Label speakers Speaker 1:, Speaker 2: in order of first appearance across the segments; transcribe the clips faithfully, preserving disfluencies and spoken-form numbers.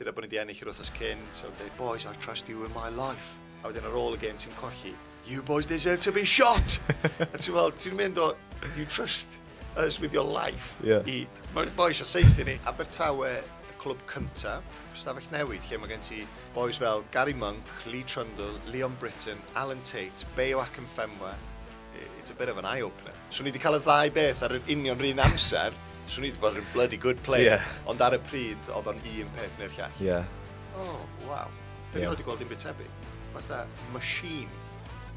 Speaker 1: Dyna bod ni wedi ennill yr wythnos cyn, so dweud, "Boys, I trust you with my life." A wedyn ar ôl y gêm ti'n colli, "You boys deserve to be shot!" A ti'n meddwl, ti'n mynd o, "You trust us with your life,"
Speaker 2: yeah.
Speaker 1: i, mae boys o saethu ni. Abertawe, y clwb cyntaf, stafell newid, lle mae gen ti boys fel Gary Monk, Lee Trundle, Leon Britton, Alan Tate, Bayo Akinfenwa. It's a bit of an eye-opener. So ni wedi cael y ddau beth ar yr union rhan amser, so ni wedi bod yn bloody good player.
Speaker 2: Yeah.
Speaker 1: Ond ar y pryd, oedd o'n un peth neu'r llall.
Speaker 2: Yeah.
Speaker 1: Oh, wow. Fe yeah. wedi gweld dim byd tebyg. Fatha machine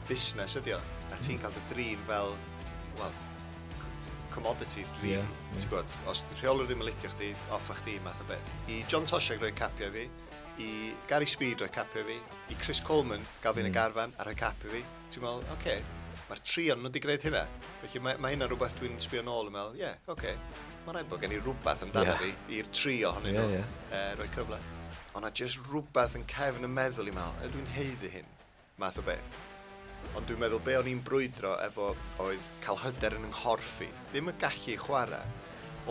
Speaker 1: busnes ydi o. A ti'n cael dy drin fel, well, commodity, really.
Speaker 2: Yeah, yeah.
Speaker 1: Ti'n gwybod, os di rheolwr ddim yn licio chdi, off â chdi, math o beth. I John Toshack roi capio fi, i Gary Speed roi capio fi, i Chris Coleman gael fi yn y
Speaker 2: mm.
Speaker 1: garfan a rhoi capio fi. Ti'n meddwl, oce, okay, mae'r tri o'n nhw wedi gwneud hynna. Felly mae, mae hynna'n rhywbeth dwi'n sbio nôl yn meddwl, ie, yeah, oce, okay, mae rhaid bod gen i rhywbeth amdano
Speaker 2: yeah.
Speaker 1: fi i'r tri ohonyn
Speaker 2: yeah,
Speaker 1: nhw
Speaker 2: yeah.
Speaker 1: uh, roi cyfle. Ond na jyst rhywbeth yn cefn y meddwl i meddwl, ydw i'n haeddu hyn, math o beth. Ond dwi'n meddwl be o'n i'n brwydro efo oedd cael hyder yn 'y nghorff i. Ddim y gallu chwarae,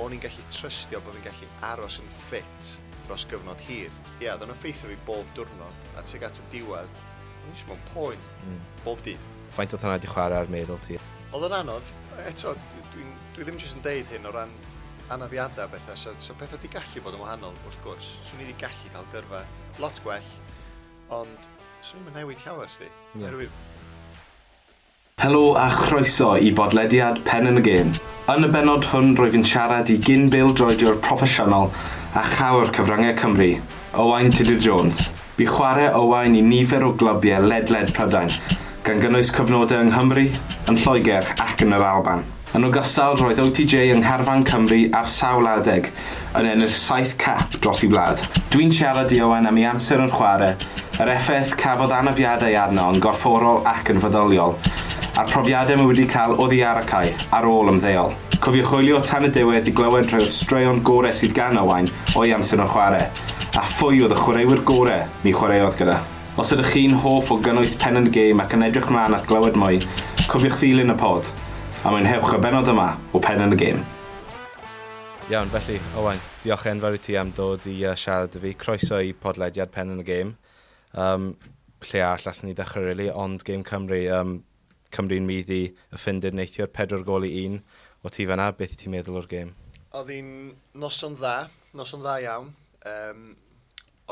Speaker 1: o'n i'n gallu trystio bod fi'n gallu aros yn ffit dros gyfnod hir. Ie, yeah, oedd o'n effeithio fi bob diwrnod, a tuag at y diwedd, o'n i jyst mewn poen,
Speaker 2: mm.
Speaker 1: bob dydd.
Speaker 2: Faint oedd hwnna wedi chwarae ar meddwl ti?
Speaker 1: Oedd o'n anodd, eto, dwi'n dwi ddim jyst yn deud hyn o ran anafiadau bethau, so, so pethau di gallu bod yn wahanol wrth gwrs. Swn i wedi gallu cael gyrfa lot gwell, ond swn i'n newid llawer, sti.
Speaker 2: Yeah.
Speaker 1: Oherwydd
Speaker 2: Helo a chroeso i bodlediad Pen yn y Gêm. Yn y benod hwn rwyf yn siarad i gyn bêl-droediwr proffesiynol a chawr cyfryngau Cymru, Owain Tudur Jones. Bu chwarae Owain i nifer o glybiau ledled Prydain, gan gynnwys cyfnodau yng Nghymru, yn Lloegr ac yn yr Alban. Yn ogystal, roedd O T J yng ngharfan Cymru ar sawl adeg yn ennill saith cap dros ei wlad. Dwi'n siarad i Owain am ei amser yn chwarae, yr effaith cafodd anafiadau arno yn gorfforol ac yn feddyliol, a'r profiadau mae wedi cael oddi ar y cae ar ôl ymddeol. Cofiwch wylio tan y diwedd i glywed rhai o'r straeon gorau sydd gan Owain o'i amser yn chwarae, a phwy oedd y chwaraewyr gorau mi chwaraeodd gyda. Os ydych chi'n hoff o gynnwys Pen yn y Gêm ac yn edrych mlaen at glywed mwy, cofiwch ddilyn y pod, a mwynhewch y benod yma o Pen yn y Gêm. Iawn, felly, Owain, diolch enfawr i ti am ddod i uh, siarad â fi. Croeso i podlediad Pen yn y Gêm. Um, lle arall allan ni ddechrau, really, ond Gêm Cymru, um, Cymru'n maeddu y Ffindir neithiwr pedwar gol i un. O ti fan'na, beth ti'n meddwl o'r gêm?
Speaker 1: Oedd hi'n noson dda, noson dda iawn. Um,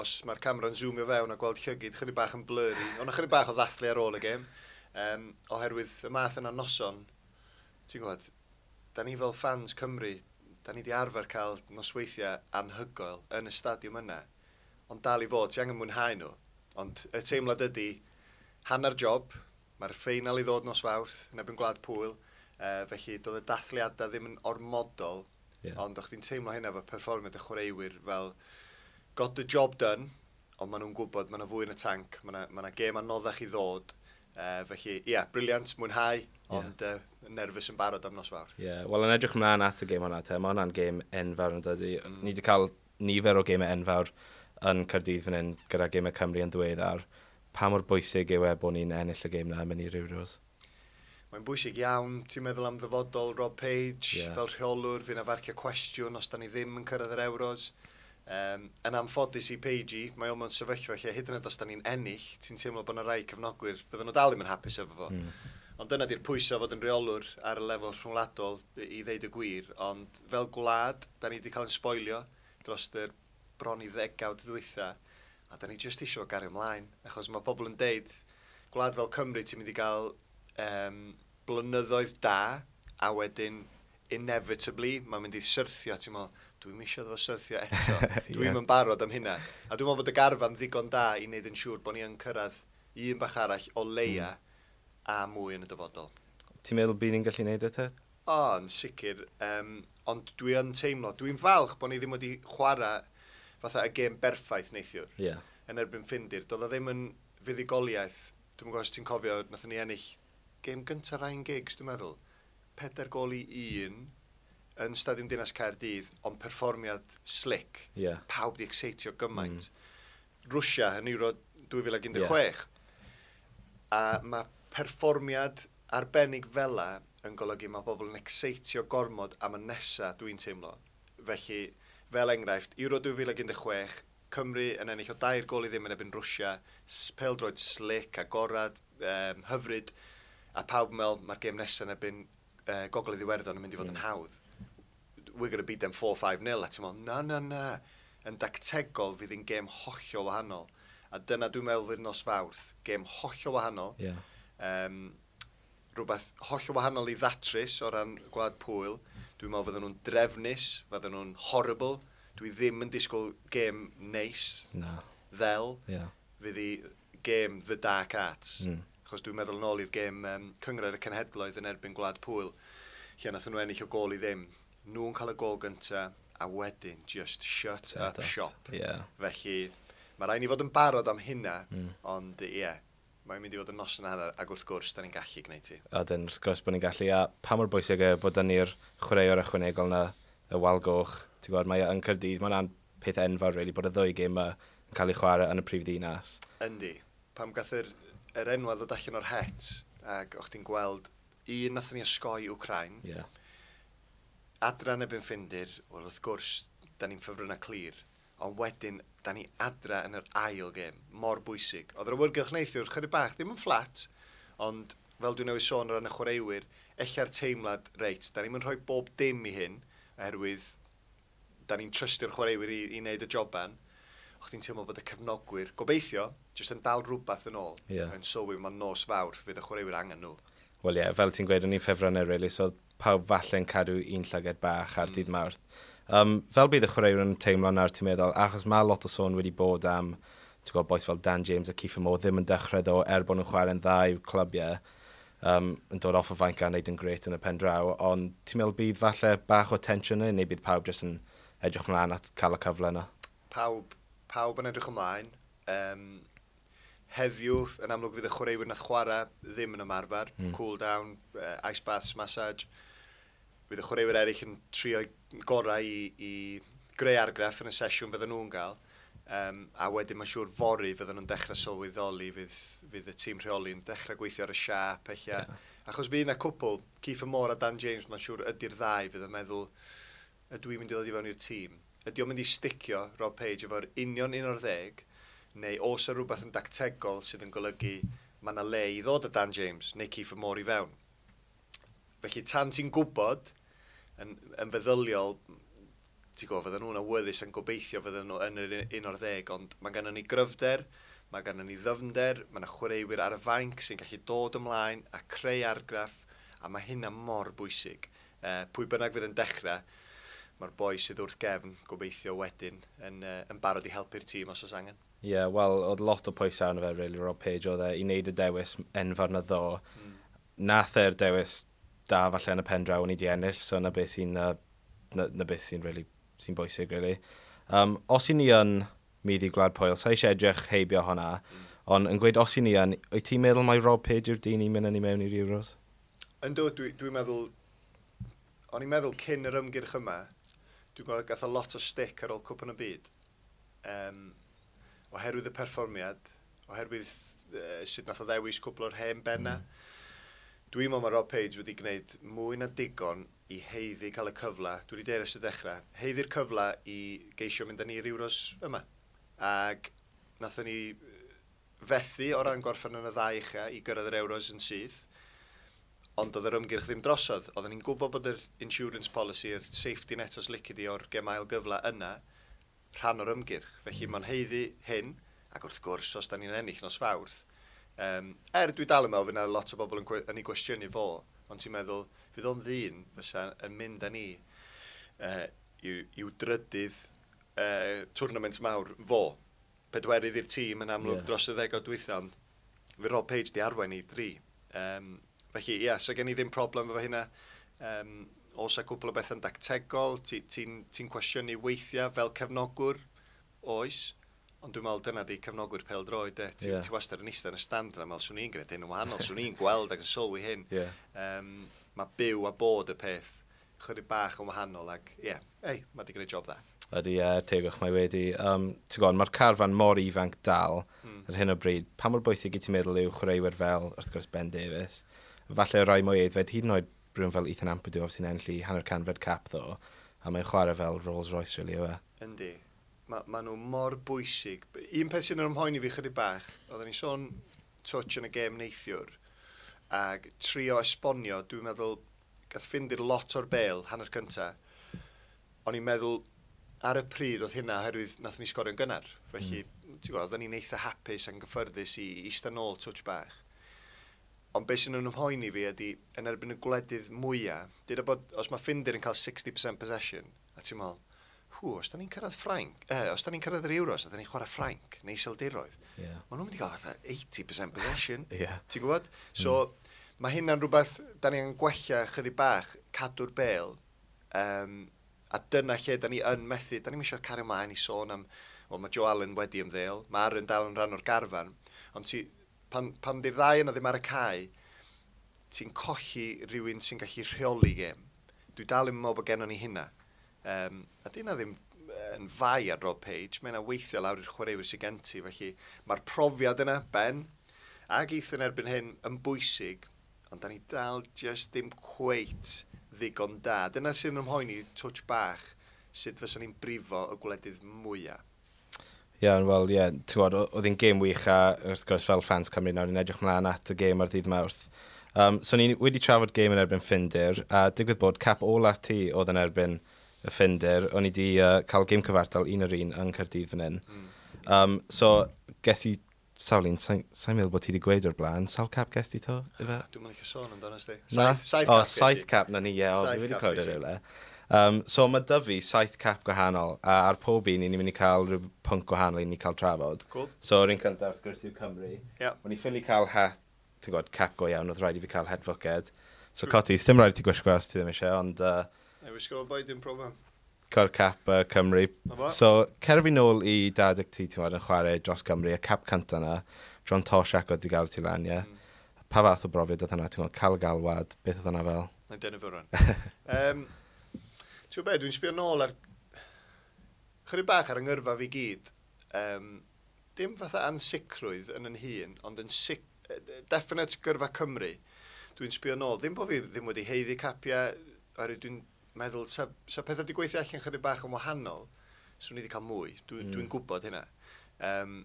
Speaker 1: os mae'r camera'n zoomio fewn a gweld llygid, chydig bach yn blurry. Ond chydig bach o ddathlu ar ôl y gêm. Um, oherwydd y math yna noson, ti'n gwybod, da ni fel fans Cymru, da ni di arfer cael nosweithiau anhygoel yn y stadiwm yna. Ond dal i fod, ti angen mwynhau nhw. Ond y teimlad ydy, hanner job, mae'r ffeinal i ddod nos Fawrth yn erbyn Gwlad Pwyl, uh, felly doedd y dathliadau ddim yn ormodol,
Speaker 2: yeah.
Speaker 1: ond o'ch ti'n teimlo hynna efo perfformiad y chwaraewyr fel got the job done, ond maen nhw'n gwybod mae yna fwy yn y tanc, mae yna ma gêm anoddach i ddod, uh, felly ie, yeah, brilliant, mwynhau, ond uh, nerfus yn barod am nos Fawrth.
Speaker 2: Ie, yeah. Wel, yn edrych mlaen at y gêm hwnna te, mae hwnna'n gêm enfawr yn dydy. Mm. Ni wedi cael nifer o gemau enfawr yn Caerdydd fan hyn gyda gemau Cymru yn ddiweddar. Pa mor bwysig yw e bod ni'n ennill y gêm na yn mynd i'r Euros?
Speaker 1: Mae'n bwysig iawn, ti'n meddwl am ddyfodol Rob Page
Speaker 2: yeah.
Speaker 1: fel rheolwr, fydd 'na farcio cwestiwn os da ni ddim yn cyrraedd yr Euros. Um, yn anffodus i Page, mae o mewn sefyllfa lle hyd yn oed os da ni'n ennill, ti'n teimlo bod yna rai cefnogwyr, fydden nhw dal ddim yn hapus efo fo.
Speaker 2: Mm.
Speaker 1: Ond dyna di'r pwysau fod yn rheolwr ar y lefel rhwngwladol i ddeud y gwir. Ond fel gwlad, da ni wedi cael yn sboilio dros yr bron i ddegawd ddwytha. A da ni jyst eisiau gario ymlaen. Achos mae pobl yn deud, gwlad fel Cymru, ti'n mynd i gael um, blynyddoedd da, a wedyn inevitably, mae'n mynd i syrthio, ti'n meddwl, dwi'n eisiau fo syrthio eto. Dwi'n
Speaker 2: yeah.
Speaker 1: yn barod am hynna. A dwi'n meddwl bod y garfan ddigon da i wneud yn siŵr bod ni yn cyrraedd un bach arall o leia mm. a mwy yn y dyfodol.
Speaker 2: Ti'n meddwl bydd ni'n gallu neud e te?
Speaker 1: O, yn sicr. Um, ond dwi yn teimlo, dwi'n falch bod ni ddim wedi chwarae fatha y gêm berffaith neithiwr
Speaker 2: Yeah.
Speaker 1: yn erbyn Ffindir. Doedd o ddim yn fuddugoliaeth. Dwi'n gwybod os ti'n cofio, nathon ni ennill gêm gyntaf Ryan Giggs, dwi'n meddwl. Pedair gol i un yn Stadiwm Dinas Caerdydd, ond perfformiad slick.
Speaker 2: Yeah.
Speaker 1: Pawb di excitio gymaint. Mm. Rwsia yn Euro dwy fil un deg chwech.
Speaker 2: Yeah.
Speaker 1: A mae perfformiad arbennig fela yn golygu mae bobl yn excitio gormod am y nesa, dwi'n teimlo. Felly, fel enghraifft, Euro dwy fil un deg chwech, Cymru yn ennill o dair gol i ddim yn erbyn Rwsia, pêl-droed slick, agorad, um, hyfryd, a pawb yn meddwl mae'r gêm nesaf yn erbyn uh, Gogledd Iwerddon yn mynd i fod mm. yn hawdd. We're going to beat them four five nil. A ti'n meddwl, na, na, na. Yn dactegol fydd hi'n gêm hollol wahanol. A dyna dwi'n meddwl fydd nos Fawrth. Gêm hollol wahanol.
Speaker 2: Yeah.
Speaker 1: Um, rhywbeth hollol wahanol i ddatrys o ran Gwlad Pwyl. Dwi'n meddwl fydden nhw'n drefnus, fydden nhw'n horrible. Dwi ddim yn disgwyl gêm neis,
Speaker 2: Na.
Speaker 1: ddel.
Speaker 2: Yeah.
Speaker 1: Fydd hi gêm The Dark Arts.
Speaker 2: Mm.
Speaker 1: Achos dwi'n meddwl yn ôl i'r gêm um, Cynghrair y Cenhedloedd yn erbyn Gwlad Pwyl, lle nath nhw ennill o gôl i ddim. Nhw'n cael y gôl gynta, a wedyn just shut
Speaker 2: Set
Speaker 1: up
Speaker 2: up.
Speaker 1: shop.
Speaker 2: Yeah.
Speaker 1: Felly, mae rhaid ni fod yn barod am hynna,
Speaker 2: Mm.
Speaker 1: ond ie, yeah, mae'n mynd i fod yn noson a hanner, ac wrth gwrs, da ni'n gallu gwneud ti.
Speaker 2: A dyn, wrth gwrs bod ni'n gallu, a pa mor bwysig e bod ni'r chwaraewr ychwanegol na, y wal goch, ti'n gwybod, mae e yn Caerdydd, mae'n peth enfawr, really, bod y ddwy gêm yma yn cael ei chwarae yn y prif ddinas.
Speaker 1: Yndi. Pam gath yr, yr enwa ddod allan o'r het, ac o'ch ti'n gweld, un nathon ni osgoi Wcrain,
Speaker 2: Yeah.
Speaker 1: adra yn erbyn Ffindir, wel wrth gwrs, da ni'n ffefrynnau clir, ond wedyn, da ni adra yn yr ail gêm, mor bwysig. Oedd yr awyrgylch neithiwr, chydig bach, ddim yn fflat, ond fel dwi'n newydd sôn o ran y chwaraewyr, ella'r teimlad, reit, da ni'n rhoi bob dim i hyn, oherwydd da ni'n trystio'r chwaraewyr i, i wneud y joban. O'ch ti'n teimlo bod y cefnogwyr, gobeithio, jyst yn dal rhywbeth yn ôl,
Speaker 2: Ie.
Speaker 1: yn sylwi mae'n nos Fawrth, fydd y chwaraewyr angen nhw.
Speaker 2: Wel ie, yeah, fel ti'n gweud, o'n i'n ffefrynnau, really, so oedd pawb falle'n cadw un llygad bach ar mm. dydd Mawrth. Um, fel bydd y chwaraewyr yn teimlo nawr, ti'n meddwl, achos mae lot o sôn wedi bod am, ti'n gwybod, bois fel Dan James a Kieffer Moore ddim yn dechrau ddo, er bod nhw'n chwarae'n dda i'w clybiau, um, yn dod off y fainc a wneud yn grêt yn y pen draw, ond ti'n meddwl bydd falle bach o tensiwn yna, neu bydd pawb jyst yn edrych ymlaen at cael y cyfle yna?
Speaker 1: Pawb, pawb yn edrych ymlaen. Um, heddiw, yn amlwg fydd y chwaraewyr nath chwarae ddim yn ymarfer.
Speaker 2: Mm.
Speaker 1: Cool down, uh, ice baths, massage. Fydd y chwaraewyr eraill yn trio gorau i, i greu argraff yn y sesiwn fydden nhw'n gael. Um, a wedyn mae'n siŵr fory fydden nhw'n dechrau sylweddoli, fydd, fydd y tîm rheoli yn dechrau gweithio ar y siâp, ella.
Speaker 2: Ie.
Speaker 1: Achos fydd yna cwpl, Kieffer Moore a Dan James, mae'n siŵr ydy'r ddau fydd yn meddwl, ydw i'n mynd i ddod i fewn i'r tîm? Ydy o'n mynd i sticio Rob Page efo'r union un o'r ddeg, neu oes yna rhywbeth yn dactegol sydd yn golygu mae yna le i ddod â Dan James neu Kieffer Moore i fewn? Felly tan ti'n gwybod, yn, yn feddyliol, ti'n gwybod, fydden nhw'n awyddus yn gobeithio fydden nhw yn yr un o'r ddeg, ond mae gennym ni gryfder, mae gennym ni ddyfnder, mae yna chwaraewyr ar y fainc sy'n gallu dod ymlaen a creu argraff, a mae hynna mor bwysig. Uh, pwy bynnag fydd yn dechrau, mae'r boi sydd wrth gefn, gobeithio wedyn, yn, uh, yn barod i helpu'r tîm os oes angen.
Speaker 2: Ie, yeah, wel, oedd lot o pwysau arno fe, really, Rob Page, oedd e, i wneud y dewis enfawr na ddo.
Speaker 1: Mm.
Speaker 2: Nath e'r dewis da falle yn y pen draw, o'n i di ennill, so na beth sy'n, uh, na, na beth sy'n really, sy'n bwysig, really. Um, os i ni yn maeddu Gwlad Pwyl, sa eisiau edrych heibio hwnna,
Speaker 1: Mm.
Speaker 2: ond yn gweud os i ni yn, wyt ti'n meddwl mai Rob Page yw'r dyn i mynd â ni mewn i'r Euros?
Speaker 1: Yndw, dwi'n dwi meddwl, o'n i'n meddwl cyn yr ymgyrch yma, dwi'n gweld gath o lot o stick ar ôl Cwpan y Byd. Um, oherwydd y perfformiad, oherwydd uh, sut nath o ddewis cwpl o'r hen benna. Mm. Dwi'n meddwl mae Rob Page wedi gwneud mwy na digon i haeddu cael y cyfle, dwi wedi deud ers y dechrau, haeddu'r cyfle i geisio mynd â ni i'r Euros yma. Ac nathon ni fethu o ran gorffen yn y ddau ucha i gyrraedd yr Euros yn syth, ond oedd yr ymgyrch ddim drosodd. Oedden ni'n gwybod bod yr insurance policy, yr safety net os lici di o'r gem ail gyfle yna, rhan o'r ymgyrch. Felly mae'n haeddu hyn, ac wrth gwrs, os da ni'n ennill nos Fawrth, um, er dwi dal yn meddwl fydd yna lot o bobl yn, gwe- yn ei gwestiynu fo, ond ti'n meddwl, fydd o'n ddyn fysa yn mynd â ni uh, i'w, i'w drydydd uh, tournament mawr fo. Pedwerydd i'r tîm yn amlwg
Speaker 2: Ie.
Speaker 1: yeah. dros y ddegawd dwytha, ond fydd Rob Page di arwain i dri. Um, felly, ie, yeah, so gen i ddim problem efo hynna. Um, oes a cwpl o bethau'n dactegol, ti'n ti, ti cwestiynu weithiau fel cefnogwr, oes, ond dwi'n meddwl dyna di cefnogwyr pêl-droed, de. Ti,
Speaker 2: Ie.
Speaker 1: yeah. ti wastad yn eistedd yn y stand yna, meddwl, swn i'n gwneud hyn yn wahanol, swn i'n gweld ac yn sylwi hyn.
Speaker 2: Ie.
Speaker 1: Um, mae byw a bod y peth chydig bach yn wahanol ac, ie, yeah, ei, mae di gwneud job dda.
Speaker 2: Ydy, ie, tegwch mae wedi. Um, ti'n gwybod, mae'r carfan mor ifanc dal
Speaker 1: Mm.
Speaker 2: ar hyn o bryd. Pa mor bwysig i ti'n meddwl yw chwaraewyr fel, wrth gwrs, Ben Davies? Falle rai mwy aeddfed, hyd yn oed rhywun fel Ethan Ampadu, sy'n ennill hanner canfed cap ddo, a mae'n chwarae fel Rolls Royce, really, yw e?
Speaker 1: Yndi. Ma, ma nhw mor bwysig. Un peth sy'n yn ymhoeni fi chydig bach, oedden ni sôn touch yn y gêm neithiwr, ag trio esbonio, dwi'n meddwl, gath Ffindir lot o'r bel hanner cynta. O'n i'n meddwl, ar y pryd oedd hynna oherwydd nath ni sgorio'n gynnar. Felly, mm. ti'n gwybod, oedden ni'n eitha hapus a'n gyffyrddus i eistedd nôl touch bach. Ond beth sy'n yn ymhoeni fi ydy, yn erbyn y gwledydd mwyaf, dyda bod, os mae Ffindir yn cael saith deg y cant possession, a ti'n meddwl, hw, os da ni'n cyrraedd Ffrainc, eh, os da ni'n cyrraedd yr Euros, a da ni'n chwarae Ffrainc, neu Iseldiroedd,
Speaker 2: Yeah.
Speaker 1: maen nhw'n mynd i gael fatha wyth deg y cant possession.
Speaker 2: Yeah.
Speaker 1: Ti'n gwybod? So, mm. mae hynna'n rhywbeth, da ni angen gwella chydig bach, cadw'r bel, um, a dyna lle da ni yn methu, da ni'n eisiau cario ymlaen i sôn am, wel, mae Joe Allen wedi ymddeol, mae Aaron dal yn rhan o'r garfan, ond ti, pan, pan di'r ddau yna ddim ar y cae, ti'n colli rhywun sy'n gallu rheoli gêm. Dwi dal yn meddwl bod gennon ni hynna. Um, a di hynna ddim yn fai ar Rob Page, mae yna weithio lawr i'r chwaraewyr sydd gen ti, felly mae'r profiad yna, Ben, ac Ethan erbyn hyn yn bwysig, ond da ni dal just ddim cweit ddigon da. Dyna sy'n ymhoeni touch bach, sut fysa ni'n brifo y gwledydd mwyaf.
Speaker 2: Ie, yeah, wel, ie, yeah, ti'n gwybod, oedd hi'n gêm wych a wrth gwrs fel fans Cymru nawr ni'n edrych mlaen at y gêm ar ddydd Mawrth. Um, so ni wedi trafod gêm yn erbyn Ffindir, a digwydd bod cap olaf ti oedd yn erbyn y Ffindir, o'n i di uh, cael gêm cyfartal un yr un yng Nghaerdydd fan hyn. Mm. Um, so, ges i sawl un, sa'n sa meddwl bod ti wedi gweud o'r blaen, sawl cap ges ti to? Ife?
Speaker 1: Dwi'n mynd i sôn amdano sti.
Speaker 2: Na?
Speaker 1: Saith, saith
Speaker 2: O,
Speaker 1: cap ges i.
Speaker 2: Saith cap na ni, ie, o,
Speaker 1: Saith
Speaker 2: fi wedi
Speaker 1: cap
Speaker 2: clywed
Speaker 1: ges
Speaker 2: e
Speaker 1: i.
Speaker 2: rhywle. Um, so mae 'da fi saith cap gwahanol, a ar pob un, ni'n mynd i cael rhyw pwnc gwahanol i ni cael trafod.
Speaker 1: Cool.
Speaker 2: So, yr un cyntaf, wrth gwrs, yw Cymru.
Speaker 1: Ie.
Speaker 2: O'n i ffili cael het, ti'n gwybod, cap go iawn, oedd rhaid i fi cael het fwced. So, Coti, dim rhaid i ti gwisgo os ti ddim eisiau, ond uh,
Speaker 1: Ne, wisgo fo boi, dim problem.
Speaker 2: Cael cap uh, Cymru.
Speaker 1: Na fo.
Speaker 2: So, cer fi nôl i dad ti, ti'n gwybod, yn chwarae dros Cymru, y cap cynta na, John Toshack oedd di gael ti lan, ie. Mm. Pa fath o brofiad oedd hwnna, ti'n gwybod, cael galwad, beth oedd hwnna fel?
Speaker 1: Na i dynnu fo rwan. um, ti'n gwybod be, dwi'n sbio nôl ar... Chydig bach ar yng ngyrfa fi gyd. Um, dim fatha ansicrwydd yn yn hun, ond yn sic, definite gyrfa Cymru. Dwi'n sbio nôl. Ddim bod fi ddim wedi haeddu capiau, oherwydd dwi'n meddwl, sa, sa pethau wedi gweithio allan chydig bach yn wahanol, swn i wedi cael mwy. Dwi, mm. Dwi'n gwybod hynna. Um,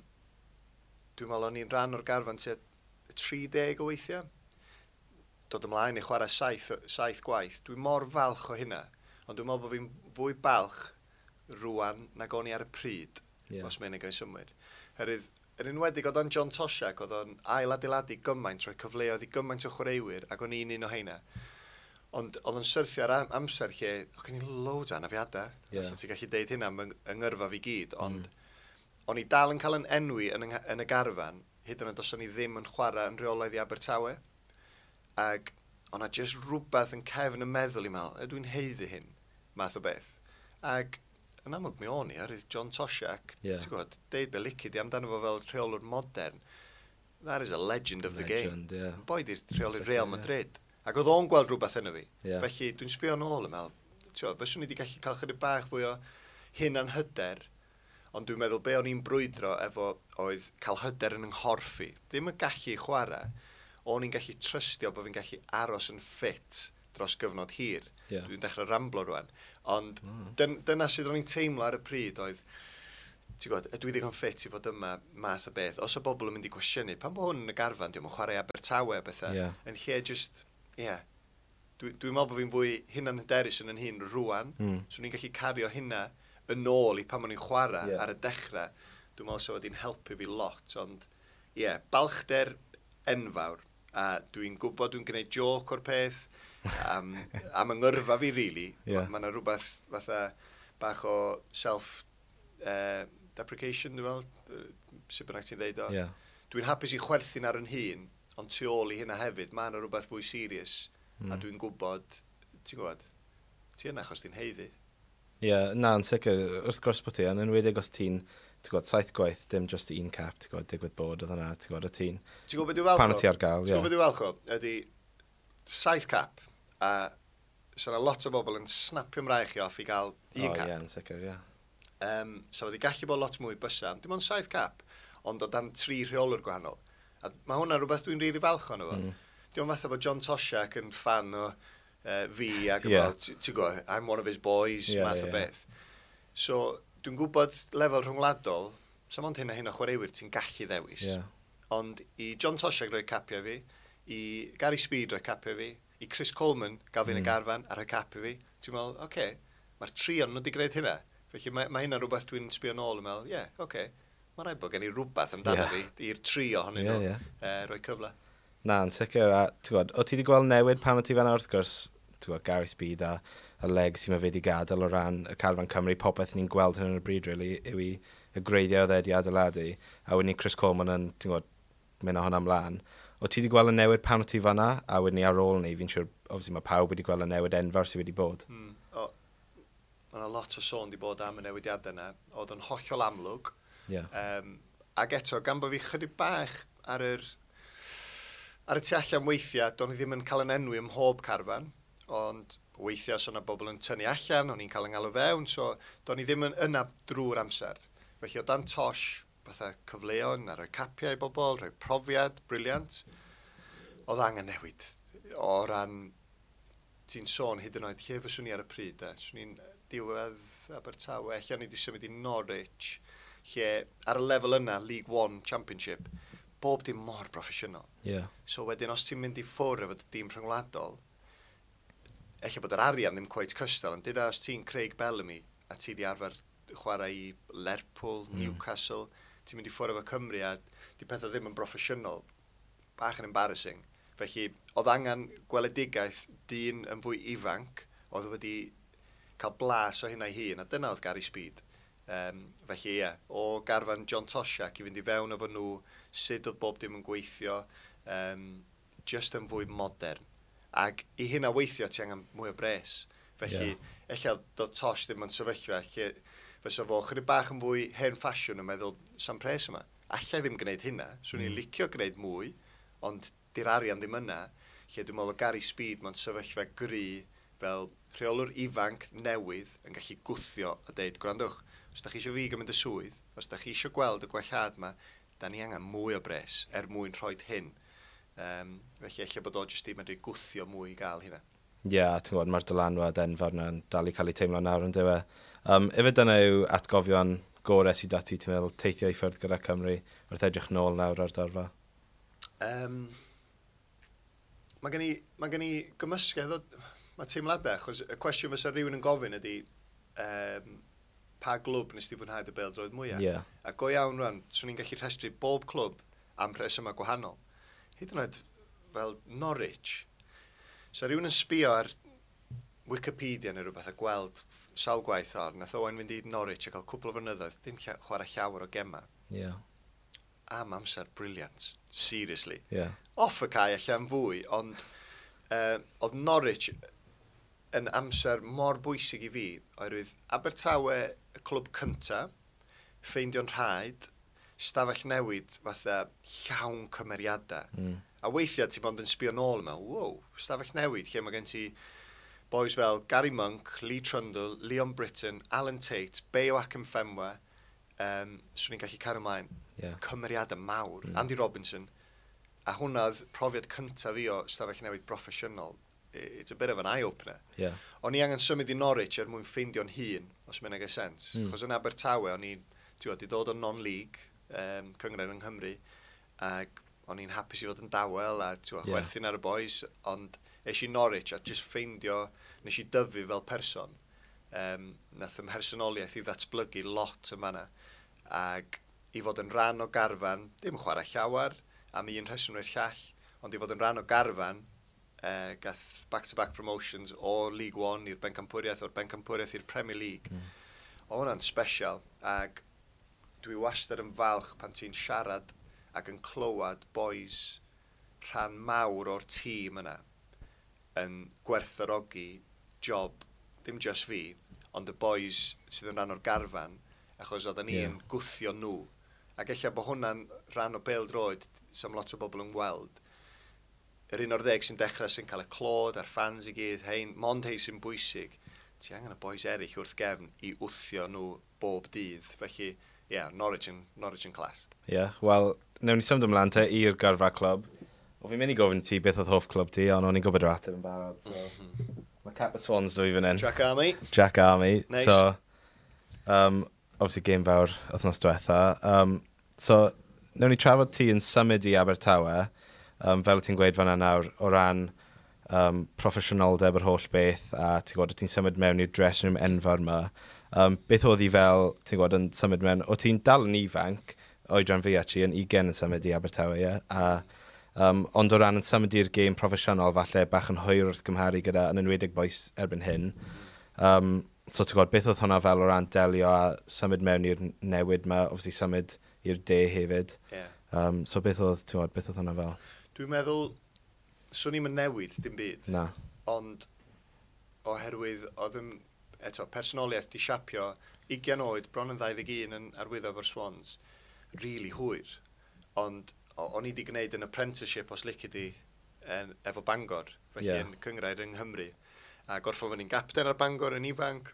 Speaker 1: dwi'n meddwl o'n i'n rhan o'r garfan tua tri deg o weithiau. Dod ymlaen i chwarae saith, saith gwaith. Dwi'n mor falch o hynna. Ond dwi'n meddwl bod fi'n fwy balch rwan nag o'n i ar y pryd,
Speaker 2: Ie.
Speaker 1: yeah. Os mae'n ei symud. Herwydd, yn enwedig oedd o'n John Toshack, oedd o'n ail adeiladu gymaint, rhoi cyfleoedd i gymaint o chwaraewyr, ac o'n i'n un o heina. Ond oedd o'n syrthio ar am- amser lle, oedd gen i loads o anafiadau.
Speaker 2: Ie.
Speaker 1: Yeah. Os ti'n gallu deud hynna am yng yng ngyrfa fi gyd, ond mm. o'n i dal yn cael yn enwi yn, yng- yn y garfan, hyd yn oed os o'n i ddim yn chwarae yn rheolaidd i Abertawe. Ac o'na just rhywbeth yn cefn y meddwl i meddwl, ydw i'n haeddu hyn, math o beth. Ac yn amlwg mi o'n i, oherwydd John Toshack,
Speaker 2: Ie.
Speaker 1: ti'n gwybod, deud be lici di amdano fo fel rheolwr modern, that is a legend of the game.
Speaker 2: Legend, ie.
Speaker 1: Boi di rheoli
Speaker 2: Sicr,
Speaker 1: Real
Speaker 2: ie.
Speaker 1: Madrid. Ac oedd o'n gweld rhywbeth yno fi.
Speaker 2: Ie.
Speaker 1: Felly dwi'n sbio nôl yn meddwl, ti'n gwybod, fyswn i wedi gallu cael chydig bach fwy o hunan hyder, ond dwi'n meddwl be o'n i'n brwydro efo oedd cael hyder yn yng nghorff i. Ddim yn gallu chwarae, o'n i'n gallu trystio bod fi'n gallu aros yn ffit dros gyfnod hir.
Speaker 2: Ie.
Speaker 1: Dwi'n dechrau ramblo rwan. Ond mm. dyn, dyna sydd o'n i'n teimlo ar y pryd oedd, ti'n gwybod, ydw i ddigon ffit i fod yma math o beth. Os o bobl yn mynd i gwestiynu, pan bod hwn yn y garfan, diolch yn chwarae Abertawe a bethau,
Speaker 2: Ie.
Speaker 1: yn lle just, ie, yeah, dwi, dwi'n meddwl bod fi'n fwy hunan hyderus yn yn hun rwan,
Speaker 2: Mm.
Speaker 1: so ni'n gallu cario hynna yn ôl i pan o'n i'n chwarae
Speaker 2: Ie.
Speaker 1: ar y dechrau. Dwi'n meddwl sa wedi'n helpu fi lot, ond ie, yeah, balchder enfawr, a dwi'n gwybod dwi'n gwneud joc o'r peth, am, am yng ngyrfa fi, really.
Speaker 2: Ie.
Speaker 1: Mae yna rhywbeth fatha bach o self uh, deprecation, dwi'n meddwl, yy, sut bynnag ti'n ddeud o.
Speaker 2: Ie.
Speaker 1: Dwi'n hapus i chwerthin ar yn hun, ond tu ôl i hynna hefyd, mae yna rhywbeth fwy serious, mm. a dwi'n gwybod, ti'n gwybod, ti yna achos ti'n haeddu.
Speaker 2: Ie, yeah, na, yn sicr, wrth gwrs bod ti, yn enwedig os ti'n, ti'n gwybod, saith gwaith, dim just un cap, ti'n gwybod, digwydd bod oedd hwnna, ti'n gwybod, o ti'n,
Speaker 1: Ti'n gwybod beth dwi'n falch o?
Speaker 2: Pan o ti ar gael,
Speaker 1: Ti'n
Speaker 2: ie.
Speaker 1: gwybod beth dwi'n falch o? Ydy saith cap, a so yna lot o bobl yn snapio mraich i off i gael un
Speaker 2: O,
Speaker 1: cap.
Speaker 2: ie, yn sicr, ie.
Speaker 1: Um, so wedi gallu bod lot mwy bysa, dim ond saith cap, ond o dan tri rheolwr gwahanol. A mae hwnna'n rhywbeth dwi'n rili really falch ono fo. Mm. Diolch fatha bod John Toshack yn fan o uh, fi ac
Speaker 2: Ie.
Speaker 1: yeah. ti'n gwybod, I'm one of his boys,
Speaker 2: Ie,
Speaker 1: yeah, math
Speaker 2: ie,
Speaker 1: o
Speaker 2: ie.
Speaker 1: beth. So, Dwi'n gwybod lefel rhwngwladol, so mond hyn a hyn o chwaraewyr ti'n gallu ddewis.
Speaker 2: Yeah.
Speaker 1: Ond i John Toshack roi capiau fi, i Gary Speed roi capiau fi, i Chris Coleman gael fi yn y
Speaker 2: Mm.
Speaker 1: garfan a rhoi cap i fi, ti'n meddwl, oce, okay, mae'r tri o'n nhw wedi gwneud hynna. Felly mae, mae hynna'n rhywbeth dwi'n sbio nôl yn meddwl, ie, yeah, oce, okay, mae rhaid bod gen i rhywbeth amdano
Speaker 2: Ie.
Speaker 1: fi i'r tri ohonyn
Speaker 2: Ie,
Speaker 1: nhw
Speaker 2: ie.
Speaker 1: uh, rhoi cyfle.
Speaker 2: Na, yn sicr, a ti'n gwybod, o ti wedi gweld newid pan o ti fan'na wrth gwrs, ti'n gwybod, Gary Speed a y legacy mae fe wedi gadael o ran y carfan Cymru, popeth ni'n gweld hyn yn y bryd, really, yw i y gwreiddiau oedd e wedi adeiladu, a wedyn ni Chris Coleman yn, ti'n gwybod, mynd â hwnna ymlaen. O ti wedi gweld y newid pan o ti fan'na, a wedyn ni ar ôl ni, fi'n siŵr, obviously mae pawb wedi gweld y newid enfawr sydd wedi bod.
Speaker 1: Mm. O, mae yna lot o sôn wedi bod am y newidiadau yna. Oedd yn hollol amlwg.
Speaker 2: Yeah.
Speaker 1: Um, ac eto, gan bod fi chydig bach ar yr, ar y tu allan weithiau, do'n i ddim yn cael yn enwi ym mhob carfan, ond weithiau os o'na bobl yn tynnu allan, o'n i'n cael yn galw fewn, so do'n i ddim yn yna drwy'r amser. Felly o dan Tosh, fatha cyfleon, a rhoi capiau i bobl, rhoi profiad, brilliant. Oedd angen newid o ran, ti'n sôn hyd yn oed, lle fyswn i ar y pryd, e? Swn i'n diwedd Abertawe, lle o'n i wedi symud i Norwich, lle ar y lefel yna, League One Championship, bob dim mor broffesiynol.
Speaker 2: Yeah.
Speaker 1: So wedyn, os ti'n mynd i ffwrdd efo dy dîm rhyngwladol, ella bod yr arian ddim quite cystal, ond dyda os ti'n Craig Bellamy a ti di arfer chwarae i Lerpwl, mm. Newcastle, ti'n mynd i ffwrdd efo Cymru a di pethau ddim yn broffesiynol, bach yn embarrassing. Felly, oedd angen gweledigaeth dyn yn fwy ifanc, oedd wedi cael blas o hynna ei hun, a dyna oedd Gary Speed. Um, felly ie, o garfan John Toshack i fynd i fewn efo nhw, sut oedd bob dim yn gweithio, um, just yn fwy modern. Ac i hynna weithio, ti angen mwy o bres. Felly,
Speaker 2: Ie.
Speaker 1: yeah. ella doedd Tosh ddim yn sefyllfa lle fysa fo chydig bach yn fwy hen ffasiwn yn meddwl, sam pres yma. Alla i ddim gwneud hynna, swn i'n
Speaker 2: Mm.
Speaker 1: licio gwneud mwy, ond di'r arian ddim yna, lle dwi'n meddwl o Gary Speed mewn sefyllfa gry fel rheolwr ifanc newydd yn gallu gwthio a deud, gwrandwch, os da chi eisiau fi gymryd y swydd, os da chi eisiau gweld y gwellhad yma, da ni angen mwy o bres er mwyn rhoi hyn. Um, felly ella bod o jyst i medru gwthio mwy i gael hynna.
Speaker 2: Ie, yeah, ti'n gwybod, mae'r dylanwad enfawr yna'n dal i cael ei teimlo nawr yn dyw e. Um, ife dyna yw atgofion gorau sydd 'da ti, ti'n meddwl, teithio i ffwrdd gyda Cymru wrth edrych nôl nawr ar dorfa?
Speaker 1: Um, mae gen i, mae gen i gymysgedd o, mae teimladau, achos y cwestiwn fysa rhywun yn gofyn ydy um, pa glwb nes ti fwynhau dy bêl-droed mwyaf?
Speaker 2: Ie.
Speaker 1: A go iawn rwan, swn i'n gallu rhestru bob clwb am rhesymau gwahanol. Hyd yn oed fel Norwich. So rhywun yn sbio ar Wikipedia neu rhywbeth a gweld sawl gwaith ar, nath Owain fynd i Norwich a cael cwpl o flynyddoedd, dim lla- chwarae llawer o gema.
Speaker 2: Ie.
Speaker 1: Am amser brilliant, seriously.
Speaker 2: Ie.
Speaker 1: Off y cae allan fwy, ond uh, oedd Norwich yn amser mor bwysig i fi, oherwydd Abertawe y clwb cynta, ffeindio'n rhaid, stafell newid fatha llawn cymeriadau.
Speaker 2: Mm.
Speaker 1: A weithiau ti bond yn sbio nôl yma, wow, stafell newid, lle mae gen ti boys fel Gary Monk, Lee Trundle, Leon Britton, Alan Tate, Bayo Akinfenwa, um, swn i'n gallu cario ymlaen,
Speaker 2: Ie.
Speaker 1: cymeriadau mawr,
Speaker 2: Mm.
Speaker 1: mm. Andy Robinson, a hwnna oedd profiad cyntaf fi o stafell newid broffesiynol. I- It's a bit of an eye-opener.
Speaker 2: Ie.
Speaker 1: O'n i angen symud i Norwich er mwyn ffeindio'n hun, os mae'n neud sens.
Speaker 2: Mm.
Speaker 1: Mm. Chos yn Abertawe, o'n i'n, ti'n gwbod, 'di dod o non-league, um, cynghrair yng Nghymru, ac o'n i'n hapus i fod yn dawel a ti'n gwbod,
Speaker 2: Ie.
Speaker 1: chwerthin ar y boys, ond es i Norwich a just ffeindio, nes i dyfu fel person. Um, nath ym mhersonoliaeth i ddatblygu lot yn fanna. Ac i fod yn rhan o garfan, dim chwarae llawer, am un rheswm neu'r llall, ond i fod yn rhan o garfan, uh, gath back-to-back promotions o League One i'r Bencampwriaeth, o'r Bencampwriaeth i'r Premier League.
Speaker 2: Mm.
Speaker 1: O hwnna'n special, ac dwi wastad yn falch pan ti'n siarad ac yn clywed boys rhan mawr o'r tîm yna yn gwerthfawrogi job, dim just fi, ond y boys sydd yn rhan o'r garfan, achos oedden ni'n
Speaker 2: Ie.
Speaker 1: yeah. gwthio nhw. Ac ella bod hwnna'n rhan o bêl-droed, sam lot o bobl yn weld. Yr un o'r ddeg sy'n dechrau sy'n cael y clod a'r fans i gyd, hein, mond hei sy'n bwysig. Ti angen y boys eraill wrth gefn i wthio nhw bob dydd. Felly, ie, yeah, Norwich yn, Norwich yn class.
Speaker 2: Ie, yeah, wel, newn ni symud ymlaen te i'r gyrfa clwb. O fi'n mynd i gofyn ti beth oedd hoff clwb ti, ond o'n i'n gwybod yr ateb yn barod, so... Mae Cap y Swans 'da fi fan hyn.
Speaker 1: Jack Army.
Speaker 2: Jack Army.
Speaker 1: Nice.
Speaker 2: So, um, obviously game fawr wythnos diwetha. Um, so, newn ni trafod ti yn symud i Abertawe, um, fel ti'n gweud fan'na nawr, o ran um, proffesiynoldeb yr holl beth, a ti'n gwybod, ti'n symud mewn i'r dressing room enfawr yma. Um, beth oedd hi fel, ti'n gwybod, yn symud mewn, o ti'n dal yn ifanc, oedran fi actually, yn ugain yn symud i Abertawe, ie? A, um, ond o ran yn symud i'r gêm proffesiynol, falle bach yn hwyr wrth gymharu gyda, yn enwedig bois erbyn hyn. Um, so ti'n gwybod, beth oedd hwnna fel o ran delio a symud mewn i'r newid yma, obviously symud i'r de hefyd.
Speaker 1: Yeah.
Speaker 2: Um, so beth oedd, ti'n gwybod, beth oedd hwnna fel?
Speaker 1: Dwi'n meddwl, swn i'm yn newid dim byd.
Speaker 2: Na.
Speaker 1: Ond oherwydd oedd yn, eto, personoliaeth di siapio, ugain oed, bron yn ddau ddeg un yn arwyddo efo'r Swans, really hwyr. Ond o'n i wedi gwneud yn apprenticeship, os lici di, en, efo Bangor, felly
Speaker 2: Ie.
Speaker 1: yeah. yn cyngrair yng Nghymru. A gorffod fyny'n gapten ar Bangor yn ifanc,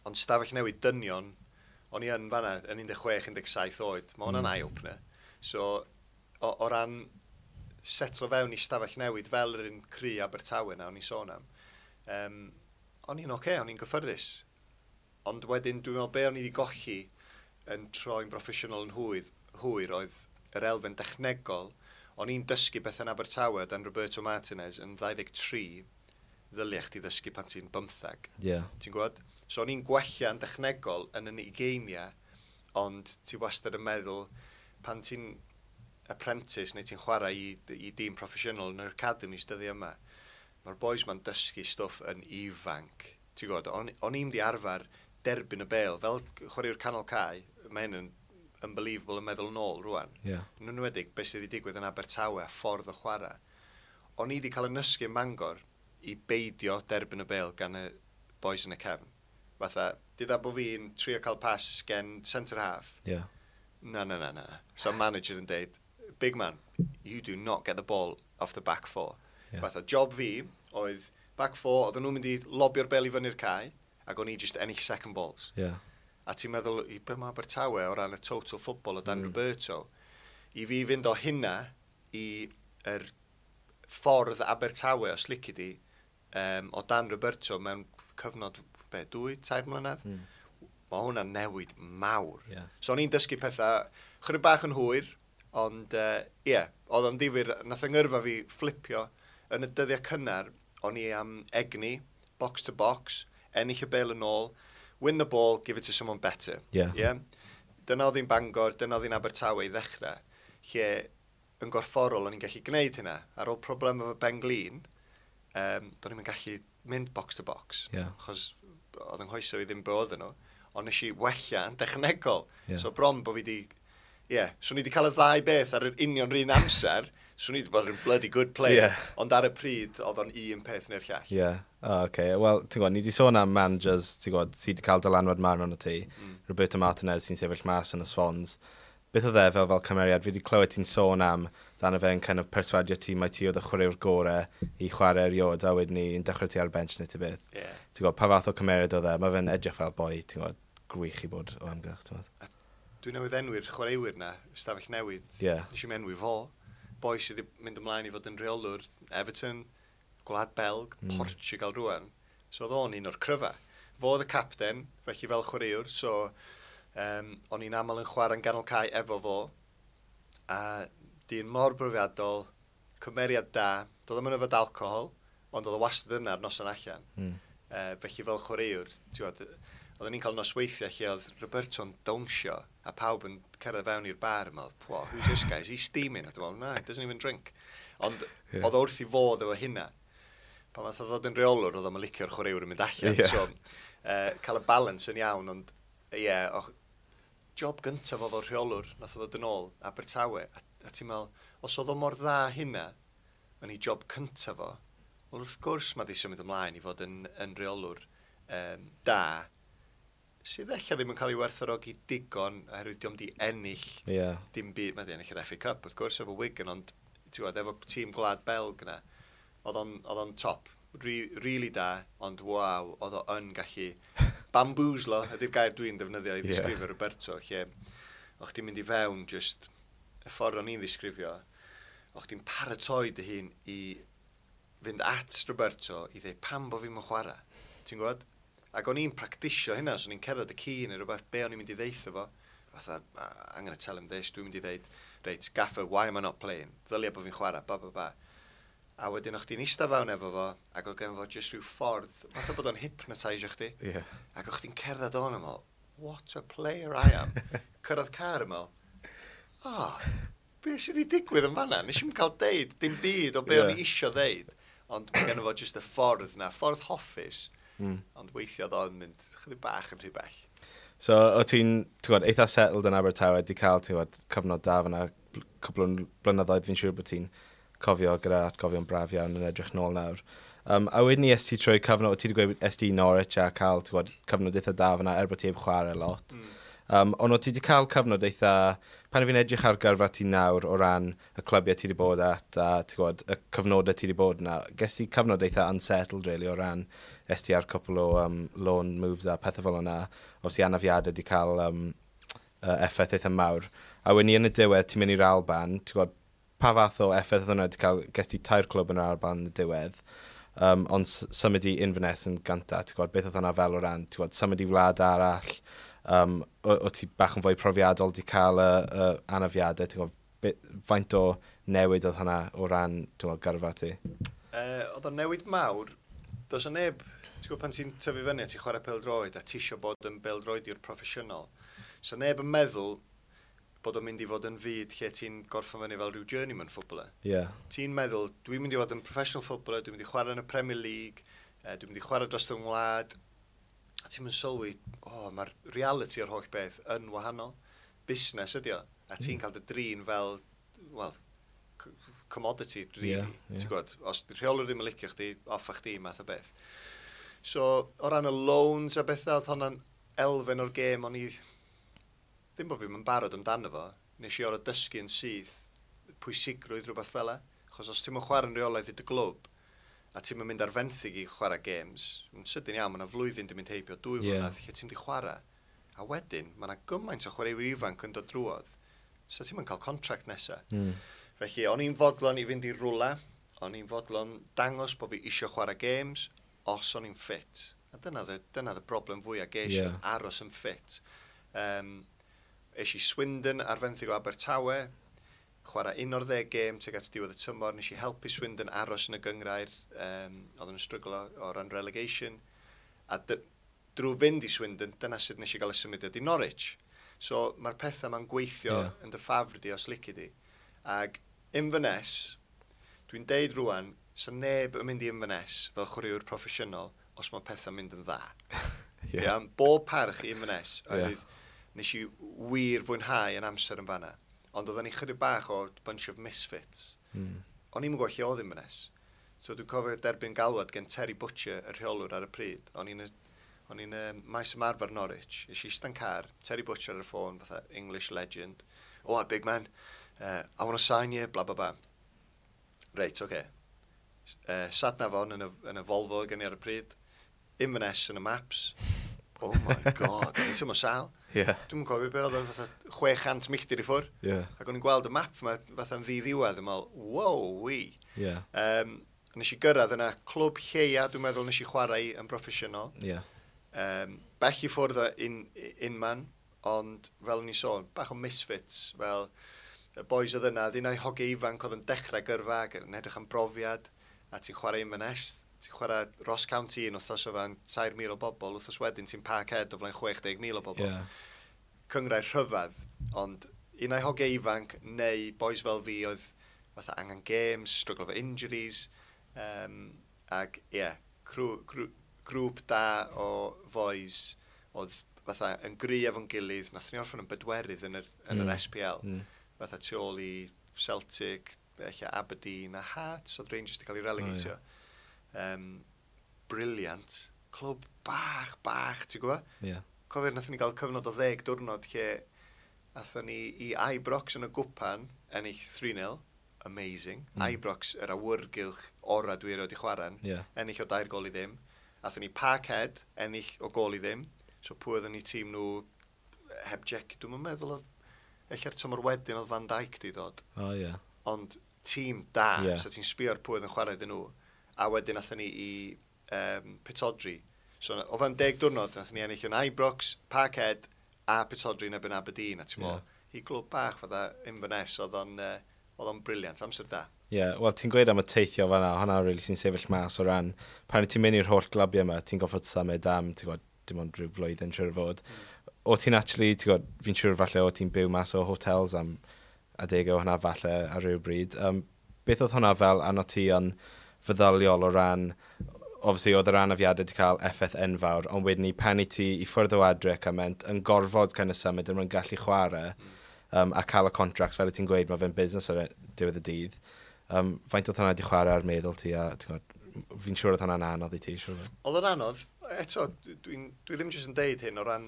Speaker 1: ond stafell newid dynion, o'n i yn fanna yn un deg chwech, un deg saith oed. Mae hwnna'n mm. eye-opener. So, o, o ran setlo fewn i stafell newid fel yr un cry Abertawe na o'n i sôn am, um, o'n i'n oce, okay, o'n i'n gyffyrddus. Ond wedyn, dwi'n meddwl be o'n i wedi golli yn troi'n broffesiynol yn hwydd, hwyr oedd yr elfen dechnegol. O'n i'n dysgu beth yn Abertawe dan Roberto Martinez yn ddau ddeg tri, ddylia chdi ddysgu pan ti'n bymtheg.
Speaker 2: Yeah.
Speaker 1: Ti'n gwybod? So o'n i'n gwella yn dechnegol yn yn ugeiniau, ond ti wastad yn meddwl pan ti'n apprentice neu ti'n chwarae i, i dîm proffesiynol yn yr academies dyddi yma, mae'r boys ma'n dysgu stwff yn ifanc. Ti'n gwybod, o'n, o'n i'n di arfer derbyn y bêl, fel chwaraewr canol cae, mae hyn yn unbelievable yn meddwl nôl rwan.
Speaker 2: Yeah.
Speaker 1: Yn enwedig beth sydd wedi digwydd yn Abertawe a ffordd o chwarae. O'n i wedi cael yn nysgu ym Mangor i beidio derbyn y bêl gan y boys yn y cefn. Fatha, dyda bod fi'n trio cael pas gen centre half.
Speaker 2: Yeah.
Speaker 1: Na, na, na, na. So manager yn deud, "Big man, you do not get the ball off the back four."
Speaker 2: Yeah.
Speaker 1: Fatha, job fi oedd back four, oedden nhw'n mynd i lobio'r bêl i fyny'r cae, ac o'n i just ennill second balls.
Speaker 2: Yeah.
Speaker 1: A ti'n meddwl, i be mae Abertawe o ran y total football o dan mm. Roberto, i fi fynd o hynna i yr ffordd Abertawe, os lici di, um, o dan Roberto mewn cyfnod, be, dwy, tair mlynedd?
Speaker 2: Mm.
Speaker 1: Mae hwnna'n newid mawr.
Speaker 2: Yeah.
Speaker 1: So o'n i'n dysgu pethau chydig bach yn hwyr, ond ie, uh, yeah, oedd o'n difyr, nath yng ngyrfa fi flipio yn y dyddiau cynnar, o'n i am egni, box to box, ennill y bêl yn ôl, win the ball, give it to someone better.
Speaker 2: Yeah.
Speaker 1: Yeah? Dyna oedd hi'n Bangor, dyna oedd hi'n Abertawe i ddechrau, lle yn gorfforol o'n i'n gallu gwneud hynna. Ar ôl problem efo Ben glin, um, do'n i'n gallu mynd box to box.
Speaker 2: Yeah.
Speaker 1: Achos oedd yng nghoesau i ddim be oedden nhw. Ond nes i wella yn dechnegol.
Speaker 2: Yeah.
Speaker 1: So bron bod fi di... Ie, yeah, swn i wedi cael y ddau beth ar yr union yr un amser, swn i wedi bod yn bloody good player.
Speaker 2: Yeah.
Speaker 1: Ond ar y pryd, oedd o'n un peth neu'r llall.
Speaker 2: Yeah. Oh, okay. Wel, ti'n gwybod, ni wedi sôn am managers, ti'n gwybod, sydd wedi cael dylanwad mawr arno ti. Mm. Roberto Martinez sy'n sefyll mas yn y Swans. Beth oedd e fel fel cymeriad? Fi wedi clywed ti'n sôn am dan fe'n kind of perswadio ti mai ti oedd y chwaraewr gorau i chwarae erioed a wedyn ni yn dechrau ti ar y bench neu ti beth.
Speaker 1: Yeah.
Speaker 2: Ti'n gwybod, pa fath o cymeriad oedd e? Mae fe'n edrych fel boi, ti'n gwybod, gwych i bod o amgylch, ti'n gwybod.
Speaker 1: Dwi newydd enwi'r chwaraewyr na, ystafell newydd.
Speaker 2: Yeah.
Speaker 1: Nes i'm enwi fo. Boi sydd wedi mynd ymlaen i fod yn rheolwr Everton, Gwlad Belg, mm. Portugal rwan. So oedd o'n un o'r cryfa. Fo oedd y capten, felly fel chwaraewr, so um, o'n i'n aml yn chwarae'n ganol cae efo fo. A dyn mor brofiadol, cymeriad da, doedd o'm yn yfed alcohol, ond oedd o wastad yna ar noson allan.
Speaker 2: Mm.
Speaker 1: Uh, felly fel chwaraewr, ti'n gwbod, oedden ni'n cael nosweithiau lle oedd Roberto'n dawnsio a pawb yn cerdded fewn i'r bar yn meddwl, "Whoa, who's this guy? Is he steaming?" A dwi'n meddwl, "No, he doesn't even drink." Ond
Speaker 2: Ie.
Speaker 1: yeah. oedd o wrth i fod efo hynna. Pan nath o ddod yn reolwr, oedd o'n licio'r chwaraewr yn mynd allan.
Speaker 2: Ie.
Speaker 1: So, uh, cael y balance yn iawn, ond ie, yeah, och, job gyntaf oedd o'r rheolwr, nath o ddod yn ôl, Abertawe, a, a ti'n meddwl, os oedd o mor dda hynna, yn ei job cyntaf fo, wel wrth gwrs mae di symud ymlaen i fod yn, yn reolwr um, da, sydd ella ddim yn cael ei werthfawrogi digon, oherwydd dio'm di ennill
Speaker 2: Yeah.
Speaker 1: dim byd, mae di ennill yr F A Cup wrth gwrs efo Wigan, ond ti'n gwybod, efo tîm Gwlad Belg yna, oedd o'n, oedd o'n top, Re, really da, ond waw, oedd o yn gallu bamboozlo, ydy'r gair dwi'n defnyddio i
Speaker 2: Ie.
Speaker 1: ddisgrifio yeah. Roberto, lle o'ch ti'n mynd i fewn just y ffordd o'n i'n ddisgrifio, o'ch ti'n paratoi dy hun i fynd at Roberto i ddweud pam bo fi'n chwarae. Ti'n gwybod? Ac o'n i'n practisio hynna, so o'n i'n cerdded y ci neu rhywbeth, be o'n i'n mynd i ddeutho fo. Fatha, "Ah, I'm going to tell him this, dwi'n mynd i ddeud, reit, gaffer, why am I not playing? Ddylia bod fi'n chwarae, ba, ba, ba. A wedyn o'ch chdi'n eistedd fewn efo fo, ac oedd gen fo jyst rhyw ffordd, fatha bod o'n hypnotisio chdi.
Speaker 2: Yeah.
Speaker 1: Ac o'ch chdi'n cerdded o'n ymol, what a player I am. Cyrraedd car ymol, oh, be sydd wedi digwydd yn fanna? Nes i'm cael deud dim byd o be
Speaker 2: Ie.
Speaker 1: o'n i isio ddeud. Ond mae gen fo jyst y ffordd na, ffordd hoffus,
Speaker 2: Mm.
Speaker 1: ond weithio oedd o'n mynd chydig bach yn rhy bell.
Speaker 2: So, o ti'n, ti'n gwybod, eitha settled yn Abertawe, di cael, ti'n gwybod, cyfnod da fyna, bl- cwpl o blynyddoedd fi'n siŵr bod ti'n cofio gyda atgofion braf iawn yn edrych nôl nawr. Um, a wedyn ni es ti trwy cyfnod, o ti wedi gweud es ti i Norwich a cael, ti'n gwybod, cyfnod eitha da fyna, er bod ti heb chwarae lot.
Speaker 1: Mm.
Speaker 2: Um, ond o ti wedi cael cyfnod eitha, pan fi'n edrych ar gyrfa ti nawr o ran y clybiau ti wedi bod at a ti'n gwybod, y cyfnodau ti wedi bod yna, ges ti cyfnod eitha unsettled really o ran es ti ar cwpl o um, loan moves a pethau fel yna, obviously anafiadau wedi cael um, uh, effaith eitha mawr. A wedyn ni yn y diwedd, ti'n mynd i'r Alban, ti'n gwybod, pa fath o effaith oedd hwnna wedi cael, ges ti tair clwb yn yr Alban yn y diwedd, um, ond s- symud i Inverness yn gynta, ti'n gwybod, beth oedd hwnna fel o ran, ti'n gwybod, symud i wlad arall, um, o, o ti bach yn fwy profiadol di cael y, y anafiadau, ti'n gwybod, be, faint o newid oedd hwnna o ran, ti'n gwybod, gyrfa ti?
Speaker 1: Uh, oedd o'n newid mawr, does o neb, ti'n gwybod pan ti'n tyfu fyny a ti'n chwarae pêl-droed a ti isio bod yn bêl-droediwr proffesiynol, so neb yn meddwl bod o'n mynd i fod yn fyd lle ti'n gorffen fyny fel rhyw journeyman footballer.
Speaker 2: Ie. Yeah.
Speaker 1: Ti'n meddwl, dwi'n mynd i fod yn professional footballer, dwi'n mynd i chwarae yn y Premier League, uh, dwi'n mynd i chwarae dros y ngwlad, a ti'n mynd sylwi, o, oh, mae'r reality o'r holl beth yn wahanol. Busnes ydi o, a ti'n cael dy drin fel, wel, c- commodity, really.
Speaker 2: Ie, ie.
Speaker 1: Ti'n gwybod, os di rheolwr ddim yn licio chdi, off â chdi, math o beth. So, o ran y loans a bethau, oedd hwnna'n elfen o'r gêm, o'n i, ddim bod fi'n barod amdano fo, nes i orfod dysgu yn syth pwysigrwydd rhywbeth fel e. Achos os ti'n mynd chwarae'n rheolaidd i dy glwb, a ti'n mynd ar fenthyg i chwarae games, yn sydyn iawn, mae yna flwyddyn di mynd heibio, dwy
Speaker 2: Ie.
Speaker 1: flynedd lle ti'n mynd i chwarae. A wedyn, mae yna gymaint o chwaraewyr ifanc yn dod drwodd, so ti'n mynd cael contract nesaf.
Speaker 2: Mm.
Speaker 1: Felly, o'n i'n fodlon i fynd i rwla, o'n i'n fodlon dangos bod fi isio chwarae games, os o'n i'n ffit. A dyna the, dyna the broblem fwyaf ges i,
Speaker 2: Ie.
Speaker 1: aros yn ffit. Um, es i Swindon ar fenthyg o Abertawe, chwarae un o'r ddeg gêm tuag at diwedd y tymor, nes i helpu Swindon aros yn y gyngrair, um, oedd yn stryglo o ran relegation. A dy, drwy fynd i Swindon, dyna sut nes i gael y symudiad i Norwich. So mae'r pethau ma'n gweithio
Speaker 2: Ie.
Speaker 1: yeah. yn dy ffafr di os lici di. Ag Inverness, dwi'n deud rwan, so neb yn mynd i Inverness fel chwaraewr proffesiynol os mae pethau'n mynd yn dda.
Speaker 2: Ie.
Speaker 1: Yeah. Bob parch i Inverness,
Speaker 2: Ie.
Speaker 1: oherwydd nes i wir fwynhau yn amser yn fanna. Ond oedden ni chydig bach o bunch of misfits.
Speaker 2: Mm.
Speaker 1: O'n i'n gwybod lle oedd Inverness. So dwi'n cofio derbyn galwad gen Terry Butcher, y rheolwr ar y pryd. O'n i'n o'n i'n um, maes ymarfer Norwich. Es i eistedd yn car, Terry Butcher ar y ffôn, fatha English legend. Oh, big man, uh, I want to sign you, bla bla bla. Reit, oce. Okay. Uh, sat nav on yn y, yn y Volvo gen i ar y pryd. Inverness yn y maps. Oh my god, o'n i'n teimlo sal.
Speaker 2: Ie.
Speaker 1: Dwi'n cofio be oedd o fatha chwe chant milltir i ffwr.
Speaker 2: Ie.
Speaker 1: Ac o'n i'n gweld y map yma fatha'n ddi-ddiwedd yn meddwl, wow, wee.
Speaker 2: Ie.
Speaker 1: Um, nes i gyrraedd yna clwb lleia, dwi'n meddwl nes i chwarae yn broffesiynol.
Speaker 2: Ie.
Speaker 1: Um, bell i ffwrdd o un, unman, ond fel o'n i sôn, bach o misfits, fel y boys oedd yna, ddyn hogiau ifanc oedd yn dechrau gyrfa ac yn edrych am brofiad, a ti'n chwarae Inverness, ti'n chwarae Ross County un wythnos o fan tair mil o bobl, wythnos wedyn ti'n Parkhead o flaen chwe deg mil o bobl.
Speaker 2: Ie.
Speaker 1: Cyngrair rhyfedd, ond un ai hogiau ifanc neu boys fel fi oedd fatha angen games, struggle efo injuries, um, ac ie, yeah, grw, grw, grŵp da o boys oedd fatha yn gry efo'n gilydd, nath ni orffen yn bedwerydd yn yr, yn
Speaker 2: Mm.
Speaker 1: yr S P L,
Speaker 2: Mm.
Speaker 1: fatha tu ôl i Celtic, ella Aberdeen a Hearts, oedd Rangers wedi cael ei relegatio. Oh, yeah. um, brilliant. Clwb bach, bach, ti'n gwybod?
Speaker 2: Ie.
Speaker 1: Cofio, nathon ni gael cyfnod o ddeg diwrnod lle athon ni i Ibrox yn y gwpan, ennill tri nil, amazing. Mm. Ibrox, yr awyrgylch ora dwi erioed i chwarae,
Speaker 2: Ie.
Speaker 1: ennill o dair gol i ddim. Athon ni Parkhead, ennill o gol i ddim. So pwy oedden ni tîm nhw heb Jack, dwi'n meddwl oedd, ella'r tymor wedyn oedd Van Dijk di dod.
Speaker 2: O, ie.
Speaker 1: Ond tîm da,
Speaker 2: Ie.
Speaker 1: so ti'n sbio ar pwy oedd yn chwarae iddyn nhw. A wedyn athon ni i um, Pittodrie, So, o fewn deg diwrnod, nath ni ennill yn Ibrox, Parkhead a Pittodrie yn erbyn Aberdeen. A ti'n meddwl, yeah, i glwb bach fatha Inverness, oedd o'n uh, oedd o'n brilliant, amser da.
Speaker 2: Ie, yeah, wel, ti'n gweud am y teithio fan'na, hwnna really sy'n sefyll mas o ran, pan ti'n mynd i'r holl glybiau yma, ti'n goffod symud am, ti'n gwybod, dim ond rhyw flwyddyn siŵr o fod. Mm. O ti'n actually, ti'n gwybod, fi'n siŵr falle o ti'n byw mas o hotels am adegau o hwnna falle ar ryw bryd. Um, beth oedd hwnna fel arno ti yn feddyliol o ran, obviously oedd yr anafiadau wedi cael effaith enfawr, ond wedyn ni pan i ti i ffwrdd o adre cymaint, yn gorfod kind of symud yn mwyn gallu chwarae, mm. um, a cael y contracts, fel y ti'n gweud, mae fe'n busnes ar diwedd y dydd. Um, faint oedd hwnna wedi chwarae ar meddwl ti a ti'n gwybod, fi'n siŵr oedd hwnna'n anodd i ti, siŵr.
Speaker 1: Oedd o'n anodd, eto, dwi'n dwi ddim jyst yn deud hyn o ran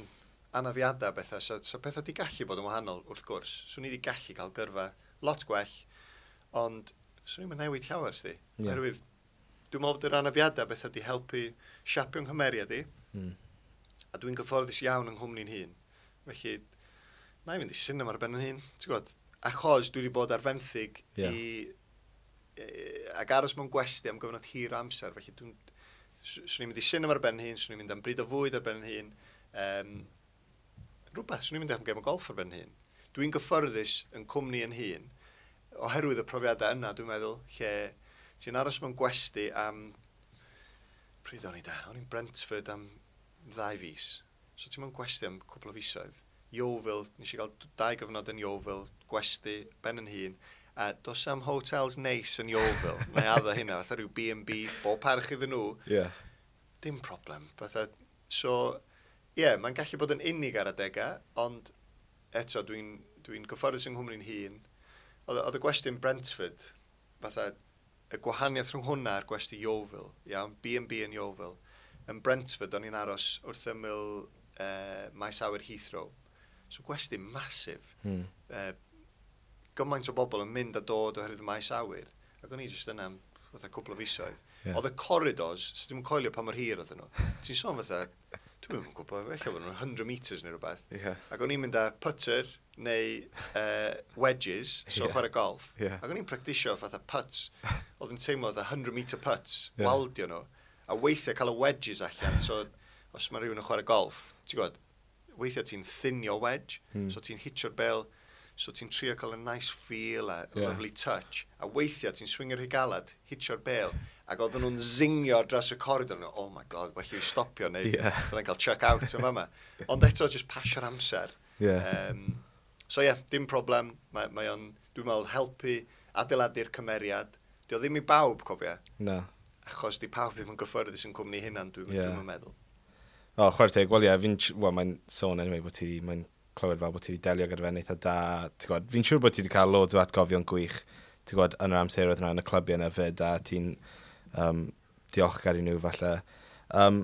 Speaker 1: anafiadau bethau, so, so pethau di gallu bod yn wahanol wrth gwrs. Swn i wedi gallu cael gyrfa lot gwell, ond swn i'n newid llawer, sti. Yeah. Oherwydd, dwi'n meddwl bod yr anafiadau bethau di helpu siapio'n nghymeriad i, mm. a dwi'n gyfforddus iawn yng nghwmni'n hun. Felly, na i fynd i cinema ar ben yn hun, ti'n gwybod? Achos dwi wedi bod ar fenthyg yeah. i, e, ac aros mewn gwesty am gyfnod hir o amser, felly dwi'n swn i'n mynd i cinema ar ben hun, swn i'n mynd am bryd o fwyd ar ben hun, um, rhywbeth, swn i'n mynd am gêm o golff ar ben hun. Dwi'n gyfforddus yn cwmni yn hun, oherwydd y profiadau yna, dwi'n meddwl, lle ti'n aros mewn gwesty am, pryd o'n i da? O'n i'n Brentford am ddau fis. So ti'n mewn gwesty am cwpl o fisoedd. Yeovil, nes i gael dau gyfnod yn Yeovil, gwesty, ben yn hun, a dos am hotels neis yn Yeovil. Mae addo hynna, fatha rhyw B and B, bob parch iddyn nhw.
Speaker 2: Yeah.
Speaker 1: Dim problem. Fatha, so, ie, yeah, mae'n gallu bod yn unig ar adegau, ond eto dwi'n dwi gyfforddus yng nghwmni'n hun. Oedd, oedd y gwesty yn Brentford, fatha, y gwahaniaeth rhwng hwnna a'r gwesty Yeovil, iawn, B and B yn Yeovil. Yn Brentford, o'n i'n aros wrth ymyl uh, maes awyr Heathrow. So gwesty masif.
Speaker 2: Mm.
Speaker 1: Uh, gymaint o bobl yn mynd a dod oherwydd y maes awyr. Ac o'n i jyst yna am fatha cwpl o fisoedd.
Speaker 2: Yeah.
Speaker 1: Oedd y corridors, so ddim yn coelio pa mor hir oedden nhw. Ti'n sôn fatha, dwi'n yn gwybod, ella bod nhw'n hundred metres neu rhywbeth.
Speaker 2: Yeah.
Speaker 1: Ac o'n i'n mynd â putter neu uh, wedges, so
Speaker 2: yeah.
Speaker 1: chwarae golf.
Speaker 2: Yeah.
Speaker 1: Ac o'n i'n practisio fatha putts, oedd yn teimlo fatha hundred metre putts,
Speaker 2: yeah.
Speaker 1: waldio nhw. A weithiau cael y wedges allan, so os mae rhywun yn chwarae golf, ti'n gwybod, weithiau ti'n thinio wedge,
Speaker 2: mm.
Speaker 1: so ti'n hitio'r bel, so ti'n trio cael a nice feel a
Speaker 2: yeah.
Speaker 1: lovely touch. A weithiau ti'n swingio'r higalad, hitio'r bel, ac oedden nhw'n zingio ar draws y corridor. Nhw, oh my god, well i stopio neu
Speaker 2: yeah.
Speaker 1: byddai'n cael chuck out yn fama. Ond eto, just pasio'r amser.
Speaker 2: Yeah.
Speaker 1: Um, so ie, yeah, dim problem. Mae, mae o'n, dwi'n meddwl, helpu adeiladu'r cymeriad. Dio ddim i bawb, cofia.
Speaker 2: No.
Speaker 1: Achos di pawb ddim yn gyffyrddus yn cwmni hynna'n, dwi'n
Speaker 2: yeah.
Speaker 1: dwi meddwl.
Speaker 2: O, oh, chwarae teg, wel ie, yeah, fi'n, wel, mae'n sôn anyway bod ti, mae'n clywed fel bod ti wedi delio gyda fe'n eitha da. Ti'n gwybod, fi'n siŵr bod ti wedi cael loads o atgofion gwych, ti'n gwybod, yn yr amseroedd yna, yn y clybiau yna fyd, a ti'n um, diolchgar i nhw falle. Um,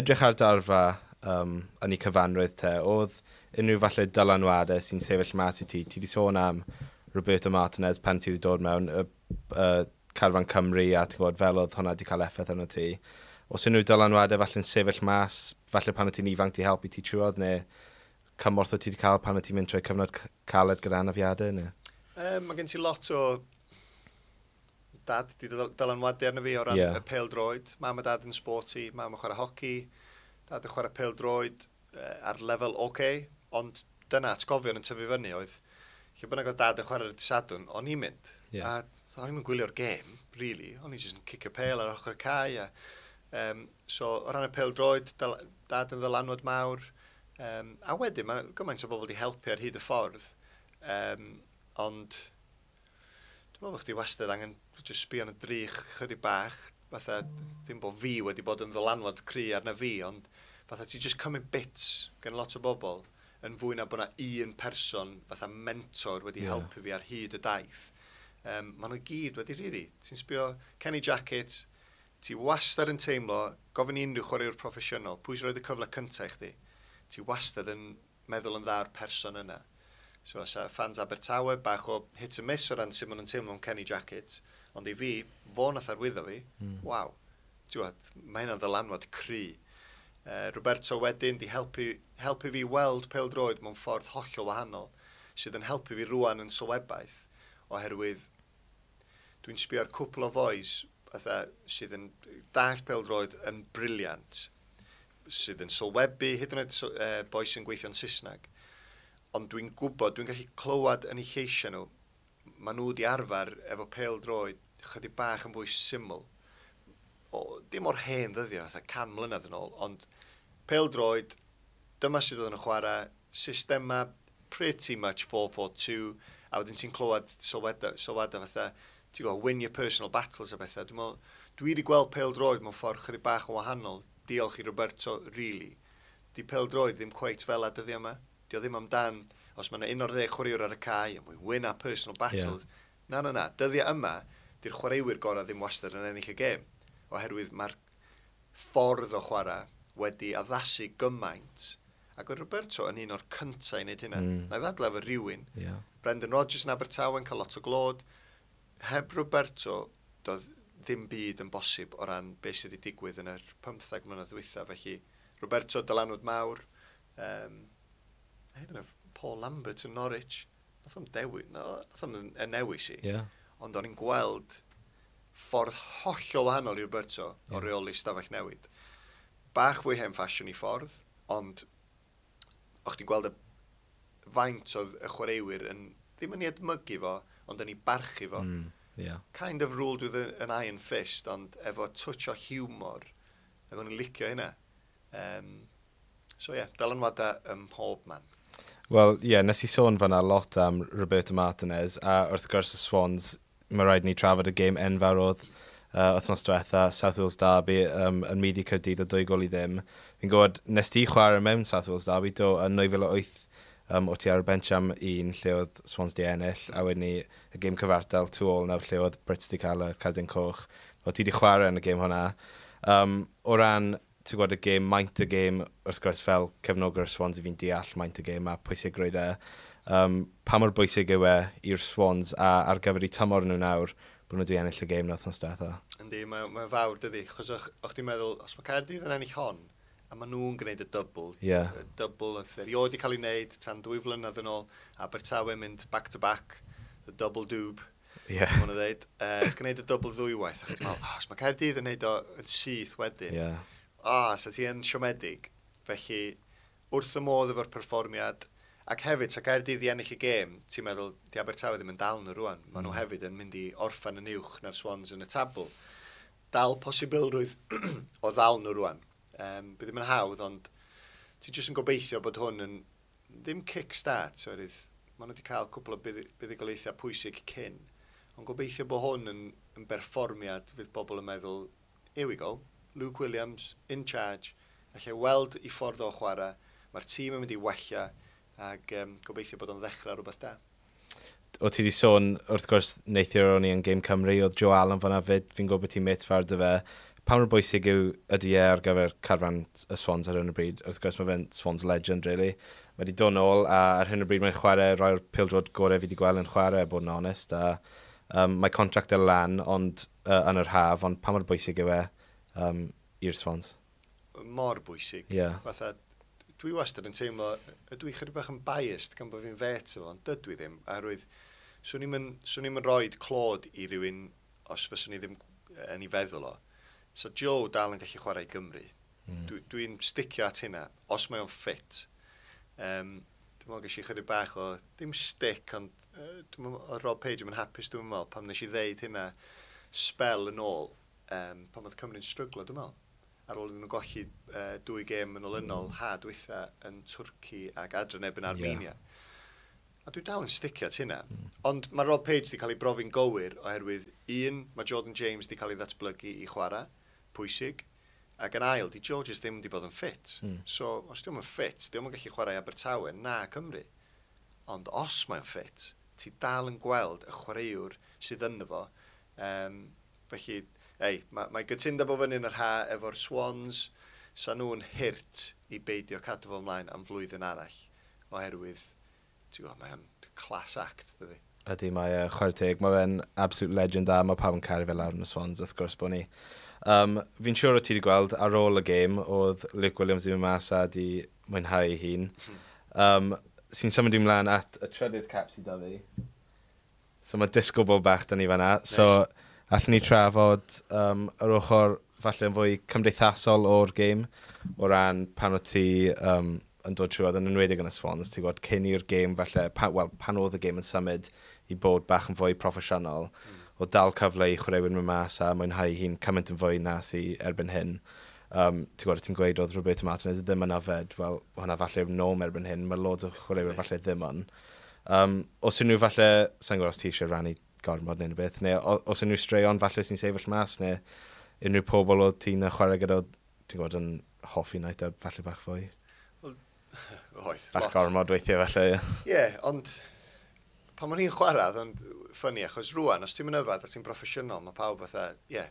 Speaker 2: edrych ar darfa um, yn ei cyfanrwydd te, oedd unrhyw falle dylanwadau sy'n sefyll mas i ti? Ti wedi sôn am Roberto Martinez pan ti wedi dod mewn y, y Carfan Cymru a ti'n gwybod fel oedd hwnna wedi cael effaith arno ti. Oes unrhyw dylanwadau falle'n sefyll mas, falle pan o ti'n ifanc di helpu ti trwodd, neu cymorth o ti wedi cael pan o ti'n mynd trwy cyfnod caled gyda anafiadau? Neu?
Speaker 1: Um, mae gen ti lot o dad di dylanwadu arno fi o ran
Speaker 2: yeah.
Speaker 1: y pêl-droed. Mam a dad yn sporty, mam yn chwarae hoci, dad yn chwarae pêl-droed uh, ar lefel oce, okay, ond dyna atgofion yn tyfu fyny oedd, lle bynnag oedd dad yn chwarae ar y Sadwrn, o'n i'n mynd.
Speaker 2: Yeah.
Speaker 1: A o'n i'n gwylio'r gêm, really. O'n i jyst yn cicio pêl ar ochr y cae. A, um, so, o ran y pêl-droed, dad yn ddylanwad mawr. Um, a wedyn, mae gymaint o bobl wedi helpu ar hyd y ffordd. Um, ond, dwi'n meddwl bod chdi wastad angen just sbio yn y drych chydig bach. Fatha, ddim bod fi wedi bod yn ddylanwad cry arna fi, ond fatha ti just cymryd bits gen lot o bobl yn fwy na bod na un person fatha mentor wedi
Speaker 2: yeah.
Speaker 1: helpu fi ar hyd y daith. Um, maen nhw gyd wedi rili. Ti'n sbio Kenny Jackett, ti wastad yn teimlo, gofyn i unrhyw chwaraewr proffesiynol, pwy sy'n rhoi y cyfle cyntaf i chdi? Ti wastad yn meddwl yn dda'r person yna. So, os fans Abertawe, bach o hit and miss o ran sut maen nhw'n teimlo am Kenny Jackett, ond i fi, fo nath arwyddo fi,
Speaker 2: mm.
Speaker 1: waw, ti'n mae hynna'n ddylanwad cry. Uh, Roberto wedyn di helpu, helpu fi weld pêl-droed mewn ffordd hollol wahanol, sydd yn helpu fi rwan yn sylwebaeth, oherwydd dwi'n sbio ar cwpl o fois fatha, sydd yn dall pêl-droed yn brilliant. sydd yn sylwebu, hyd yn oed uh, boi sy'n gweithio'n Saesneg. Ond dwi'n gwybod, dwi'n gallu clywed yn eu lleisiau nhw, maen nhw wedi arfer efo pêl-droed chydig bach yn fwy syml. O, dim o'r hen ddyddiau, fatha can mlynedd yn ôl, ond pêl-droed, dyma sydd oedd yn chwarae, systema pretty much four four two, a wedyn ti'n clywed sylwadau, sylwadau fatha, ti'n gwybod, "win your personal battles" a bethau. Dwi'n meddwl, dwi wedi gweld pêl-droed mewn ffordd chydig bach yn wahanol, diolch i Roberto, really. Di pêl-droed ddim cweit fel a dyddiau yma. Di o ddim amdan, os mae yna un o'r ddeg chwaraewr ar y cae, and we win our personal battles. Yeah. Na, na, na. Dyddiau yma, di'r chwaraewyr gorau ddim wastad yn ennill y gêm. Oherwydd mae'r ffordd o chwarae wedi addasu gymaint. Ac oedd Roberto yn un o'r cyntaf i wneud hynna. Mm. Na i ddadlau efo rhywun.
Speaker 2: Yeah.
Speaker 1: Brendan Rodgers yn Abertawe yn cael lot o glod. Heb Roberto, doedd ddim byd yn bosib o ran beth sydd wedi digwydd yn yr pymtheg mlynedd dwytha. Felly, Roberto, dylanwad mawr. Um, hyd yn oed Paul Lambert yn Norwich. Nath o'm dewi, no, nath o'm y newis i.
Speaker 2: Yeah.
Speaker 1: Ond o'n i'n gweld ffordd hollol wahanol i Roberto yeah. o reoli stafell newid. Bach fwy hen ffasiwn i ffordd, ond o'ch ti'n gweld y faint oedd y chwaraewyr yn ddim yn ei edmygu fo, ond yn ei barchu fo.
Speaker 2: Mm, yeah.
Speaker 1: Kind of ruled with a, an iron fist, ond efo touch o humor. Ac o'n i'n licio hynna. Um, so ie, yeah, dylanwadau ym mhob man.
Speaker 2: Wel, ie, yeah, nes i sôn fan'na lot am Roberto Martinez, a wrth gwrs y Swans, mae rhaid ni trafod y gêm enfawr oedd uh, wythnos diwetha, South Wales Derby, um, yn maeddu Caerdydd o dwy gol i ddim. Fi'n gwybod, nes ti chwarae mewn South Wales Derby, do, yn dwy fil a wyth, um, o ti ar y bench am un lle oedd Swans di ennill, a wedyn ni y gêm cyfartal two all nawr lle oedd Brits di cael y cardyn coch. O ti di chwarae yn y gêm hwnna. Um, o ran, ti'n gwybod, y gêm, maint y gêm, wrth gwrs fel cefnogwr Swans i fi'n deall maint y gêm a pwysigrwydd e. Um, pa mor bwysig yw e i'r Swans a ar gyfer eu tymor nhw nawr bod nhw wedi ennill y gêm wythnos diwetha?
Speaker 1: Yndi, mae, mae fawr, dydy. Chos o'ch, o'ch ti'n meddwl, os mae Caerdydd yn ennill hon, a maen nhw'n gwneud y double,
Speaker 2: Yeah.
Speaker 1: y double oedd erioed wedi cael ei wneud tan dwy flynedd yn ôl, Abertawe mynd back to back, the double doob,
Speaker 2: Yeah.
Speaker 1: maen nhw'n dweud, uh, gwneud y double ddwywaith, a chdi'n meddwl, oh, os mae Caerdydd yn neud o yn syth wedyn,
Speaker 2: Yeah.
Speaker 1: ah, sa ti yn siomedig. Felly, wrth y modd efo'r perfformiad, ac hefyd, sa Caerdydd i ennill y gêm, ti'n meddwl, di Abertawe ddim yn dal nhw rwan. Maen nhw
Speaker 2: Mm.
Speaker 1: hefyd yn mynd i orffen yn uwch na'r Swans yn y tabl. Dal posibilrwydd o ddal nhw rwan. Um, bydd ddim yn hawdd, ond ti jyst yn gobeithio bod hwn yn ddim kick-start, oherwydd maen nhw wedi cael cwpl o buddu- buddugoliaethau pwysig cyn. Ond gobeithio bod hwn yn, yn berfformiad fydd bobl yn meddwl, "Here we go, Luke Williams in charge, allai weld i ffordd o chwarae, mae'r tîm yn mynd i wella, ac um, gobeithio bod o'n ddechrau rhywbeth da."
Speaker 2: O ti wedi sôn, wrth gwrs, neithiwr o'n i yn Game Cymru, oedd Joe Allen fan'na fyd, fi'n gwybod bod ti'n mêt fawr 'da fe. Pa mor bwysig yw ydy e ar gyfer carfan y Swans ar hyn o bryd? Wrth gwrs mae fe'n Swans legend, really. Mae wedi dod nôl, a ar hyn o bryd mae'n chwarae rhai o'r pêl-droed gorau fi wedi gweld yn chwarae, bod yn onest. A um, mae contract e lan ond, uh, yn yr haf, ond pa mor bwysig yw e um, i'r Swans?
Speaker 1: Mor bwysig.
Speaker 2: Ie.
Speaker 1: Fatha, dwi wastad yn teimlo, ydw i chydig bach yn biased gan bod fi'n fet efo, ond dydw i ddim, oherwydd swn i'm yn, swn i'm yn rhoid clod i rywun os fyswn i ddim yn ei feddwl o. So Joe dal yn gallu chwarae i Gymru.
Speaker 2: Mm.
Speaker 1: Dwi, dwi'n sticio at hynna, os mae o'n ffit. Um, dwi'n meddwl ges i chydig bach o, ddim stick, ond uh, dwi'n meddwl, oedd Rob Page yn hapus, dwi'n meddwl, pam nes i ddeud hynna spel yn ôl, um, pan oedd Cymru'n stryglo, dwi'n meddwl. Ar ôl iddyn nhw golli uh, dwy gêm yn olynol, ha dwytha yn Twrci ac adre yn erbyn Armenia. Yeah. A dwi dal yn sticio at hynna. Mm. Ond mae Rob Page wedi cael ei brofi'n gywir oherwydd un, mae Jordan James wedi cael ei ddatblygu i chwarae, pwysig. Ac yn ail, di Georges ddim wedi bod yn ffit.
Speaker 2: Mm.
Speaker 1: So, os di o'm yn ffit, di o'm yn gallu chwarae i Abertawe na Cymru. Ond os mae'n ffit, ti dal yn gweld y chwaraewr sydd ynddo fo. Um, felly, ei, mae, mae gytundeb o fyny yn yr ha efo'r Swans, sa nhw'n hurt i beidio cadw fo ymlaen am flwyddyn arall, oherwydd, ti'n gwybod, mae'n class act, dydy.
Speaker 2: Ydy, mae e, chwarae teg, mae fe'n absolute legend a mae pawb yn caru fe lawr yn y Swans, wrth gwrs bod ni. Um, fi'n siŵr o ti wedi gweld ar ôl y gêm, oedd Luke Williams ddim yn mas a di mwynhau ei hun. Um, sy'n symud ymlaen at y trydydd cap sydd 'da fi. So mae disco ball bach 'da ni fan'na. So, allwn ni trafod um, yr ochr falle yn fwy cymdeithasol o'r gêm, o ran pan o ti um, yn dod trwy, yn enwedig yn y Swans, ti'n gwybod, cyn i'r gêm falle, pa, wel, pan oedd y gêm yn symud i bod bach yn fwy proffesiynol, mm. o dal cyfle i chwaraewyr mynd mas a mwynhau hi'n cymaint yn fwy na sy erbyn hyn. Um, ti'n gwybod, ti'n gweud oedd Roberto Martinez ddim yn yfed, wel, hwnna falle yw'r norm erbyn hyn, mae loads o chwaraewyr falle ddim yn. Um, os unrhyw falle, sa'n gwybod os ti eisiau rannu gormod neu beth, neu os unrhyw straeon falle sy'n sefyll mas, neu unrhyw pobl oedd ti'n chwarae gyda, ti'n gwybod, yn hoffi night out falle bach fwy?
Speaker 1: Wel, oedd.
Speaker 2: Bach gormod weithiau falle,
Speaker 1: ie. Ie, yeah, ond pan o'n i'n chwarae, ond funny, achos rwan, os ti'n mynd yfad a ti'n broffesiynol, mae pawb fatha, ie, yeah,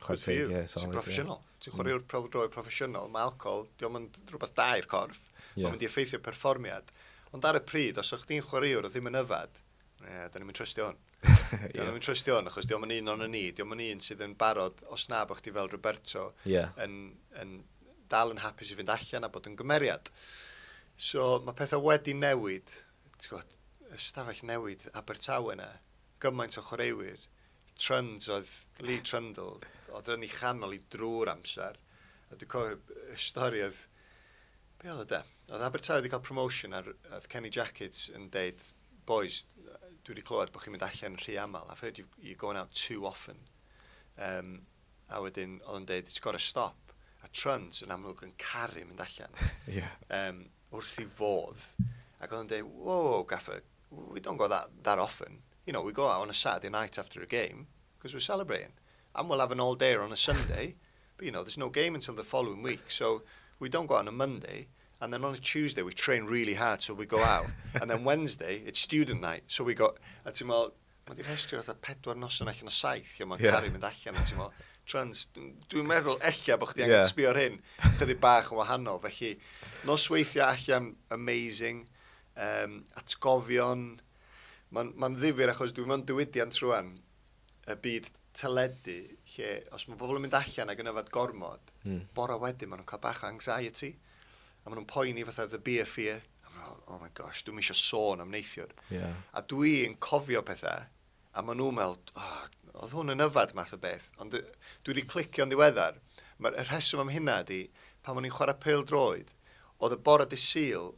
Speaker 1: good for you, yeah, ti'n broffesiynol. Yeah. Ti'n chwaraewr mm. pêl-droed proffesiynol, mae alcohol, diolch yn rhywbeth da i'r corff, yeah. mae'n mynd i effeithio perfformiad. Ond ar y pryd, os o'ch chdi'n chwaraewr o ddim yn yfad, ie, yeah, da ni'n mynd trystio hwn. Da ni'n mynd trystio hwn, achos diolch yn un o'n ni, diolch yn un sydd yn barod, os na bod chdi fel Roberto,
Speaker 2: yeah.
Speaker 1: yn, yn dal yn hapus i fynd allan a bod yn gymeriad. So mae pethau wedi newid, ti'n gwybod, ystafell newid Abertawe yna, gymaint o chwaraewyr, Trunds oedd Lee Trundle, oedd yn ei chanol i drwy'r amser. A dwi'n cofio y stori oedd, be oedd o de? Oedd Abertawe wedi cael promotion ar, oedd Kenny Jackett yn deud, "Boys, dwi wedi clywed bod chi'n mynd allan rhy aml. I've heard you, you're going out too often." Um, a wedyn oedd yn deud, "It's got to stop." A Trunds yn amlwg yn caru mynd allan.
Speaker 2: yeah.
Speaker 1: um, wrth i fodd. Ac oedd yn deud, "Whoa, gaffer, we don't go that, that often. You know, we go out on a Saturday night after a game because we're celebrating. And we'll have an all day on a Sunday, but you know, there's no game until the following week. So we don't go out on a Monday. And then on a Tuesday, we train really hard, so we go out. And then Wednesday, it's student night, so we go." A ti'n meddwl, mae di'n rhestru fatha pedwar noson allan o saith, lle mae'n yeah. caru mynd allan, a ti'n meddwl, Trans, dwi'n meddwl ella bod chdi angen yeah. sbio ar hyn, chydig bach yn wahanol. Felly, nosweithiau allan amazing, um, atgofion, mae'n ma ddifyr achos dwi'n mewn diwydiant rwan, y byd teledu, lle os mae bobl yn mynd allan ac yn yfed gormod, mm. bora wedyn maen nhw'n cael bach o anxiety, a maen nhw'n poeni fatha the beer fear, a maen nhw'n, "Oh my gosh, dwi'n eisiau sôn am neithiwr."
Speaker 2: Yeah.
Speaker 1: A dwi'n cofio pethau, a maen nhw'n meddwl, "Oh, oedd hwn yn yfed," math o beth. Ond dwi wedi clicio'n ddiweddar, mae'r rheswm am hynna ydi, pan o'n i'n chwarae pêl droed, oedd y bore dydd Sul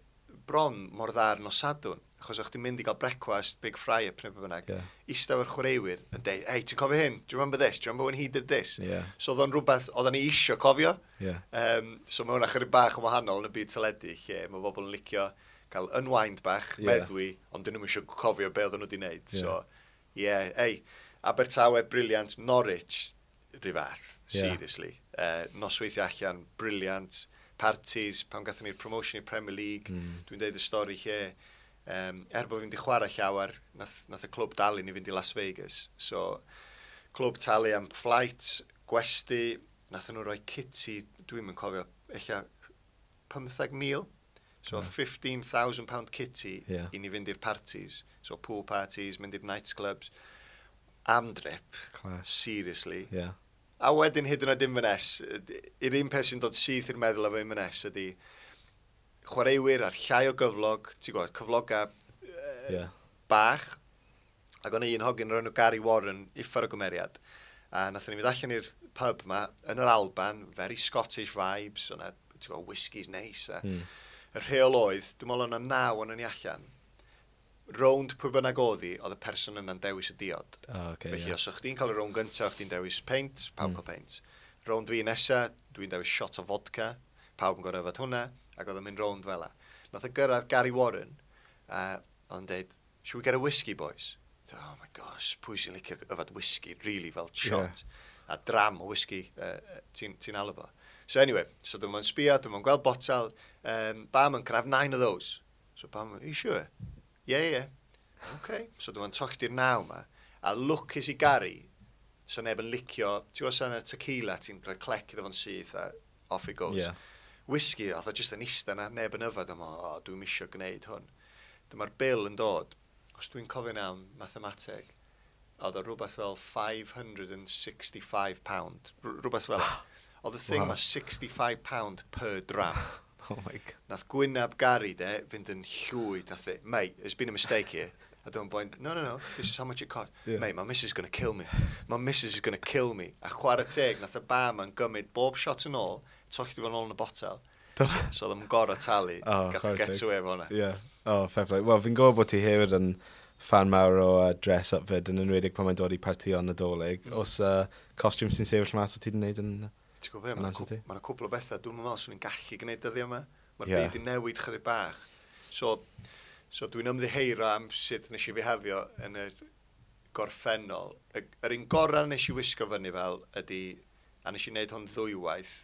Speaker 1: bron mor dda ar nos Sadwrn, achos o'ch ti'n mynd i gael brecwast, big fry up neu beth bynnag,
Speaker 2: yeah.
Speaker 1: eistedd efo'r chwaraewyr yn deud, "Hey, ti'n cofio hyn? Do you remember this? Do you remember when he did this?"
Speaker 2: Yeah.
Speaker 1: So oedd o'n rhywbeth oedden ni isio cofio.
Speaker 2: Yeah.
Speaker 1: Um, so mae hwnna chydig bach yn wahanol yn y byd teledu, lle mae bobl yn licio cael unwind bach,
Speaker 2: yeah.
Speaker 1: meddwi, ond dyn nhw'n eisiau cofio be oedden nhw wedi wneud.
Speaker 2: Yeah.
Speaker 1: So, yeah, hey, Abertawe, brilliant. Norwich, rhyw fath,
Speaker 2: Yeah.
Speaker 1: seriously. Uh, nosweithiau allan, brilliant. Parties, pan gathon ni'r promotion i'r Premier League,
Speaker 2: mm.
Speaker 1: dwi'n deud y stori lle, um, er bod fi'n di chwarae llawer, nath, nath y clwb dalu ni fynd i Las Vegas. So, clwb talu am flight, gwesty, nath nhw roi kitty, dwi'n mynd cofio, ella pymtheg mil. So,
Speaker 2: Yeah.
Speaker 1: fifteen thousand pound kitty
Speaker 2: Yeah.
Speaker 1: i ni fynd i'r parties. So, pool parties, mynd i'r nightclubs. Am drip,
Speaker 2: Class.
Speaker 1: seriously.
Speaker 2: Yeah.
Speaker 1: A wedyn hyd yn oed Inverness, yr un peth sy'n dod syth i'r meddwl efo Inverness ydy chwaraewyr ar llai o gyflog, ti'n gwybod, cyfloga uh,
Speaker 2: Yeah.
Speaker 1: bach, ac o'n un hogyn o'r enw Gary Warren, uffar o gymeriad, a nathon ni fynd allan i'r pub ma, yn yr Alban, very Scottish vibes, o'na, ti'n gwybod, whiskies neis, a
Speaker 2: Mm.
Speaker 1: y rheol oedd, dwi'n meddwl o'na naw o'n ni allan, rownd pwy bynnag oedd hi, oedd y person yna'n dewis y diod.
Speaker 2: Oh, okay,
Speaker 1: Felly
Speaker 2: yeah.
Speaker 1: os o'ch chdi'n cael y rownd gyntaf, o'ch chdi'n dewis peint, pawb
Speaker 2: Mm.
Speaker 1: mm. cael peint. Rownd fi nesa, dwi'n dewis shot o vodka, pawb yn gorfod yfed hwnna, ac oedd yn mynd rownd fel 'a. Nath o gyrraedd Gary Warren, a oedd yn deud, "Should we get a whiskey, boys?" Oh my gosh, pwy sy'n licio yfed whisky, really, fel shot. Yeah. A dram o whisky, uh, ti'n ti alw fo. So anyway, so dyma'n sbio, dyma'n gweld botel, um, "Barman, can I have nine of those?" So barman, "Are you sure?" Yeah, yeah. "Okay." So dyma'n tollti'r naw ma. A lwcus i Gary, so neb yn licio, ti'n gwybod sa'n y tequila, ti'n rhoi clec iddo fo'n syth a off it goes.
Speaker 2: Yeah.
Speaker 1: Whisky, oedd o jyst yn ista na, neb yn yfed, am, "O, dwi'n isio gwneud hwn." Dyma'r bil yn dod, os dwi'n cofio'n iawn mathemateg, oedd o rhywbeth fel five hundred and sixty-five pound, rhywbeth fel 'na. Oedd y thing
Speaker 2: Wow.
Speaker 1: ma sixty-five pound per dram.
Speaker 2: Oh my God.
Speaker 1: Nath gwynab Gary de fynd yn llwyd, nath e, "Mate, there's been a mistake here." A dyma'n boi'n, "No, no, no, this is how much it cost."
Speaker 2: Yeah.
Speaker 1: "Mate, my missus is gonna kill me. My missus is gonna kill me." A chwarae teg, nath y barman gymryd bob shot yn ôl, tollti fo'n ôl yn y botel.
Speaker 2: Do-
Speaker 1: So oedd o'n gorau talu.
Speaker 2: Oh,
Speaker 1: Gath
Speaker 2: chwarae
Speaker 1: get
Speaker 2: teg.
Speaker 1: away efo hwnna.
Speaker 2: Yeah. Oh, fair play. Wel, fi'n gwybod bod ti hefyd yn fan mawr o uh, dress-up fyd, yn enwedig pan mae'n dod i partïon Nadolig.
Speaker 1: Mm.
Speaker 2: Os uh, costiwm sy'n sefyll mas o ti wedi gwneud yn?
Speaker 1: Ti'n gwybod be,
Speaker 2: Yn
Speaker 1: mae'n
Speaker 2: amser ti?
Speaker 1: ma cwpl o bethau dwi'n meddwl swn i'n gallu gwneud dyddiau yma. Mae'r
Speaker 2: Ie.
Speaker 1: yeah. byd i newid chydig bach. So, so dwi'n ymddiheuro am sut nes i fihafio yn y gorffennol. Y, yr un gorau nes i wisgo fyny fel ydy, a nes i wneud hwn ddwywaith,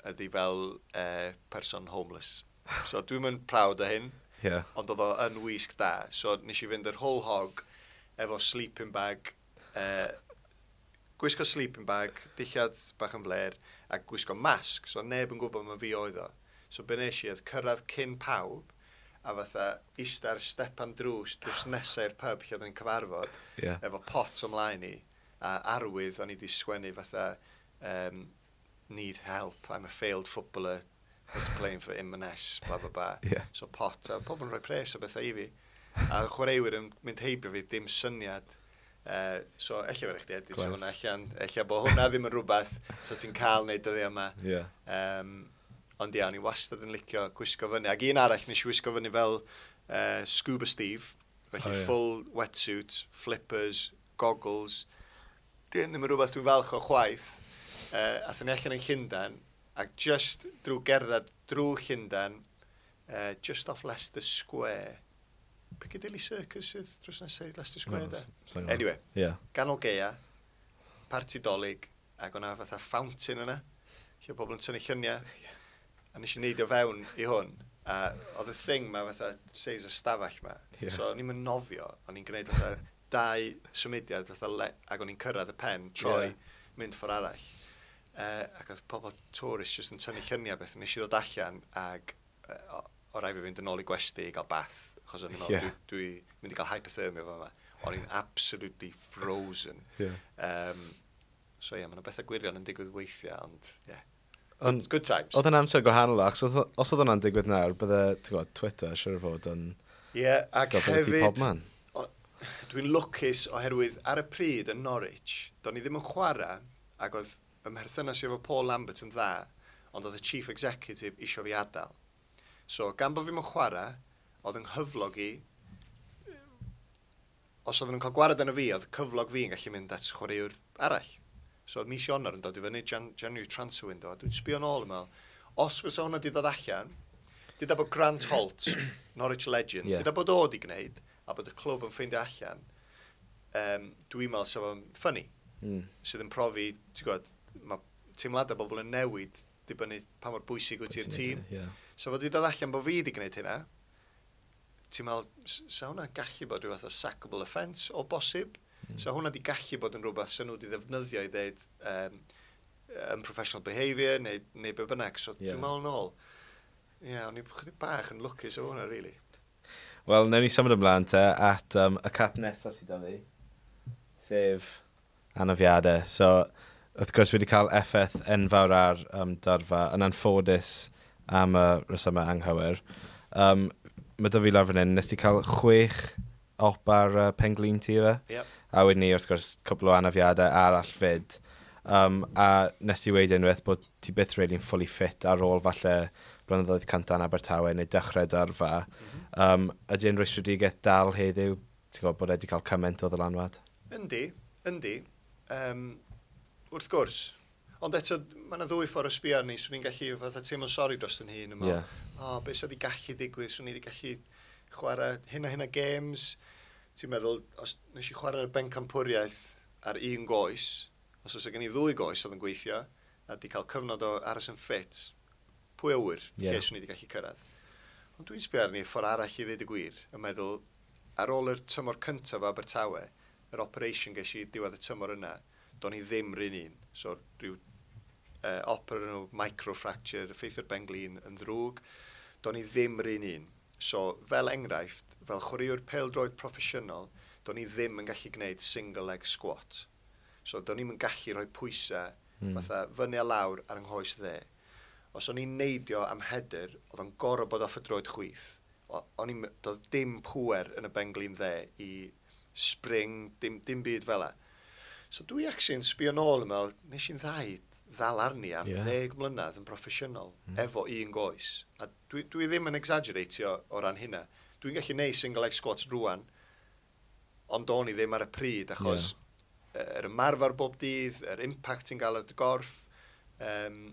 Speaker 1: ydy fel eh, person homeless. So dwi'n mynd proud o hyn,
Speaker 2: Yeah.
Speaker 1: ond oedd o yn wisg da. So nes i fynd yr whole hog efo sleeping bag, eh, gwisgo sleeping bag, dillad bach yn fler, a gwisgo masg, so neb yn gwybod ma fi oedd o. So be nes i oedd cyrraedd cyn pawb, a fatha ista ar stepan drws, drws nesau i'r pub lle oedden ni'n cyfarfod,
Speaker 2: Yeah.
Speaker 1: efo pot ymlaen i, a arwydd o'n i wedi sgwennu fatha, um, "Need help, I'm a failed footballer, that's playing for Inverness," bla bla bla.
Speaker 2: Yeah.
Speaker 1: So pot, a pobl yn rhoi pres o bethau i fi. A chwaraewyr yn mynd heibio fi, dim syniad. Uh, so, ella fe chdi edit
Speaker 2: Class.
Speaker 1: hwnna allan. Ella bod hwnna ddim yn rhywbeth so ti'n cael neud dyddiau yma.
Speaker 2: Yeah.
Speaker 1: Um, ond ia, o'n i wastad yn licio gwisgo fyny. Ac un arall nes i wisgo fyny fel uh, Scuba Steve. Felly
Speaker 2: O,
Speaker 1: oh,
Speaker 2: ie.
Speaker 1: full wetsuit, flippers, goggles. Di hyn ddim yn rhywbeth dwi'n falch o chwaith. Uh, athon ni allan yn Llundain, ac just drwy gerdded drwy Llundain, uh, just off Leicester Square. Piccadilly Circus sydd drws nesaf i Leicester Square,
Speaker 2: No,
Speaker 1: da?
Speaker 2: s- sa'n gwbod.
Speaker 1: Anyway,
Speaker 2: Yeah.
Speaker 1: ganol gaea, parti Dolig, ac o'na fatha fountain yna, lle oedd pobl yn tynnu lluniau. A nes i neidio fewn i hwn, a oedd y thing ma fatha seis y stafell ma.
Speaker 2: Ie.
Speaker 1: So o'n i'n mynd nofio, o'n i'n gwneud fatha dau symudiad fatha le, ac o'n i'n cyrraedd y pen, troi,
Speaker 2: Ie.
Speaker 1: mynd ffordd arall. Uh, ac oedd pobl tourist just yn tynnu lluniau beth, nes i ddod allan ac uh, o, o rai fi fynd yn ôl i gwesty i gael bath, achos o'n i'n meddwl,
Speaker 2: Ie.
Speaker 1: dwi, dwi mynd i gael hypothermia fo yma. O'n i'n absolutely frozen.
Speaker 2: Yeah.
Speaker 1: Um, so ie, yeah, mae yna bethau gwirion yn digwydd weithiau, ond ie. Yeah.
Speaker 2: Ond
Speaker 1: Good times.
Speaker 2: oedd yn amser gwahanol, achos oedd- os oedd hwnna'n digwydd nawr, bydde, ti'n gwybod, Twitter, siwr o fod yn
Speaker 1: Ie, yeah, ac
Speaker 2: ti'n gwbod, bydde ti
Speaker 1: hefyd,
Speaker 2: pob man.
Speaker 1: o- dwi'n lwcus oherwydd ar y pryd yn Norwich, do'n i ddim yn chwarae, ac oedd ym mherthynas i efo Paul Lambert yn dda, ond oedd y chief executive isio fi adael. So, gan bod fi'n chwarae, oedd yng nghyflog i, os oedden nhw'n cael gwared arno fi, oedd cyflog fi yn gallu mynd at chwaraewr arall. So oedd mis Ionawr yn dod i fyny, Jan January transfer window, a dwi'n sbio nôl yn meddwl, os fysa hwnna di dod allan, dyda bod Grant Holt, Norwich legend,
Speaker 2: Ie.
Speaker 1: yeah. dyda bod o di gwneud, a bod y clwb yn ffeindio allan, um, dwi'n meddwl sef o'n funny,
Speaker 2: Mm.
Speaker 1: sydd yn profi, ti'n gwybod, mae teimladau bobl yn newid dibynnu pa mor bwysig wyt ti'r tîm.
Speaker 2: Yeah.
Speaker 1: So fod i dod allan bod fi wedi gwneud hynna, ti'n meddwl, s- sa hwnna'n gallu bod rhyw fath o sackable offence o bosib? Mm. Sa hwnna wedi gallu bod yn rhywbeth sa nhw wedi ddefnyddio i ddeud um, unprofessional behaviour neu, neu be bynnag. So
Speaker 2: Ie.
Speaker 1: yeah. dwi'n meddwl nôl, ie, yeah, o'n i chydig bach yn lwcus o hwnna, really.
Speaker 2: Wel, newn ni symud ymlaen te at um, y cap nesaf sydd 'da fi, sef anafiadau. So, wrth gwrs, wedi cael effaith enfawr ar um, dyrfa, yn anffodus am y resymau anghywir. Um, mae 'da fi lawr fan hyn, nes ti cael chwech op ar uh, penglin ti efe?
Speaker 1: Yep.
Speaker 2: A wedyn ni, wrth gwrs, cwpl o anafiadau arall fyd. Um, a nes ti weud unwaith bod ti byth really'n fully fit ar ôl falle blynyddoedd cyntaf yn Abertawe neu dechrau dyrfa. Mm -hmm. um, ydy yn rwystredigaeth dal heddiw, ti'n gwybod bod e wedi cael cymaint o ddylanwad?
Speaker 1: Yndi, yndi. Um, wrth gwrs. Ond eto, mae yna ddwy ffordd o sbio arni, swn i'n gallu fatha teimlo'n sori dros yn hun. Ie.
Speaker 2: Ie.
Speaker 1: O, beth sydd wedi gallu digwydd, swn i wedi gallu chwarae hyn a hyn o games. Ti'n meddwl, os nes i chwarae'r bencampwriaeth ar un goes, os oes gen i ddwy goes oedd yn gweithio, a di cael cyfnod o aros yn ffit, pwy a wyr,
Speaker 2: Ie.
Speaker 1: lle swn i wedi gallu cyrraedd. Ond dwi'n sbio arni ffordd arall i ddweud y gwir, yn meddwl, ar ôl yr tymor cyntaf o Abertawe, yr operation ges i diwedd y tymor yna, do'n i ddim rhan un. So rhyw uh, op o'r enw microfracture, effeithio'r benglin yn ddrwg, do'n i ddim rhan un. So, fel enghraifft, fel chwaraewr pêl-droed proffesiynol, do'n i ddim yn gallu gwneud single leg squat. So, do'n i'm yn gallu rhoi pwysau mm. fatha fyny a lawr ar yng nghoes dde. Os o'n i'n neidio am header, oedd o'n gorfod bod off y droed chwith, O'n i'n, doedd dim pwer yn y benglin dde i spring, dim, dim byd fel 'a. So dwi actually yn sbio nôl yn meddwl, nes i'n dda i ddal arni am yeah. ddeg mlynedd yn proffesiynol, mm. efo un goes. A dwi, dwi ddim yn exaggeratio o ran hynna. Dwi'n gallu neud single leg squats rwan, ond o'n i ddim ar y pryd, achos yeah. yr ymarfer bob dydd, yr impact ti'n gael ar dy gorff, um,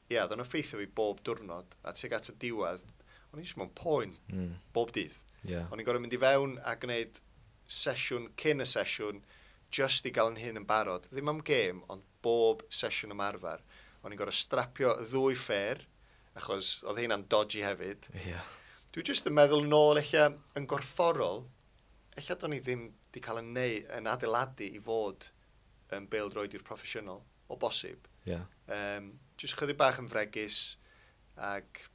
Speaker 1: ie, yeah, oedd o'n effeithio fi bob diwrnod, a tuag at y diwedd, o'n i jyst mewn poen mm. bob dydd.
Speaker 2: Yeah.
Speaker 1: O'n i'n gorfod mynd i fewn a gwneud sesiwn cyn y sesiwn, just i gael yn hyn yn barod. Ddim am gêm, ond bob sesiwn ymarfer. O'n i'n gorfod strapio ddwy ffêr, achos oedd hynna'n dodgy hefyd.
Speaker 2: Yeah.
Speaker 1: Dwi jyst yn meddwl nôl eich yn gorfforol, eich do'n i ddim di cael yn neu, yn adeiladu i fod yn bêl-droediwr proffesiynol, o bosib.
Speaker 2: Yeah.
Speaker 1: Um, just chydig bach yn fregus, ac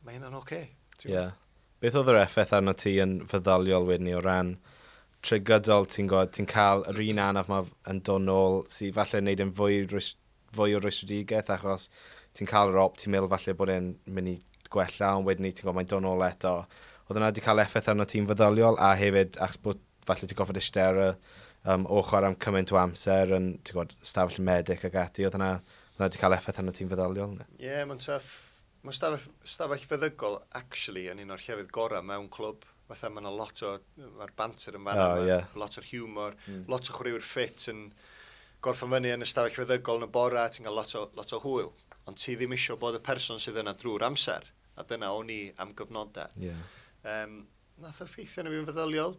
Speaker 1: mae hynna'n oce. Okay,
Speaker 2: yeah. Beth oedd yr effaith arno ti yn feddyliol wedyn ni o ran trwy gydol ti'n gwybod, ti'n cael yr un anaf ma yn dod nôl sydd falle yn neud yn fwy, fwy o rwystredigaeth achos ti'n cael yr op, ti'n meddwl falle bod e'n mynd i gwella, ond wedyn ni ti'n gwybod mae'n dod nôl eto. Oedd yna wedi cael effaith arno ti'n feddyliol a hefyd achos bod falle ti'n gorfod eistedd ar y um, ochr am cymaint o amser yn ti'n gwybod, stafell medic ac ati, oedd yna, oedd yna wedi cael effaith arno ti'n feddyliol?
Speaker 1: Ie, yeah, mae'n tough. Mae stafell, stafell feddygol actually yn un o'r llefydd gorau mewn clwb. Fatha mae yna lot o, mae'r banter yn fanna,
Speaker 2: oh, yeah.
Speaker 1: lot o'r humor, mm. lot o chwaraewyr ffit yn gorffen fyny yn y stafell feddygol yn y bora, ti'n cael lot o, lot o hwyl. Ond ti ddim eisiau bod y person sydd yna drwy'r amser, a dyna o'n i am gyfnodau.
Speaker 2: Yeah.
Speaker 1: Um, nath o effeithio arna fi'n feddyliol?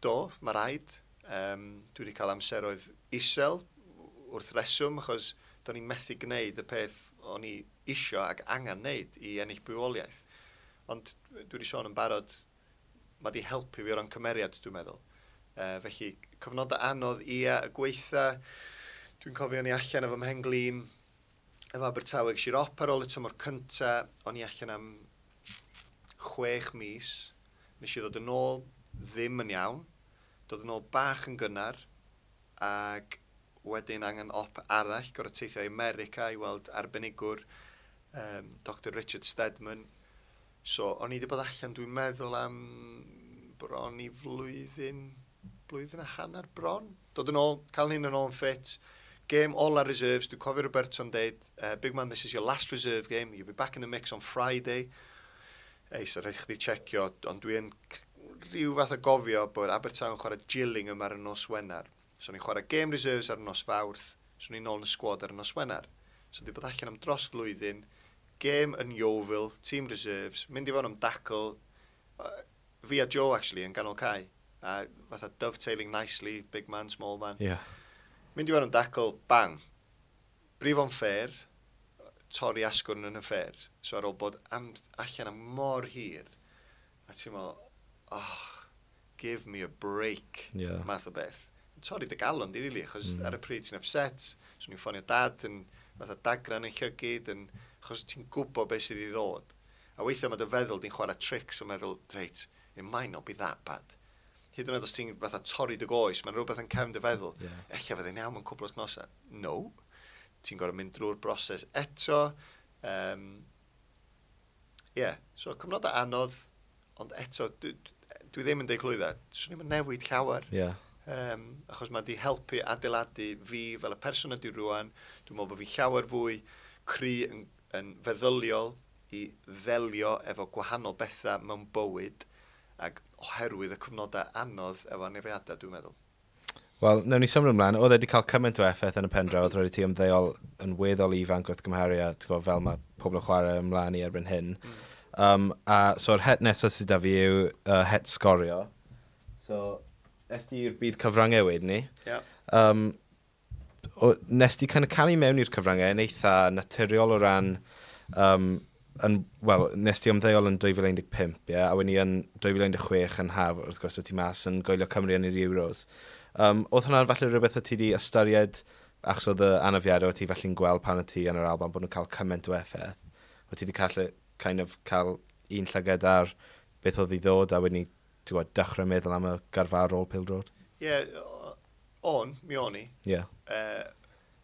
Speaker 1: Do, mae rhaid. Um, dwi wedi cael amseroedd isel wrth reswm, achos do'n i'n methu gwneud y peth o'n i isio ac angen wneud i ennill bywoliaeth. Ond dwi wedi sôn yn barod, mae di helpu fi o ran cymeriad, dwi'n meddwl. Uh, felly, cyfnodau anodd, ia, y gweitha, dwi'n cofio o'n i allan efo mhen-glin, efo Abertawe, ges i'r op ar ôl y tymor cynta, o'n i allan am chwech mis, nes i ddod yn ôl ddim yn iawn, dod yn ôl bach yn gynnar, ac wedyn angen op arall, gorfod teithio i America i weld arbenigwr, um, Doctor Richard Stedman. So, o'n i wedi bod allan, dwi'n meddwl am bron i flwyddyn, blwyddyn a hanner bron. Dod yn ôl, cael hyn yn ôl yn ffit. Game ola reserves, dwi'n cofio Roberto'n deud, uh, "Big man, this is your last reserve game, you'll be back in the mix on Friday." Ei, so rhaid chdi checio, ond dwi'n rhyw fath o gofio bod Abertawe yn chwarae Gillingham ar y nos Wener. So ni'n chwarae game reserves ar y nos Fawrth, so ni'n ôl yn y squad ar y nos Wener. So di bod allan am dros flwyddyn, game yn Yeovil, team reserves, mynd i fod am tackle, uh, fi a Joe actually yn ganol cae, a fatha dovetailing nicely, big man, small man.
Speaker 2: Yeah.
Speaker 1: Mynd i fod am tackle, bang. Brifo'n ffêr, torri asgwrn yn y ffêr. So ar ôl bod am, allan am mor hir, a ti'n meddwl, "Oh, give me a break,"
Speaker 2: yeah.
Speaker 1: math o beth. Torri dy galon di, really, achos mm. ar y pryd ti'n upset, so ni'n ffonio Dad yn fatha dagran yn llygid, yn, achos ti'n gwybod beth sydd i ddod. A weithiau mae dy feddwl di'n chwarae tricks yn meddwl, "Reit, it might not be that bad." Hyd yn oed os ti'n fatha torri dy goes, mae'n rhywbeth yn cefn dy feddwl.
Speaker 2: Yeah.
Speaker 1: "Ella fydd e'n iawn mewn cwpl o wythnosau." No. Ti'n gorfod mynd drwy'r broses eto. Um, yeah. So cyfnodau anodd, ond eto, dwi, dwi ddim yn deud clwydda. Swn i'm yn newid llawer.
Speaker 2: Yeah.
Speaker 1: Um, achos mae di helpu adeiladu fi fel y person ydy rwan. Dwi'n meddwl bod fi llawer fwy cry yn, yn feddyliol i ddelio efo gwahanol bethau mewn bywyd ac oherwydd y cyfnodau anodd efo anafiadau, dwi'n meddwl.
Speaker 2: Wel, newn ni symud ymlaen. Oedd e wedi cael cymaint o effaith yn y pen draw, oedd rhaid i ti ymddeol yn weddol ifanc wrth gymharu a ti'n gwybod, fel mae pobl yn chwarae ymlaen i erbyn hyn.
Speaker 1: Mm.
Speaker 2: Um, a so'r het nesaf sydd da fi yw uh, het sgorio. So, es di i'r byd cyfryngau wedyn ni.
Speaker 1: Yeah.
Speaker 2: Um, o, nes di kind of camu mewn i'r cyfryngau yn eitha naturiol o ran um, yn, wel, nes di ymddeol yn dwy fil un deg pump, ie, a wedyn ni yn dwy fil un deg chwech yn haf, wrth gwrs, o ti mas yn gwylio Cymru yn yr Euros. Um, oedd hwnna'n falle rhywbeth o ti di ystyried, achos oedd y anafiadau o ti falle'n gweld pan o ti yn yr Alban bod nhw'n cael cymaint o effaith? O ti di cael, kind of, cael un llygad ar beth oedd i ddod a wedyn ni, ti'n gwybod, dechrau meddwl am y gyrfa ar ôl pêl-droed?
Speaker 1: Ie, yeah, on, mi o'n i.
Speaker 2: Ie. Yeah.
Speaker 1: Uh,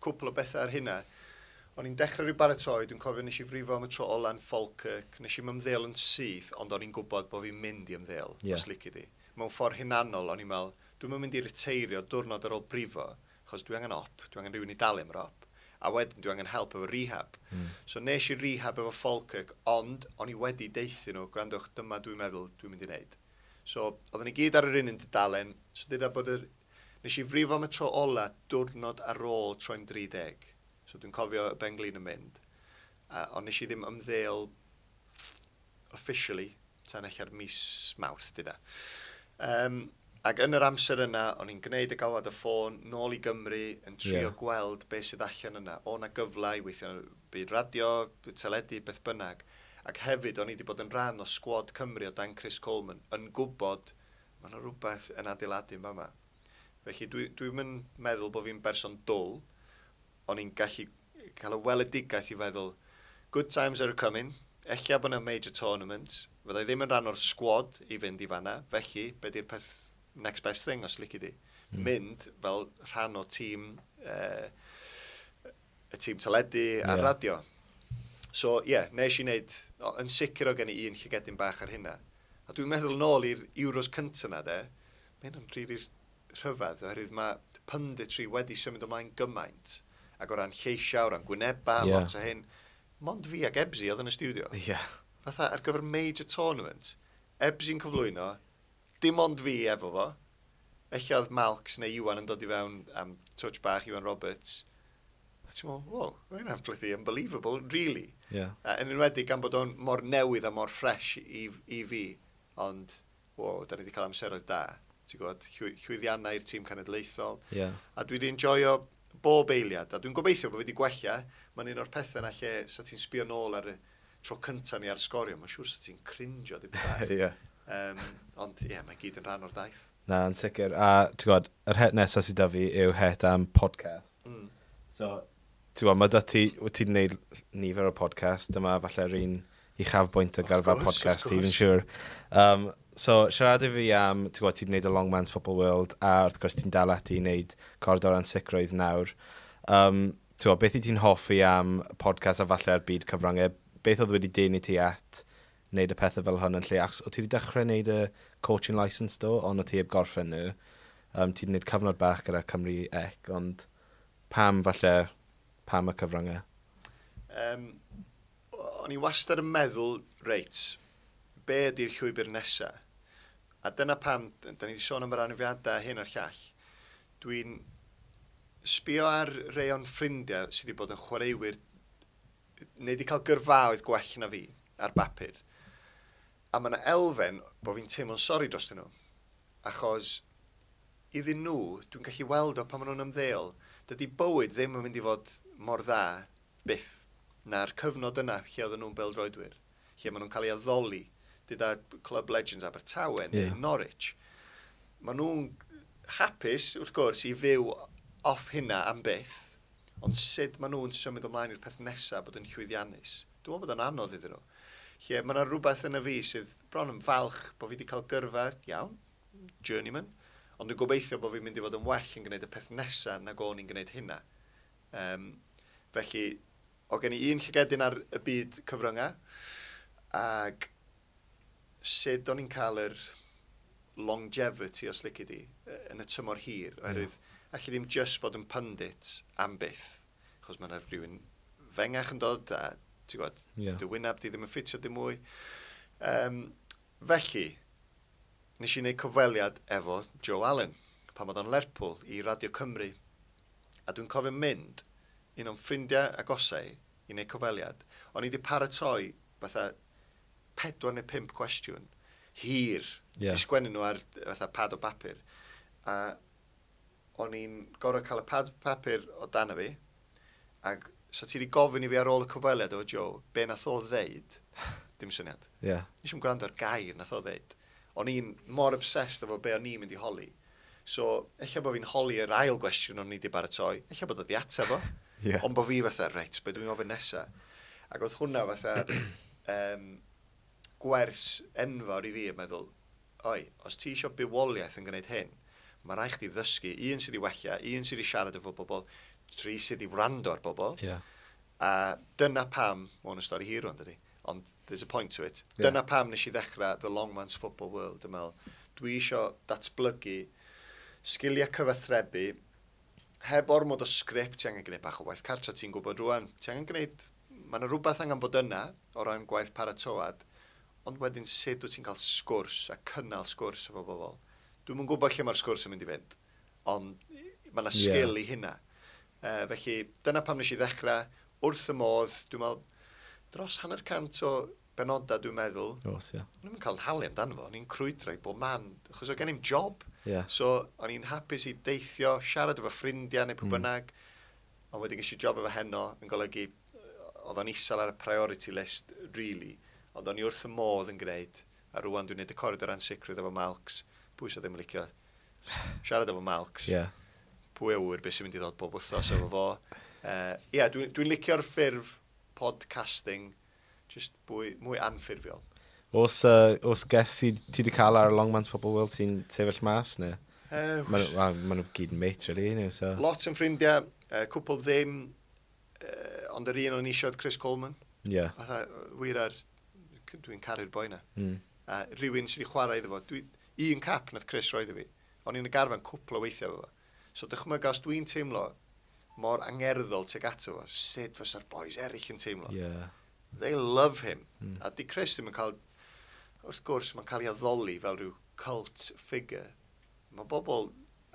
Speaker 1: cwpl o bethau ar hynna. O'n i'n dechrau rhyw baratoi, dwi'n cofio nes i frifo am y tro ola'n Falkirk, nes i'm ymddeol yn syth, ond o'n i'n gwybod bod fi'n mynd i ymddeol,
Speaker 2: Ie.
Speaker 1: os lici di. Mewn ffordd hunanol, o'n i'n meddwl, dwi'n mynd i reteirio diwrnod ar ôl brifo, achos dwi angen op, dwi angen rhywun i dalu am yr op. A wedyn dwi angen help efo rehab. Mm. So nes i rehab efo Falkirk, ond o'n i wedi deutha nhw, "Gwrandwch, dyma dwi'n meddwl dwi'n mynd i wneud." So, oedden ni gyd ar yr un un dudalen, so dyda bod yr... Nes i frifo am y tro ola diwrnod ar ôl troi'n dri deg. So dwi'n cofio y benglin yn mynd. A, ond nes i ddim ymddeol officially tan ella'r mis Mawrth, dyda. Um, ac yn yr amser yna, o'n i'n gwneud y galwad y ffôn nôl i Gymru yn trio
Speaker 2: Ie.
Speaker 1: yeah. gweld beth sydd allan yna. O na gyfle i weithio yn y byd radio, byd teledu, beth bynnag. Ac hefyd, o'n i wedi bod yn rhan o sgwad Cymru o dan Chris Coleman, yn gwybod mae yna rhywbeth yn adeiladu yn fama. Felly dwi'n dwi yn meddwl bod fi'n berson dwl, o'n i'n gallu cael y weledigaeth i feddwl, good times are coming, ella bod yna major tournament, fyddai ddim yn rhan o'r sgwad i fynd i fanna, felly, be di'r peth next best thing, os lici di? Mm. Mynd fel rhan o tîm, uh, y tîm teledu a
Speaker 2: Ie.
Speaker 1: radio. So, ie, yeah, nes i wneud, o, yn sicr o gen i un llygedyn bach ar hynna. A dwi'n meddwl nôl i'r Euros cynta na, de, mae hynna'n rili rhyfedd, oherwydd mae punditry wedi symud ymlaen gymaint, ac o ran lleisiau, o ran gwynebau,
Speaker 2: Ie.
Speaker 1: yeah. lot o hyn. Mond fi ac Ebsi oedd yn y studio.
Speaker 2: Ie.
Speaker 1: Fatha ar gyfer major tournament, Ebsi'n cyflwyno, dim ond fi efo fo. Ella oedd Malks neu Iwan yn dod i fewn am touch bach, Iwan Roberts. A ti'n meddwl, wow, mae hynna'n bloody unbelievable, really.
Speaker 2: Ie.
Speaker 1: A yn enwedig gan bod o'n mor newydd a mor fresh i, i fi. Ond, wow, da ni wedi cael amseroedd da. Ti'n gwybod, llwy, llwyddiannau i'r tîm cenedlaethol.
Speaker 2: Ie.
Speaker 1: A dwi wedi enjoyo bob eiliad. A dwi'n gobeithio bod fi wedi gwella. Mae'n un o'r pethau yna lle sa ti'n sbio nôl ar y tro cyntaf ni ar Sgorio. Mae'n siŵr sa ti'n cringio dipyn bach.
Speaker 2: Ie.
Speaker 1: Um, ond ie, yeah, mae gyd yn rhan o'r daith.
Speaker 2: Na, yn sicr. A ti'n gwybod, yr het nesaf sydd 'da fi yw het am podcast.
Speaker 1: Mm.
Speaker 2: So, ti'n gwybod, mae da ti, wyt ti'n gwneud nifer o podcast, dyma falle'r un uchafbwynt o
Speaker 1: Of
Speaker 2: gyrfa
Speaker 1: course,
Speaker 2: podcast
Speaker 1: of
Speaker 2: ti, fi'n
Speaker 1: course.
Speaker 2: siŵr. Um, so, siarad i fi am, ti'n gwybod, ti'n gwneud y Long Man's Football World, a wrth gwrs ti'n dal ati i wneud Coridor Ansicrwydd nawr. Um, ti'n gwybod, beth i ti'n hoffi am podcast a falle'r byd cyfryngau? Beth oedd wedi denu ti at wneud y pethau fel hwn yn lle? Achos o ti wedi dechrau wneud y coaching licence do, ond o ti heb gorffen nhw. Um, ti wedi gwneud cyfnod bach gyda Cymru C, ond pam falle, pam y cyfryngau?
Speaker 1: Um, o'n i wastad yn meddwl, reit, be ydy'r llwybr nesa? A dyna pam, da ni wedi sôn am yr anafiadau hyn a'r llall, dwi'n sbio ar rei o'n ffrindiau sydd wedi bod yn chwaraewyr neu wedi cael gyrfaoedd gwell na fi ar bapur. A mae yna elfen bod fi'n teimlo'n sori dros nhw. Achos iddyn nhw, dwi'n gallu weld o pan maen nhw'n ymddeol, dydy bywyd ddim yn mynd i fod mor dda byth na'r cyfnod yna lle oedden nhw'n beldroedwyr, lle maen nhw'n cael ei addoli, dyda Club Legends Abertawe neu
Speaker 2: Ie.
Speaker 1: Norwich. Maen nhw'n hapus, wrth gwrs, i fyw off hynna am byth, ond sut maen nhw'n symud ymlaen i'r peth nesaf bod yn llwyddiannus? Dwi'n meddwl bod o'n anodd iddyn nhw. Lle mae yna rhywbeth yn y fi sydd bron yn falch bod fi wedi cael gyrfa, iawn, journeyman, ond dwi'n gobeithio bod fi'n mynd i fod yn well yn gwneud y peth nesaf nag o'n i'n gwneud hynna. Um, felly, o gen i un llygedyn ar y byd cyfryngau, ac sut o'n i'n cael yr longevity, os lici di, yy, yn y tymor hir, oherwydd yeah. allu ddim just bod yn pundit am byth, achos mae yna rhywun fengach yn dod a ti'n gwybod,
Speaker 2: Ie.
Speaker 1: dy wyneb di ddim yn ffitio dim mwy. Um, felly, nes i wneud cyfweliad efo Joe Allen, pan oedd o'n Lerpwl i Radio Cymru. A dwi'n cofio mynd, un o'n ffrindiau agosau i wneud cyfweliad. O'n i wedi paratoi fatha pedwar neu pump cwestiwn hir,
Speaker 2: Ie.
Speaker 1: yeah. i sgwennu nhw ar fatha pad o bapur. A o'n i'n gorfod cael y pad papur o dan y fi, ac so ti wedi gofyn i fi ar ôl y cyfweliad efo Joe, be nath o ddeud, dim syniad.
Speaker 2: Ie.
Speaker 1: Nes i'm gwrando ar gair nath o ddeud. O'n i'n mor obsessed efo be o'n i'n mynd i holi. So, ella bod fi'n holi yr ail gwestiwn o'n i wedi baratoi, ella bod o di ateb o.
Speaker 2: Ie.
Speaker 1: Ond bod fi fatha, reit, be dwi'n ofyn nesa? Ac oedd hwnna fatha um, gwers enfawr i fi yn meddwl, oi, os ti eisiau bywoliaeth yn gwneud hyn, mae rhaid chdi ddysgu, un sydd i wella, un sydd i siarad efo bobl, tri sydd i wrando ar bobl,
Speaker 2: Ie.
Speaker 1: A dyna pam, mae hwn yn stori hir rwan, dydy, ond there's a point to it.
Speaker 2: Yeah.
Speaker 1: Dyna pam nes i ddechrau The Long Man's Football World. Dwi'n meddwl, dwi isio datblygu sgiliau cyfathrebu heb ormod o sgript, ti angen gwneud bach o waith cartra, ti'n gwybod rwan. Ti angen gwneud, mae yna rhywbeth angen bod yna o ran gwaith paratoad, ond wedyn sut wyt ti'n cael sgwrs a cynnal sgwrs efo bobl. Dwi'm yn gwybod lle mae'r sgwrs yn mynd i fynd, ond mae yna sgil
Speaker 2: Ie.
Speaker 1: i hynna. Uh, felly, dyna pam nes i ddechrau, wrth y modd, dwi'n meddwl, dros hanner cant o benodau dwi'n meddwl.
Speaker 2: Oes, ie.
Speaker 1: O'n i'n cael nhalu amdano fo, o'n i'n crwydro i bob man, achos oedd gen i'm job.
Speaker 2: Ie.
Speaker 1: So, o'n i'n hapus i deithio, siarad efo ffrindiau neu pwy
Speaker 2: Mm.
Speaker 1: bynnag, ond wedyn ges i job efo Heno yn golygu, yy, oedd o'n isel ar y priority list, really, ond o'n i wrth y modd yn gwneud, a rwan dwi'n gwneud y Coridor Ansicrwydd efo Malcs, pwy sydd ddim yn licio siarad efo Malcs,
Speaker 2: Ie.
Speaker 1: pwy a wyr beth sy'n mynd i ddod bob wythnos efo fo. Ie, uh, yeah, dwi'n dwi licio'r ffurf podcasting, just mwy, mwy anffurfiol.
Speaker 2: Oes, uh, oes guest ti ti wedi cael ar Long Man's Football World sy'n sefyll mas, neu?
Speaker 1: Uh,
Speaker 2: Maen nhw well, ma nhw gyd yn mate, really, neu, so...
Speaker 1: Lot yn ffrindiau, uh, cwpl ddim, uh, ond yr un o'n isio oedd Chris Coleman.
Speaker 2: Ie.
Speaker 1: Fatha, wir ar, dwi'n caru'r boi na.
Speaker 2: Mm.
Speaker 1: A rhywun sydd wedi chwarae iddo fo. Dwi, un cap nath Chris roi iddo fi. O'n i'n y garfan cwpl o weithiau efo fo. So dychmyga os dwi'n teimlo mor angerddol tuag ato fo, sut fysa'r boys eraill yn teimlo.
Speaker 2: Ie.
Speaker 1: They love him.
Speaker 2: Mm.
Speaker 1: A di Chris ddim yn cael, wrth gwrs, mae'n cael ei addoli fel rhyw cult figure. Mae bobl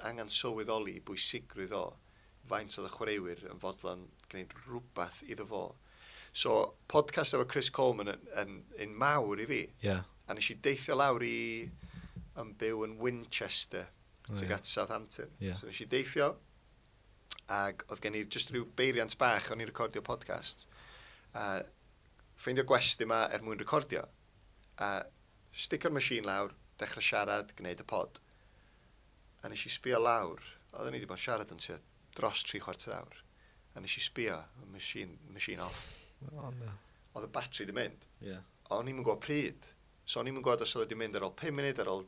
Speaker 1: angen sylweddoli bwysigrwydd o faint oedd y chwaraewyr yn fodlon gwneud rhywbeth iddo fo. So, podcast efo Chris Coleman yn, yn, yn mawr i fi.
Speaker 2: Ie.
Speaker 1: A nes i deithio lawr i yn byw yn Winchester,
Speaker 2: O,
Speaker 1: tuag
Speaker 2: ie.
Speaker 1: at Southampton.
Speaker 2: Ie.
Speaker 1: So nes i deithio, ag oedd gen i just rhyw beiriant bach o'n i recordio podcast. A ffeindio gwesty yma er mwyn recordio. A sticio'r machine lawr, dechrau siarad, gwneud y pod. A nes i sbio lawr, oedden ni wedi bod yn siarad yn tua dros tri chwarter awr. A nes i sbio, y machine, machine off.
Speaker 2: O, no.
Speaker 1: Oedd y batri wedi mynd.
Speaker 2: Ie.
Speaker 1: O'n i'm yn gwybod pryd. So o'n i'm yn gwybod os oedd wedi mynd ar ôl pum munud, ar ôl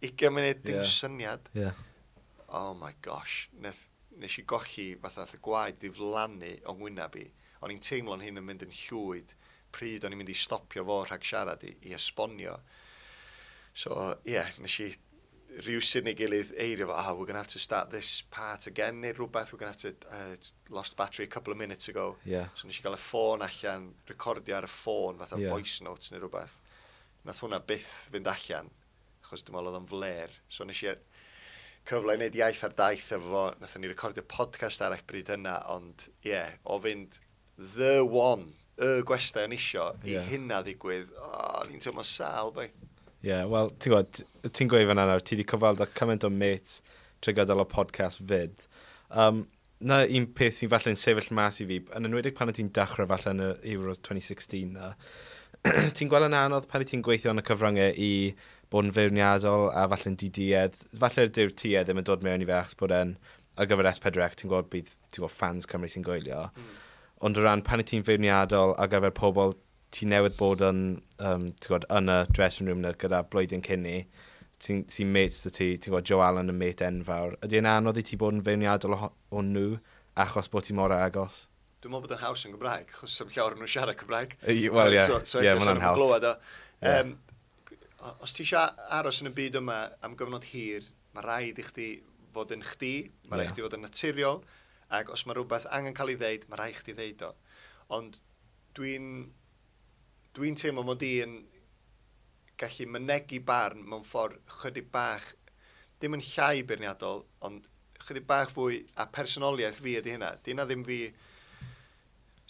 Speaker 1: ugain munud, dim
Speaker 2: Ie.
Speaker 1: syniad.
Speaker 2: Ie.
Speaker 1: Oh my gosh, nes, nes i golli fatha y gwaed ddiflannu o'n ngwyneb i. O'n i'n teimlo'n hyn yn mynd yn llwyd pryd o'n i'n mynd i stopio fo rhag siarad i, i esbonio. So, ie, yeah, nes i rhywsut neu gilydd eirio fo, "Oh, we're gonna have to start this part again," neu rhywbeth, "we're gonna have to, uh, lost battery a couple of minutes ago."
Speaker 2: Ie.
Speaker 1: So nes i gael y ffôn allan, recordio ar y ffôn, fatha
Speaker 2: Ie.
Speaker 1: yeah. voice notes neu rhywbeth. Nath hwnna byth fynd allan, achos dwi'n meddwl oedd o'n fler. So nes i cyfle i wneud Iaith ar Daith efo fo, nathon ni recordio podcast arall bryd yna, ond ie, yeah, o fynd the one, y gwestai o'n isio, i
Speaker 2: Ie.
Speaker 1: hynna ddigwydd, o, oh, ni'n teimlo sâl, bai.
Speaker 2: Ie, yeah, wel, ti'n gwybod, ti'n gweud fan'na nawr, ti wedi cyfweld â cymaint o mates trwy gydol o podcast fyd. Um, na un peth sy'n falle'n sefyll mas i fi, yn enwedig pan ti'n dechrau falle yn y Euros dwy fil un deg chwech na, ti'n gweld yn anodd pan ti'n gweithio yn y cyfryngau i bod yn feirniadol a falle'n diduedd. Falle dyw'r tuedd ddim yn dod mewn i fe achos bod e'n ar gyfer S pedwar C, ti'n gwybod bydd ti'n gwybod fans Cymru sy'n gwylio.
Speaker 1: Mm.
Speaker 2: Ond o ran pan ti'n feirniadol ar gyfer pobl ti newydd bod yn, um, ti'n gwybod, yn y dressing room na gyda blwyddyn cyn ni, sy'n sy mates 'da ti, ti'n gwybod, Joe Allen yn mate enfawr. Ydy e'n anodd i ti bod yn feirniadol o, o nhw achos bod ti mor agos?
Speaker 1: Dwi'n meddwl bod yn haws yn Gymraeg, achos sa'm llawer nhw'n siarad Cymraeg.
Speaker 2: Wel, ie,
Speaker 1: So, so
Speaker 2: ie,
Speaker 1: ella
Speaker 2: ma'
Speaker 1: sa'n
Speaker 2: hwnna'n
Speaker 1: nhw'n
Speaker 2: help.
Speaker 1: glywed o.
Speaker 2: Ie.
Speaker 1: Um, os ti eisiau aros yn y byd yma am gyfnod hir, mae rhaid i chdi fod yn chdi, mae rhaid
Speaker 2: Ie.
Speaker 1: i chdi fod yn naturiol, ac os mae rhywbeth angen cael ei ddeud, mae rhaid i chdi ddeud o. Ond dwi'n dwi'n teimlo mod i yn gallu mynegi barn mewn ffordd chydig bach, dim yn llai beirniadol, ond chydig bach fwy, a personoliaeth fi ydy hynna. Di hynna ddim fi,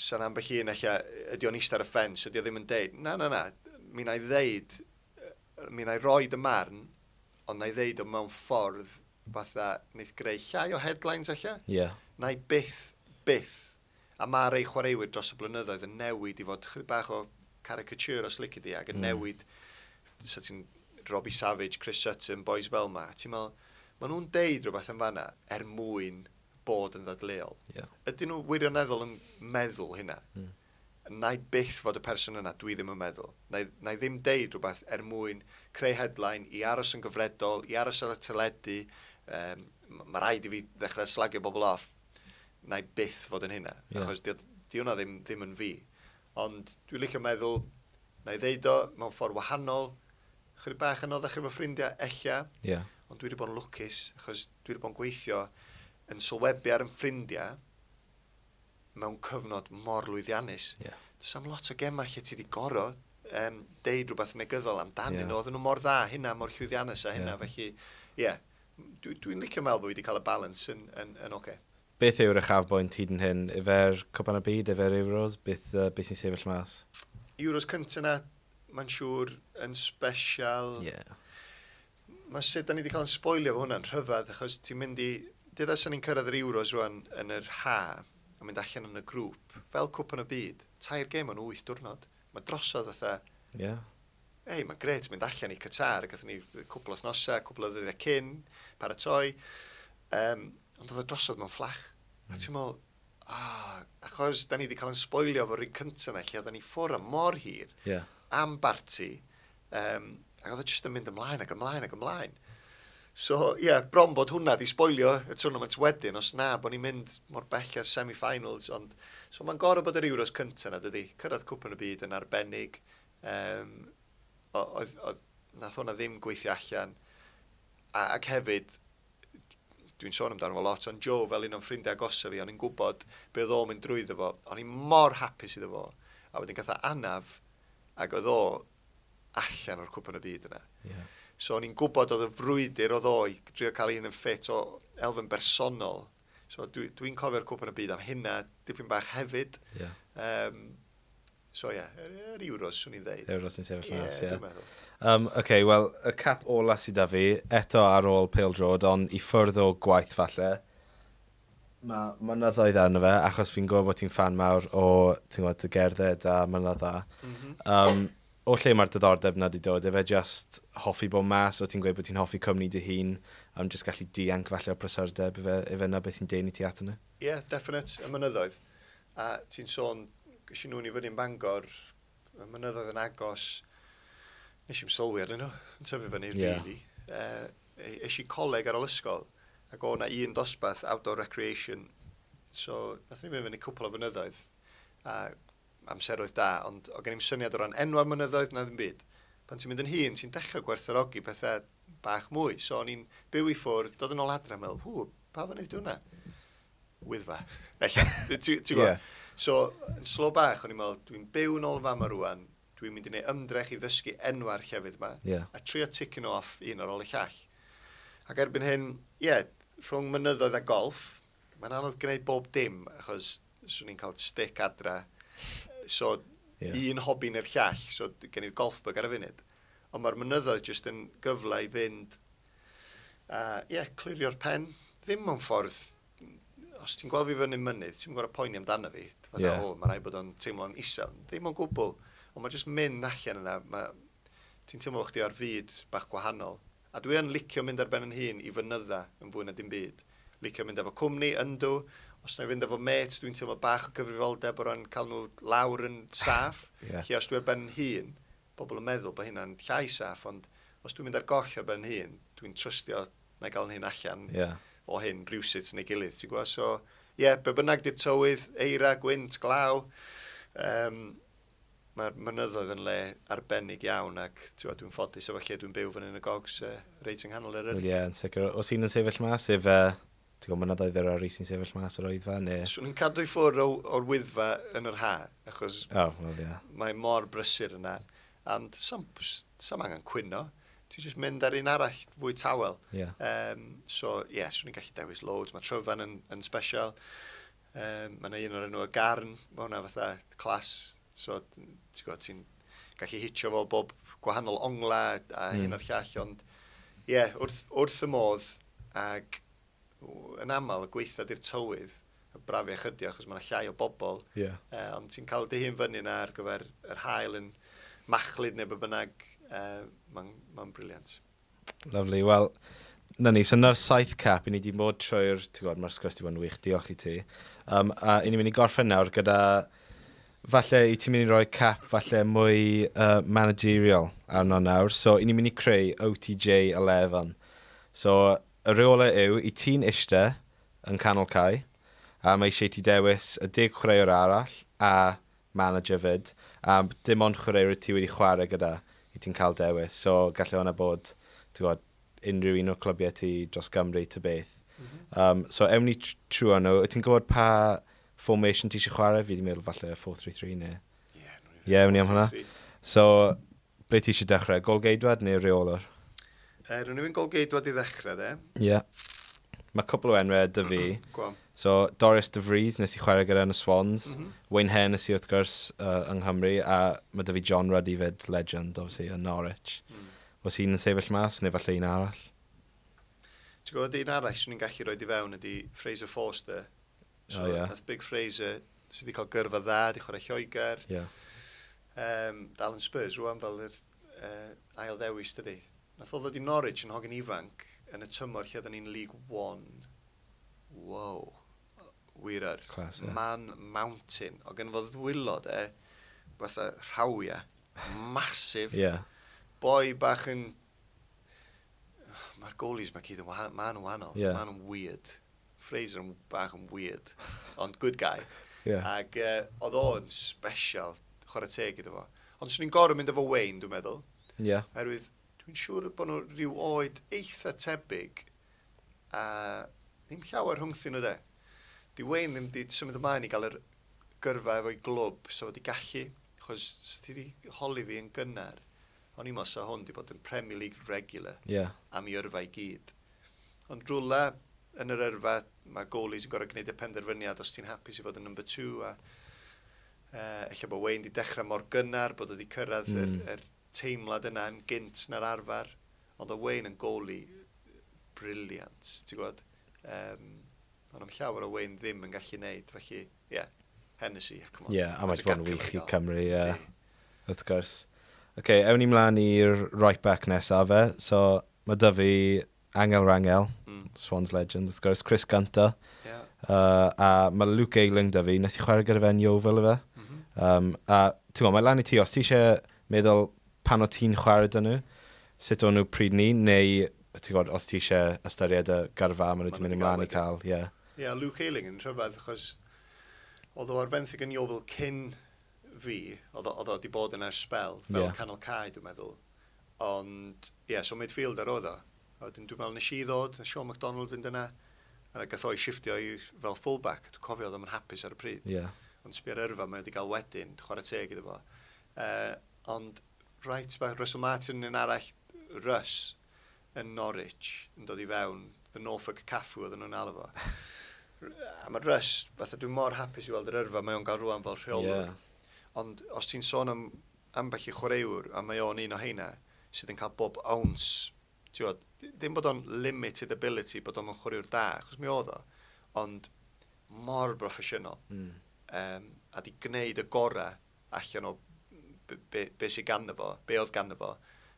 Speaker 1: sa'n ambell un ella, ydy o'n eistedd ar y ffens, ydy o ddim yn deud. Na, na, na, mi na i ddeud, yy, mi na i roid y marn, ond na i ddeud o mewn ffordd fatha, wneith greu llai o headlines ella.
Speaker 2: Ie. Yeah.
Speaker 1: Na i byth, byth, a mae rei chwaraewyr dros y blynyddoedd yn newid i fod chydig bach o caricature os lici di, ac yn
Speaker 2: Mm.
Speaker 1: newid, so ti'n Robbie Savage, Chris Sutton, boys fel ma, a ti'n meddwl, maen nhw'n deud rhywbeth yn fanna er mwyn bod yn ddadleuol.
Speaker 2: Ie.
Speaker 1: Ydyn nhw wirioneddol yn meddwl hynna?
Speaker 2: Mm.
Speaker 1: Na i byth fod y person yna, dwi ddim yn meddwl. Na i, na i ddim deud rhywbeth er mwyn creu headline, i aros yn gyfredol, i aros ar y teledu, um, mae rhaid i fi ddechrau slagio bobl off. Na i byth fod yn hynna,
Speaker 2: Ie.
Speaker 1: achos di, Di hwnna ddim, ddim yn fi. Ond dwi'n licio meddwl, na i ddeud o mewn ffordd wahanol, chydig bach yn anoddach efo ffrindiau, ella,
Speaker 2: Yeah.
Speaker 1: ond dwi wedi bod yn lwcus, achos dwi wedi bod yn gweithio yn sylwebu ar yn ffrindiau mewn cyfnod mor lwyddiannus.
Speaker 2: Yeah.
Speaker 1: Does am lot o gemau lle ti wedi goro um, deud rhywbeth negyddol amdanyn
Speaker 2: Ie.
Speaker 1: nhw. Oedden nhw mor dda hynna, mor llwyddiannus a hynna.
Speaker 2: Ie.
Speaker 1: Felly, ie, yeah, dwi'n dwi licio meddwl bod fi wedi cael y balance yn, yn, yn oce. Okay.
Speaker 2: Beth yw'r uchafbwynt hyd yn hyn? Ife'r Cwpan y Byd, ife'r Euros? Beth, uh, beth sy'n sefyll mas?
Speaker 1: Euros cyntaf na, mae'n siŵr yn special.
Speaker 2: Yeah.
Speaker 1: Mae sut da ni wedi cael yn sboilio fo hwnna'n rhyfedd, achos ti'n mynd i... Dyda sy'n ni'n cyrraedd yr Euros rwan yn yr ha, a mynd allan yn y grŵp, fel Cwpan y Byd, tair gêm o'n wyth diwrnod. Mae drosodd fatha,
Speaker 2: Yeah.
Speaker 1: ei, mae'n gret mynd allan i Qatar, gathon ni cwpl o wythnosau, cwpl o ddyddiau cyn, paratoi. Um, ond oedd o drosodd mewn fflach. Mm. A ti'n meddwl, ah, achos da ni wedi cael yn sboilio fo'r un cyntaf na, lle oedden ni ffwrdd am mor hir,
Speaker 2: Yeah.
Speaker 1: am barti, um, ac oedd o jyst yn mynd ymlaen ac ymlaen ac ymlaen. So, ie, yeah, bron bod hwnna di sboilio y tournament wedyn, os na, bod ni'n mynd mor bell ar semi-finals, ond... So, mae'n gorau bod yr Euros cyntaf na, dydy. Cyrraedd Cwpan y Byd yn arbennig. Um, oedd, oedd, nath hwnna ddim gweithio allan. A, ac hefyd, dwi'n sôn amdano fo lot, ond Joe fel un o'n ffrindiau agosa fi, o'n i'n gwybod be oedd o'n mynd drwyddo fo. O'n i'n mor hapus iddo fo. A wedyn gath o anaf, ac oedd o allan o'r Cwpan y Byd yna.
Speaker 2: Yeah.
Speaker 1: So o'n i'n gwybod oedd y frwydr oedd o i drio cael un yn ffit o elfen bersonol. So dwi'n dwi cofio'r Cwpan y Byd am hynna dipyn bach hefyd.
Speaker 2: Yeah.
Speaker 1: Um, so ie, yeah, yr, yr Euros, swn i'n dweud.
Speaker 2: Euros sy'n sefyll
Speaker 1: Ie,
Speaker 2: mas, ie.
Speaker 1: dwi'n meddwl.
Speaker 2: Um, OK, wel, y cap ola sydd da fi, eto ar ôl pêl-droed, ond i ffwrdd o gwaith falle. Mae mynyddoedd arno fe, achos fi'n gwybod bod ti'n fan mawr o, ti'n gwybod, dy gerdded a mynydda.
Speaker 1: Mm -hmm.
Speaker 2: Um, o lle mae'r diddordeb na di dod? Efe just hoffi bod mas, o ti'n gweud bod ti'n hoffi cwmni dy hun, am just gallu dianc falle o'r prysurdeb, efe, efe na beth sy'n denu ti ato nhw?
Speaker 1: Ie, yeah, definite, y mynyddoedd. A ti'n sôn, ges i nhw'n i fyny yn Bangor, y mynyddoedd yn agos, nes i'm sylwi arnyn nhw, yn tyfu fyny,
Speaker 2: Ie.
Speaker 1: really. Uh, es i coleg ar ôl ysgol, ac o na un dosbarth, outdoor recreation. So, nath ni fynd fyny cwpl o fynyddoedd, a amseroedd da, ond o gen i'm syniad o ran enwau'r mynyddoedd na ddim byd. Pan ti'n mynd yn hŷn, ti'n dechrau gwerthfawrogi pethau bach mwy. So, o'n i'n byw i ffwrdd, dod yn ôl adre, a meddwl, hw, pa fynydd di hwnna? Wyddfa. Ella, ti'n gwybod?
Speaker 2: Ie.
Speaker 1: So, yn slo bach, o'n i'n meddwl, dwi'n byw yn ôl fama rwan, dwi'n mynd i wneud ymdrech i ddysgu enwau'r llefydd yma,
Speaker 2: Ie.
Speaker 1: a trio ticking off un ar ôl y llall. Ac erbyn hyn, ie, yeah, rhwng mynyddoedd a golf, mae'n anodd gwneud bob dim, achos swn i'n cael stick adra. So,
Speaker 2: Ie.
Speaker 1: yeah. un hobi neu'r llall, so gen i'r golf bug ar y funud. Ond mae'r mynyddoedd jyst yn gyfle i fynd, a ie, yeah, clirio'r pen. Ddim mewn ffordd, os ti'n gweld fi fyny mynydd, ti'n gorfod poeni amdano fi. Fatha,
Speaker 2: Ie.
Speaker 1: yeah. o, mae rhaid bod o'n teimlo'n isel. Ddim o gwbl. Ond mae jyst mynd allan yna, ma, ti'n teimlo chdi ar fyd bach gwahanol. A dwi yn licio mynd ar ben yn hun i fynydda yn fwy na dim byd. Licio mynd efo cwmni, yndw. Os na i fynd efo mates, dwi'n teimlo bach o gyfrifoldeb o ran cael nhw lawr yn saff.
Speaker 2: Ie.
Speaker 1: Lle os dwi ar ben yn hun, bobl yn meddwl bod hynna'n llai saff, ond os dwi'n mynd ar goll ar ben yn hun, dwi'n trystio na i gael yn hun allan
Speaker 2: Ie.
Speaker 1: o hyn rhywsut neu gilydd, ti'n gwybod? So, ie, yeah, be bynnag di'r tywydd, eira, gwynt, glaw, um, mae'r mynyddoedd yn le arbennig iawn ac ti'n gwbod, dwi'n ffodus efo lle dwi'n byw fan yn y gogs uh, reit yng nghanol
Speaker 2: Wel
Speaker 1: Eryri.
Speaker 2: ie, yn sicr. Os un yn sefyll mas, efe, ti'n gwybod, mynyddoedd yr Eryri sy'n sefyll mas o'r Wyddfa, neu...
Speaker 1: Swn i'n cadw i ffwrdd o- o'r Wyddfa yn yr ha, achos
Speaker 2: Oh, wel ie.
Speaker 1: mae mor brysur yna. And sam, sam angen cwyno. Ti'n just mynd ar un arall fwy tawel.
Speaker 2: Ie.
Speaker 1: Um, so, ie, yeah, swn i'n gallu dewis loads. Mae Tryfan yn, yn special. Um, mae yna un o'r enw y Garn. Mae hwnna fatha class. So, ti'n gwybod, ti'n gallu hitio fo bob gwahanol ongla a mm. hyn a'r llall. Ond, ie, yeah, wrth, wrth y modd ac yn aml y gweitha di'r tywydd, y brafiach ydi o, achos mae yna llai o bobl.
Speaker 2: Ie.
Speaker 1: Uh, ond ti'n cael dy hun fyny yna ar gyfer yr haul yn machlud neu be bynnag. Uh, Mae'n ma brilliant.
Speaker 2: Lovely. Wel, na ni, so na'r saith cap, i ni wedi bod trwy'r, ti'n gwybod, mae'r sgwrs wedi bod yn wych, diolch i ti. Um, a i ni'n mynd i gorffen nawr gyda, falle i ti'n mynd i roi cap falle mwy uh, managerial arno nawr. So, i ni'n mynd i creu O T J eleven. So, y reolau yw, i ti'n ishte yn canol cae, A mae eisiau ti dewis y deg chwaraewr arall a manager fyd. A dim ond chwaraewr ti wedi chwarae gyda i ti'n cael dewis. So gallai hwnna bod, ti'n gwybod, unrhyw un o'r clybiau ti dros Gymru ta beth. Mm -hmm. um, so ewn ni trwy nhw. Wyt ti'n gwybod pa formation ti eisiau chwarae? Fi wedi meddwl falle four three three neu...
Speaker 1: Ie, yeah.
Speaker 2: Ie, yeah, ewn ni am hwnna. So, ble ti eisiau dechrau? Golgeidwad neu reolwr?
Speaker 1: Uh, Rwy'n ni'n golgeidwad i ddechrau, de.
Speaker 2: Ie. Yeah. Mae cwpl o enwau 'da fi.
Speaker 1: Go on.
Speaker 2: So, Dorus De Vries, nes i chwarae gyda yn y Swans.
Speaker 1: Mm -hmm.
Speaker 2: Wayne Hennessy, wrth gwrs, uh, yng Nghymru. A mae 'da fi John Ruddy fyd, legend, obviously, yn Norwich.
Speaker 1: Mm.
Speaker 2: Oes un yn sefyll mas, neu falle un arall?
Speaker 1: Ti'n gwybod un arall swn i'n gallu rhoi i fewn ydy Fraser Forster. So,
Speaker 2: O, ie.
Speaker 1: nath Big Fraser, sydd wedi cael gyrfa dda, di chwarae Lloegr.
Speaker 2: Ie. Yeah.
Speaker 1: Um, dal yn Spurs rwan fel yr uh, ail ddewis, dydy. Nath o ddod i Norwich yn hogyn ifanc yn y tymor lle oedden ni'n League One. Wow. Wir ar.
Speaker 2: Class, ie.
Speaker 1: Man Mountain. O gen fo ddwylo de, fatha rhawia. Massive.
Speaker 2: Ie.
Speaker 1: Boi bach yn... Mae'r goalies mae gyd yn wahanol. Maen nhw'n wahanol.
Speaker 2: Ie.
Speaker 1: Maen nhw'n weird. Fraser yn bach yn weird. Ond good guy.
Speaker 2: Ie.
Speaker 1: Ac uh, oedd o'n special, chwarae teg iddo fo. Ond swn i'n gorfod mynd efo Wayne, dwi'n meddwl.
Speaker 2: Ie.
Speaker 1: Oherwydd dwi'n siŵr bod nhw rhyw oed eitha tebyg a ddim llawer rhwngthyn nhw de. Di Wayne ddim di symud ymlaen i gael yr gyrfa efo'i glwb, so wedi gallu, achos sa ti wedi holi fi yn gynnar, o'n i'n meddwl sa hwn di bod yn Premier League regular
Speaker 2: Ie.
Speaker 1: am ei yrfa i gyd. Ond rwla yn yr yrfa, mae goalies yn gorfod gwneud y penderfyniad os ti'n hapus i fod yn number two a uh, ella bod Wayne di dechrau mor gynnar, bod o wedi cyrraedd mm.
Speaker 2: Mm.
Speaker 1: yr, yr teimlad yna yn gynt na'r arfer. Ond o Wayne yn goalie brilliant, ti'n gwybod? Um, ond am llawer o Wayne ddim yn gallu neud, felly, ie, yeah, Hennessy, yeah, come on.
Speaker 2: Ie, a mae wedi bod yn wych i Cymru, ie.
Speaker 1: Yndi.
Speaker 2: Wrth gwrs. Oce, okay, ewn ni mlaen i'r right back nesaf fe. So, mae 'da fi Angel Rangel,
Speaker 1: Mm.
Speaker 2: Swans legend, wrth gwrs, Chris Gunter.
Speaker 1: Yeah.
Speaker 2: Uh, a mae Luke Ayling 'da fi, nes i chwarae gyda fe yn Yeovil efe.
Speaker 1: Mm -hmm.
Speaker 2: Um, a ti'n gwybod, mae lan i ti, os ti eisiau meddwl pan o ti'n chwarae 'da nhw, sut o'n nhw pryd ni, neu ti'n gwybod, os ti eisiau ystyried y gyrfa maen nhw wedi
Speaker 1: Ma' nhw
Speaker 2: mynd
Speaker 1: 'di
Speaker 2: ymlaen i
Speaker 1: gael
Speaker 2: cael, ie.
Speaker 1: Ie, yeah, Luke Ayling yn rhyfedd, achos oedd o ar fenthyg yn Yeovil cyn fi, oedd o oedd o wedi bod yn ers spel, fel
Speaker 2: Ie.
Speaker 1: yeah. canol cae, dwi'n meddwl. Ond, ie, yeah, so midfielder oedd o. A wedyn dwi'n meddwl nes i ddod, a Sean McDonald fynd yna, a gath o'i shifftio i fel fullback. Dwi'n cofio oedd o'n hapus ar y pryd.
Speaker 2: Ie.
Speaker 1: Ond sbia'r yrfa mae wedi cael wedyn, chwarae teg iddo fo. Uh, ond, right back, Russell Martin yn arall, Russ, yn Norwich, yn dod i fewn, the Norfolk Cafu oedden nhw'n alw fo. A mae Russ, fatha dwi'n mor hapus i weld yr yrfa mae o'n gael rwan fel rheolwr.
Speaker 2: Ie.
Speaker 1: Ond os ti'n sôn am ambell i chwaraewr, a mae o'n un o heina, sydd yn cael bob ounce, ti'n gwbod, ddim bod o'n limited ability, bod o'n chwaraewr da, achos mi oedd o, ond mor broffesiynol
Speaker 2: Mm.
Speaker 1: um, a di gwneud y gorau allan o be, be, be sydd ganddo fo, be oedd ganddo fo,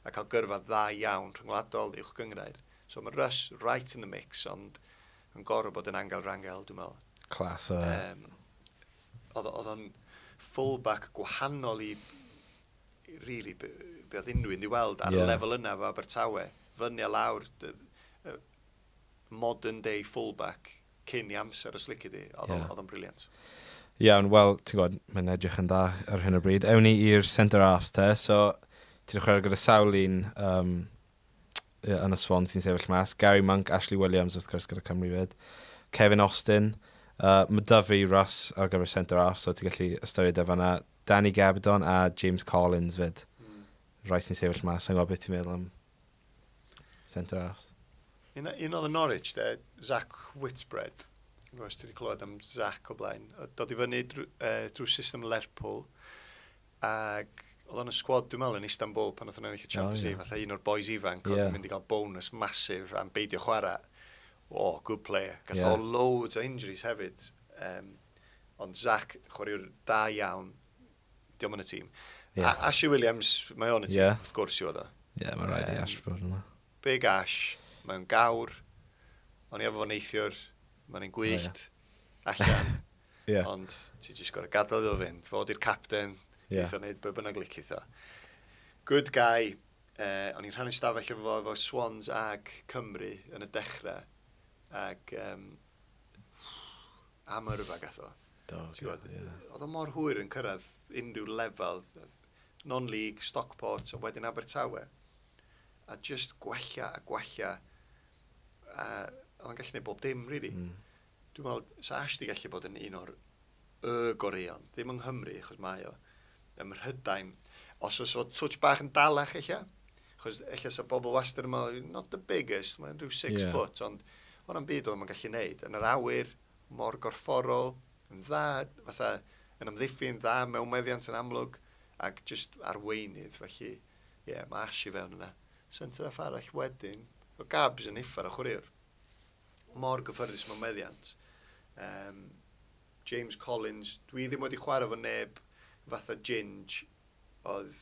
Speaker 1: a cael gyrfa dda iawn rhyngwladol uwch gynghrair. So mae Russ right in the mix, ond yn gorfod bod yn Angel Rangel, dwi'n meddwl.
Speaker 2: Class o...
Speaker 1: Um, oedd oedd o'n fullback gwahanol i, i really, be, be oedd unrhyw un di weld ar y
Speaker 2: Ie.
Speaker 1: lefel yna fo Abertawe. Fyny a lawr, d- yy, modern day fullback cyn i amser os lici di. Oedd o'n
Speaker 2: Ie.
Speaker 1: oedd o'n brilliant.
Speaker 2: Iawn, wel, ti'n gwybod, mae'n edrych yn dda ar hyn o bryd. Ewn ni i'r centre halves te, so ti'n chwarae gyda sawl un um, ie, yn y Swans sy'n sefyll mas. Gary Monk, Ashley Williams, wrth gwrs, gyda Cymru fyd. Kevin Austin, uh, mae 'da fi Russ ar gyfer centre half, so ti'n gallu ystyried e fan'na. Danny Gabbidon a James Collins fyd.
Speaker 1: Mm.
Speaker 2: Rai sy'n sefyll mas, sa'n gwybod beth ti'n meddwl am centre halves.
Speaker 1: Un, un oedd y Norwich, de, Zach Whitbread. Dwi'n gwybod os ti wedi clywed am Zach o blaen. Oedd Dod i fyny drwy, uh, drwy system Lerpwl. Ac oedd o'n y squad, dwi'n meddwl, yn Istanbul pan oedd o'n ennill y Champions
Speaker 2: O, ie.
Speaker 1: League. Fatha un o'r boys ifanc oedd
Speaker 2: Ie.
Speaker 1: yn mynd i gael bonus massive am beidio chwarae. Oh, good player. Gath
Speaker 2: Ie.
Speaker 1: o loads o injuries hefyd. Um, ond Zach, chwaraewr da iawn, diolch yn y tîm.
Speaker 2: Ie.
Speaker 1: A Ashley Williams, mae o'n y tîm,
Speaker 2: Ie.
Speaker 1: wrth gwrs i oedd o.
Speaker 2: Ie, yeah, mae rhaid i
Speaker 1: Yym,
Speaker 2: Ash bod yna.
Speaker 1: Big Ash, mae'n gawr, o'n i efo fo neithiwr, mae'n un gwyllt, allan,
Speaker 2: Ie.
Speaker 1: ond ti jyst gorfod gadael iddo fynd, fo di'r captain,
Speaker 2: Ie.
Speaker 1: yeah. wneud be bynnag licith o. Good guy, eh, o'n i'n rhannu stafell efo fo efo Swans ag Cymru yn y dechrau, ag um, Am yrfa gath o.
Speaker 3: Do,
Speaker 1: Ti'n gwbod,
Speaker 3: ie.
Speaker 1: oedd o mor hwyr yn cyrraedd unrhyw lefel, non-league, Stockport, a wedyn Abertawe. A just gwella a gwella. A oedd o'n gallu gwneud bob dim, really.
Speaker 3: Mm.
Speaker 1: Dwi'n meddwl, sa Ash di gallu bod yn un o'r y goreuon. Ddim yng Nghymru, achos mae o. Ym Mhrydain. Os oes o touch bach yn dalach eich, achos eich sa bobl wastad yn meddwl, not the biggest, mae'n rhyw six
Speaker 3: Ie.
Speaker 1: yeah. foot, ond o'n byd oedd o'n gallu neud. Yn yr awyr, mor gorfforol, yn dda, fatha, yn amddiffyn dda, mewn meddiant yn amlwg, ac just arweinydd, felly, ie, yeah, mae Ash i fewn yna. Centre half arall wedyn, o Gabs yn uffar o chwaraewr. Mor gyffyrddus mewn meddiant. Um, James Collins, dwi ddim wedi chwarae fo neb fatha Ginge, oedd,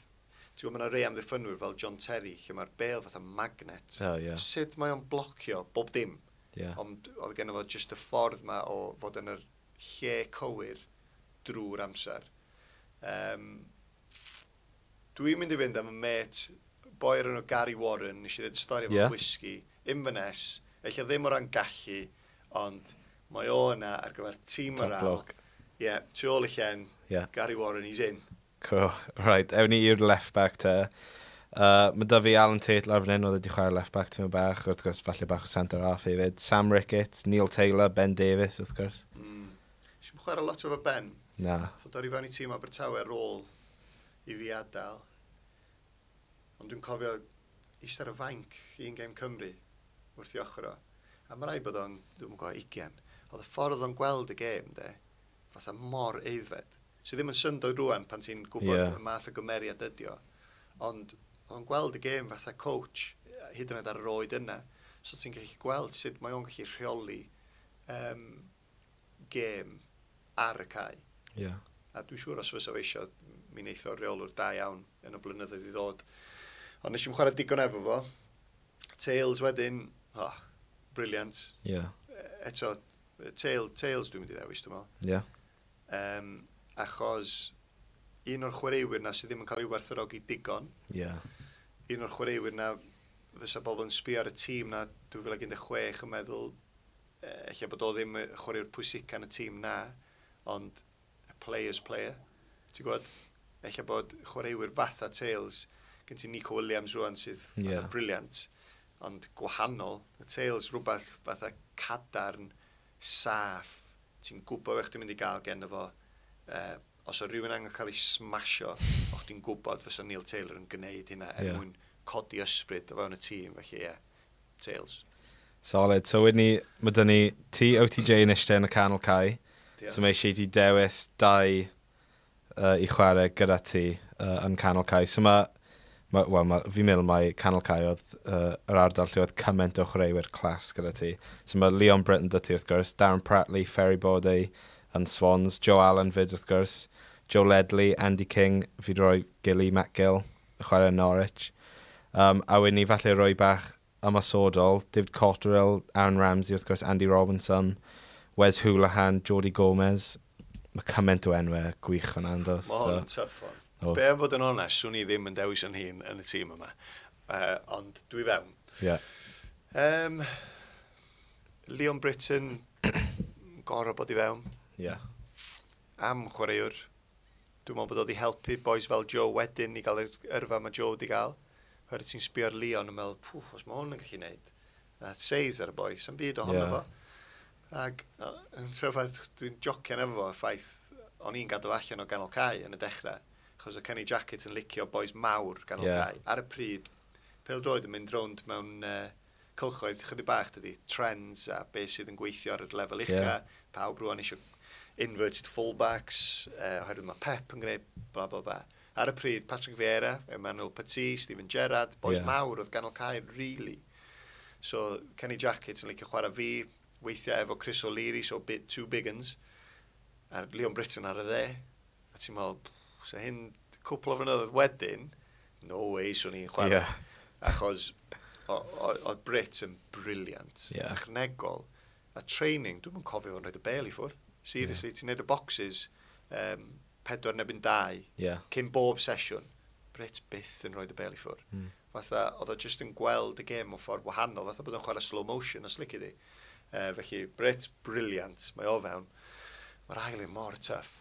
Speaker 1: ti'n gwybod, mae yna rei amddiffynwyr fel John Terry, lle mae'r bêl fatha magnet.
Speaker 3: Oh, ie.
Speaker 1: Sut mae o'n blocio bob dim?
Speaker 3: Ie.
Speaker 1: Ond oedd gen fo just y ffordd ma o fod yn yr lle cywir drwy'r amser. Um, dwi'n mynd i fynd am y mate, boi o'r enw Gary Warren, nes i ddweud y stori efo
Speaker 3: Ie.
Speaker 1: yeah. whisky, Inverness, eich ddim o ran gallu, ond mae o yna ar gyfer tîm
Speaker 3: Top
Speaker 1: morale.
Speaker 3: bloke.
Speaker 1: Ie, yeah, tu ôl y llen,
Speaker 3: Ie.
Speaker 1: Gary Warren, he's in.
Speaker 3: Cool. Right, ewn ni i'r left back te. Uh, mae da fi Alan Tate lawr fan hyn, oedd wedi chwarae left back tymor bach, wrth gwrs falle bach o centre half hefyd. Sam Ricketts, Neil Taylor, Ben Davies, wrth gwrs.
Speaker 1: Mm. Nes chwarae lot efo Ben.
Speaker 3: Na.
Speaker 1: So dod i fewn i tîm Abertawe ar ôl i fi adael. Ond dwi'n cofio eistedd ar y fainc un gêm Cymru wrth i ochr o. A mae rhaid bod o'n, dwi'n gwybod, ugain. Oedd y ffordd oedd o'n gweld y gêm, de, fatha mor aeddfed. Sydd ddim yn syndod rwan pan ti'n gwybod
Speaker 3: Ie.
Speaker 1: yeah. y math o gymeriad ydi o. Ond oedd o'n gweld y gêm fatha coach, hyd yn oed ar yr oed yna. So ti'n gallu gweld sut mae o'n gallu rheoli um, gêm ar y cae.
Speaker 3: Ie. Yeah.
Speaker 1: A dwi'n siŵr os fysa fo eisiau, mi wneith o reolwr da iawn yn y blynyddoedd i ddod. Ond nes i'm chwarae digon efo fo. Tails wedyn, oh, brilliant.
Speaker 3: Ie.
Speaker 1: E- Eto, Tail, Tails dwi'n mynd i ddewis, dwi'n meddwl.
Speaker 3: Ie.
Speaker 1: Um, achos un o'r chwaraewyr na sydd ddim yn cael ei werthfawrogi digon,
Speaker 3: Ie.
Speaker 1: un o'r chwaraewyr na fysa bobl yn sbio ar y tîm na dwy fil un deg chwech yn meddwl eh, ella bod o ddim y chwaraewr pwysica yn y tîm na, ond a player's player. Ti'n gwybod? Ella bod chwaraewyr fatha Tails, gen ti Nico Williams rwan sydd fatha
Speaker 3: Ie.
Speaker 1: yeah. brilliant, ond gwahanol. Y Tails rhywbeth fatha cadarn, saff, ti'n gwybod beth chdi'n mynd i gael gen fo. Uh, os o rhywun angen cael ei smasho, o'ch ti'n gwybod fysa Neil Taylor yn gwneud hynna er
Speaker 3: Ie.
Speaker 1: yeah. mwyn codi ysbryd o fewn y tîm, felly ie, yeah, Tails.
Speaker 3: Solid. So wedyn ni, mae dyn ni ti O T J yn eistedd yn y canol cae.
Speaker 1: Diolch.
Speaker 3: So mae eisiau i ti dewis dau uh, i chwarae gyda ti uh, yn canol cae. So mae, ma, wel, ma, fi'n meddwl mai canol cae oedd uh, yr ardal lle oedd cymaint o chwaraewyr clas gyda ti. So mae Leon Britton 'da ti wrth gwrs, Darren Pratley, Ferry Borde yn Swans, Joe Allen fyd wrth gwrs, Joe Ledley, Andy King, fi 'di rhoi Gilly, Matt Gill, yn chwarae yn Norwich. Um, a wedyn ni falle rhoi bach ymosodol, David Cotterill, Aaron Ramsey wrth gwrs, Andy Robinson, Wes Houlihan, Jordi Gomez. Mae cymaint o enwau gwych fan andos.
Speaker 1: Mae hwn yn tough one.
Speaker 3: Oes.
Speaker 1: Be am fod yn onest, swn i ddim yn dewis yn hun yn y tîm yma. Uh, ond dwi fewn.
Speaker 3: Yeah.
Speaker 1: Um, Leon Britton, gorau bod i fewn.
Speaker 3: Yeah.
Speaker 1: Am chwaraewr. Dwi'n meddwl bod o wedi helpu boys fel Joe wedyn i gael yr yrfa mae Joe wedi gael. Oherwydd ti'n sbio ar Leon yn meddwl, pwff, os mae hwn yn gallu neud. A seis ar y boi, sa'n byd ohono
Speaker 3: Ie.
Speaker 1: fo. Ac yy, yn rhyfedd, dwi'n jocian efo fo, y ffaith o'n i'n gadw allan o ganol cae yn y dechrau. Achos o Kenny Jackett yn licio boys mawr ganol
Speaker 3: Ie.
Speaker 1: yeah. cae. Ar y pryd, pêl-droed yn mynd rownd mewn uh, cylchoedd chydig bach, dydy, trends a beth sydd yn gweithio ar y lefel ucha.
Speaker 3: Ie.
Speaker 1: Pawb rwan eisiau inverted fullbacks, uh, oherwydd mae Pep yn gwneud bla bla bla. Ar y pryd, Patrick Vieira, Emmanuel Petit, Steven Gerrard, boys
Speaker 3: Ie.
Speaker 1: yeah. mawr oedd ganol cae, really. So, Kenny Jackett yn licio chwarae fi, weithiau efo Chris O'Leary, so bit, two big uns, a Leon Britton ar y dde. A ti'n meddwl, pff, so hyn cwpl o flynyddoedd wedyn, no way, swn i'n chwarae.
Speaker 3: Ie.
Speaker 1: Achos o- o- oedd Brit yn brilliant,
Speaker 3: Ie.
Speaker 1: technegol, a training, dwi'n yn cofio fo'n rhaid y bêl i ffwrdd. Seriously, yeah. Ti'n neud y boxes, um, pedwar neu dau,
Speaker 3: Yeah.
Speaker 1: cyn bob sesiwn, Brit byth yn rhoi y bêl i ffwrdd.
Speaker 3: Mm.
Speaker 1: Fatha, oedd o just yn gweld y gêm o ffordd wahanol, fatha bod o'n chwarae slow motion, os lici di. Uh, felly, Brit, brilliant, mae o fewn. Mae'r ail un mor tough.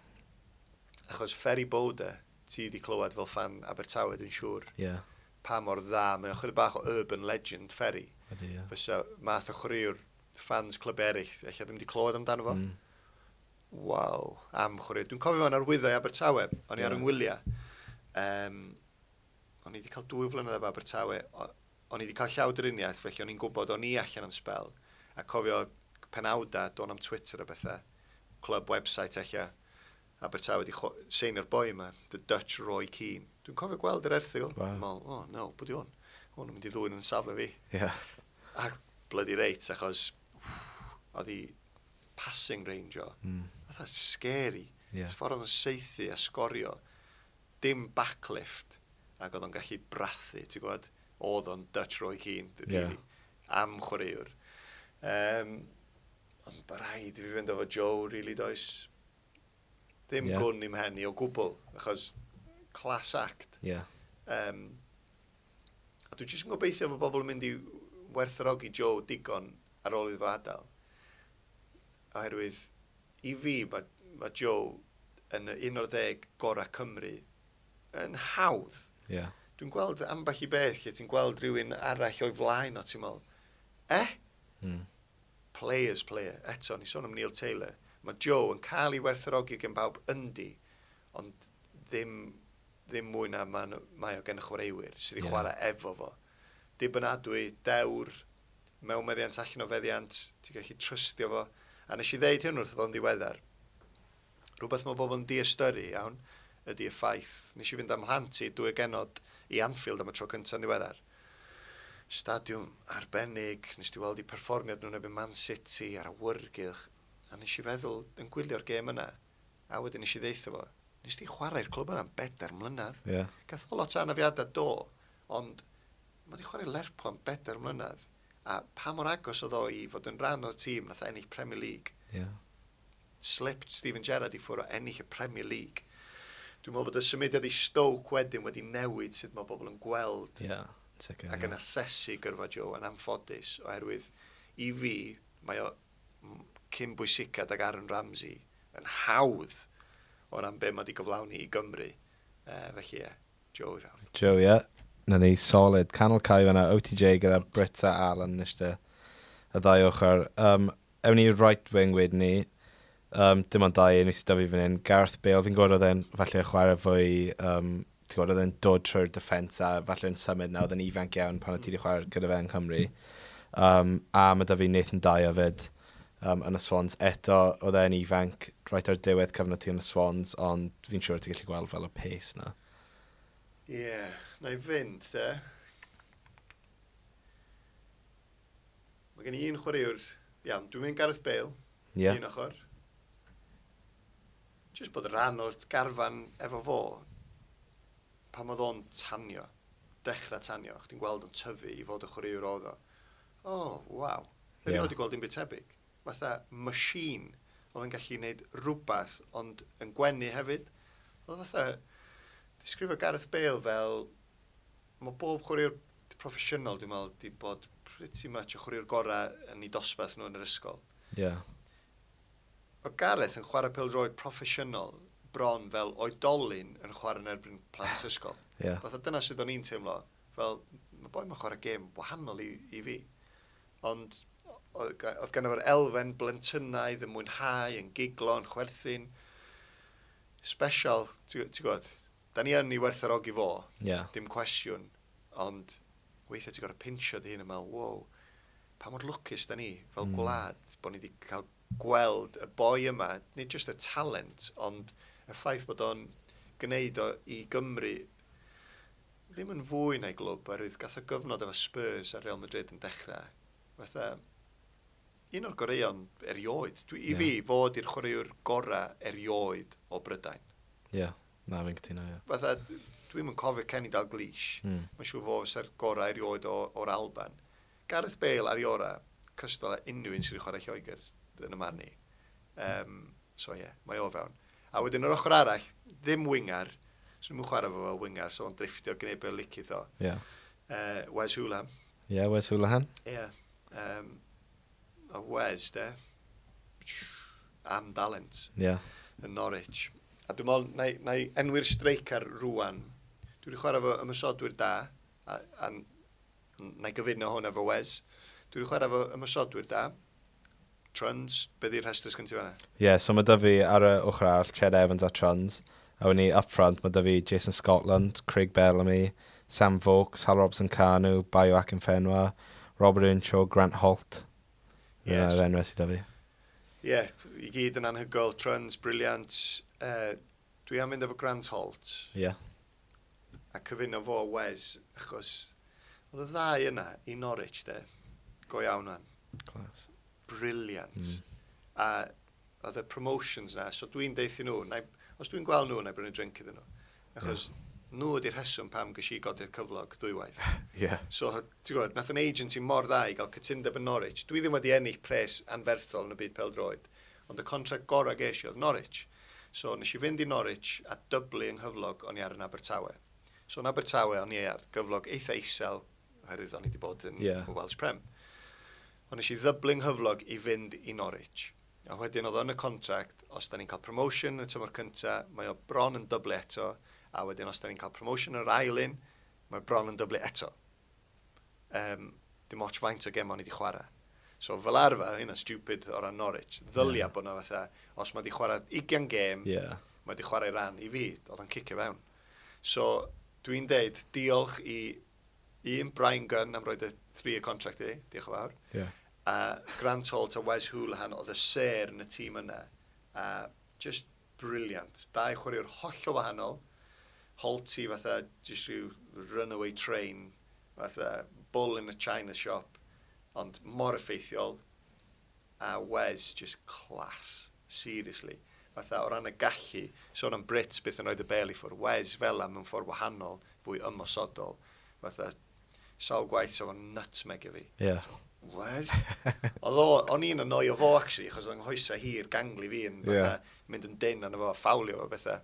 Speaker 1: Achos Ferry Bowder, ti wedi clywed fel fan Abertawe, dwi'n siŵr,
Speaker 3: Yeah.
Speaker 1: pa mor dda, mae o'n chydig bach o urban legend Ferry.
Speaker 3: Ydy, ie.
Speaker 1: Fysa math o chwaraewr fans clwb eraill, ella ddim wedi clywed amdano fo.
Speaker 3: Mm.
Speaker 1: Waw, am chwaraewr. Dwi'n cofio fo'n arwyddo i Abertawe, o'n i ar
Speaker 3: Ie.
Speaker 1: yng ngwyliau. Um, o'n i wedi cael dwy flynedd efo Abertawe. O- O'n i wedi cael llawdriniaeth, felly o'n i'n gwybod o'n i allan am sbel. A cofio penawda, do'n am Twitter a bethau, club website ella, Abertawe wedi seinio'r boi yma, The Dutch Roy Keane. Dwi'n cofio gweld yr erthygl.
Speaker 3: Wow.
Speaker 1: Dwi'n meddwl, oh no, pwy di hwn? Hwn yn mynd i ddwyn yn safle fi.
Speaker 3: Yeah.
Speaker 1: A bloody reit, achos wff, oedd hi passing range o.
Speaker 3: Mm.
Speaker 1: Oedd that's scary.
Speaker 3: Yeah.
Speaker 1: Ffordd oedd o'n saethu a sgorio. Dim backlift. Ac oedd o'n gallu brathu, ti'n gwybod? Oedd o'n Dutch Roy Keane, really.
Speaker 3: Yeah.
Speaker 1: Am chwaraewr. Um, ond mae rhaid i fi fynd efo Joe, really, does. Ddim
Speaker 3: Yeah.
Speaker 1: yeah. gwn i'm hen i o gwbl, achos class act.
Speaker 3: Yeah.
Speaker 1: Um, a dwi jyst yn gobeithio fod bobl yn mynd i werthfawrogi Joe digon ar ôl iddo fo adael. Oherwydd, i fi, mae, mae Joe yn un o'r ddeg gorau Cymru yn hawdd.
Speaker 3: Yeah.
Speaker 1: Dwi'n gweld ambell i beth lle ti'n gweld rhywun arall o'i flaen o, ti'n meddwl, eh?
Speaker 3: Mm.
Speaker 1: Players player. Eto, ni sôn am Neil Taylor. Mae Joe yn cael ei werthfawrogi gen bawb yndi, ond ddim, ddim mwy na ma, mae o gen y chwaraewyr sydd wedi
Speaker 3: Ie.
Speaker 1: yeah. chwarae efo fo. Dibynadwy, dewr, mewn meddiant allan o feddiant, ti'n gallu trystio fo. A nes i ddeud hyn wrth fo'n ddiweddar. Rhywbeth mae bobl yn diystyru iawn ydy y ffaith. Nes i fynd am mhlant i dwy genod i Anfield am y tro cyntaf yn ddiweddar. Stadiwm arbennig, nes i weld i perfformiad nhw'n erbyn Man City a'r awyrgylch. A nes i feddwl yn gwylio'r gêm yna, a wedyn nes i ddeutho fo, nes di chwarae'r clwb yna am bedair mlynedd.
Speaker 3: Yeah.
Speaker 1: Gath o lot o anafiadau do, ond mae di chwarae Lerpwl am bedair mlynedd. A pa mor agos oedd o i fod yn rhan o'r tîm nath ennill Premier League.
Speaker 3: Yeah.
Speaker 1: Slipped Steven Gerrard i ffwrdd o ennill y Premier League. Dwi'n meddwl bod y symudiad i Stoke wedyn wedi newid sut mae bobl yn gweld
Speaker 3: Yeah. Sicr.
Speaker 1: ac yn asesu gyrfa Joe yn anffodus oherwydd i fi mae o m- cyn bwysicad ag Aaron Ramsey yn hawdd o ran be mae wedi gyflawni i Gymru. Uh, felly ie, Joe i fewn.
Speaker 3: Joe, yeah. Na ni, solid. Canol cae fan'na, O T J gyda Britt a Alan eistedd y ddau ochr. Um, ewn ni right wing wedyn ni. Um, dim ond dau enw sydd 'da fi fan hyn. Gareth Bale, fi'n gwybod oedd e'n falle chwarae fwy, um, ti'n gwybod oedd e'n dod trwy'r defence a falle yn symud na, oedd e'n ifanc iawn pan oedd ti wedi chwarae gyda fe yng Nghymru. Um, a mae 'da fi Nathan Dyer fyd um, yn y Swans. Eto, oedd e'n ifanc right ar diwedd cyfnod ti yn y Swans, ond fi'n siŵr ti'n gallu gweld fel y pace na.
Speaker 1: Ie, yeah, na i fynd, te. Mae gen i un chwaraewr, iawn, dwi'n mynd Gareth Bale,
Speaker 3: Ie. Yeah.
Speaker 1: un ochr. Just bod rhan o'r garfan efo fo, pan oedd o'n tanio, dechrau tanio, chdi'n gweld o'n tyfu i fod y chwaraewr oedd o. Oh, waw.
Speaker 3: Ie.
Speaker 1: Erioed wedi gweld dim byd tebyg. Fatha machine oedd yn gallu gwneud rhywbeth, ond yn gwenu hefyd. Oedd fatha, disgrifio Gareth Bale fel, mae bob chwaraewr proffesiynol, dwi'n meddwl, di bod pretty much y chwaraewr gorau yn ei dosbarth nhw yn yr ysgol.
Speaker 3: Yeah.
Speaker 1: O Gareth yn chwarae pêl-droed proffesiynol bron fel oedolyn yn chwarae yn erbyn plant ysgol.
Speaker 3: Yeah.
Speaker 1: Fatha dyna sydd o'n i'n teimlo, fel, mae boi ma'n chwarae gêm wahanol i, i fi. Ond oedd ga- oedd gynno fo'r elfen blentynnaidd yn mwynhau, yn giglo, yn chwerthin. Special, ti'n ti'n gwybod, da ni yn ei werthfawrogi fo,
Speaker 3: Yeah.
Speaker 1: dim cwestiwn, ond weithiau ti'n gorfod pinsio dy hun yn meddwl, wow, pa mor lwcus da ni fel
Speaker 3: Mm.
Speaker 1: mm. gwlad bod ni wedi cael gweld y boi yma, nid just y talent, ond y ffaith bod o'n gwneud o i Gymru ddim yn fwy na'i glwb, oherwydd gath o gyfnod efo Spurs a Real Madrid yn dechrau. Fatha, un o'r goreuon erioed. Dwi, I
Speaker 3: Ie.
Speaker 1: fi, fod i'r chwaraewr gorau erioed o Brydain.
Speaker 3: Yeah. Na, fi'n cytuno, ie.
Speaker 1: Fatha, dwi'm yn cofio Kenny Dalglish.
Speaker 3: Mm.
Speaker 1: Mae'n siŵr fo fysa'r gorau erioed o, o'r Alban. Gareth Bale ar ei orau, cystal â unrhyw un sydd wedi chwarae Lloegr yn y marn i. Um, so ie, yeah, mae o fewn. A wedyn yr ochr arall, ddim winger, so nhw'n chwarae fo fel winger, so o'n drifftio gwneud be licith o.
Speaker 3: Yeah.
Speaker 1: Uh, Wes Hoolahan.
Speaker 3: Yeah, Wes Hoolahan.
Speaker 1: Ie. Yeah. Um, A Wes, de, am dalent
Speaker 3: Yeah.
Speaker 1: yn Norwich. A dwi'n meddwl, na, i- na i enwi'r streicar rwan. Dwi wedi chwarae efo ymosodwyr da, a, a na i gyfuno hwn efo Wes. Dwi wedi chwarae efo ymosodwyr da. Truns, be di'r rhestr sgyn ti fan'na?
Speaker 3: Yeah, so mae da fi ar y ochr arall, Ched Evans a Truns. A wedyn ni up front, mae da fi Jason Scotland, Craig Bellamy, Sam Vokes, Hal Robson-Kanu, Bayo Akinfenwa, Robert Earnshaw, Grant Holt.
Speaker 1: Yes.
Speaker 3: Yes. Yr enwau sydd da fi.
Speaker 1: Ie, yeah, i gyd yn anhygoel. Truns, brilliant. Uh, dwi am fynd efo Grant Holt
Speaker 3: Yeah.
Speaker 1: a cyfuno fo Wes, achos oedd y ddau yna i Norwich, de, go iawn man.
Speaker 3: Class.
Speaker 1: Brilliant.
Speaker 3: Mm.
Speaker 1: A oedd y promotions na, so dwi'n deutha nhw, na, os dwi'n gweld nhw, na i brynu drink iddyn nhw. Achos yeah. nhw ydy'r rheswm pam ges i godi'r cyflog ddwywaith.
Speaker 3: Yeah.
Speaker 1: So, ti'n gwybod, nath yn agency mor dda i gael cytundeb yn Norwich. Dwi ddim wedi ennill pres anferthol yn y byd pêl-droed, ond y contract gorau ges i oedd Norwich. So, nes i fynd i Norwich a dyblu yng nghyflog o'n i ar yn Abertawe. So, yn Abertawe o'n i ar gyflog eitha isel, oherwydd o'n i wedi bod yn
Speaker 3: Ie.
Speaker 1: yeah. Welsh Prem. Ond nes i ddyblu yng nghyflog i fynd i Norwich. A wedyn oedd o yn y contract, os da ni'n cael promotion yn y tymor cynta, mae o bron yn dyblu eto, a wedyn os da ni'n cael promotion yn yr ail un, mae bron yn dyblu eto. Um, dim ots faint o gem o'n i wedi chwarae. So fel arfer, hynna'n stupid o ran Norwich, ddylia yeah. bod na fatha, os mae wedi chwarae ugain gêm,
Speaker 3: Yeah.
Speaker 1: mae wedi chwarae ran i fi, oedd o'n cicio fewn. So, dwi'n deud diolch i un Brian Gunn am roid y three-year contract i, diolch yn fawr,
Speaker 3: Yeah.
Speaker 1: a Grant Holt a Wes Hoolahan oedd y sêr yn y tîm yna. A just brilliant. Dau chwaraewr hollol wahanol. Holty fatha just rhyw runaway train, fatha bull in a china shop, ond mor effeithiol. A Wes just class, seriously. Fatha o ran y gallu, sôn am Brits byth yn rhoid y bêl i ffwrdd. Wes fel am mewn ffordd wahanol, fwy ymosodol. Fatha sawl gwaith sa fo'n nutmeg i fi.
Speaker 3: Yeah.
Speaker 1: Wes? Oedd o, o'n i'n annoio fo, actually, achos oedd 'nghoesa hir gangly fi yn fatha,
Speaker 3: Ie.
Speaker 1: mynd yn dyn arno fo, a ffawlio fo bethau.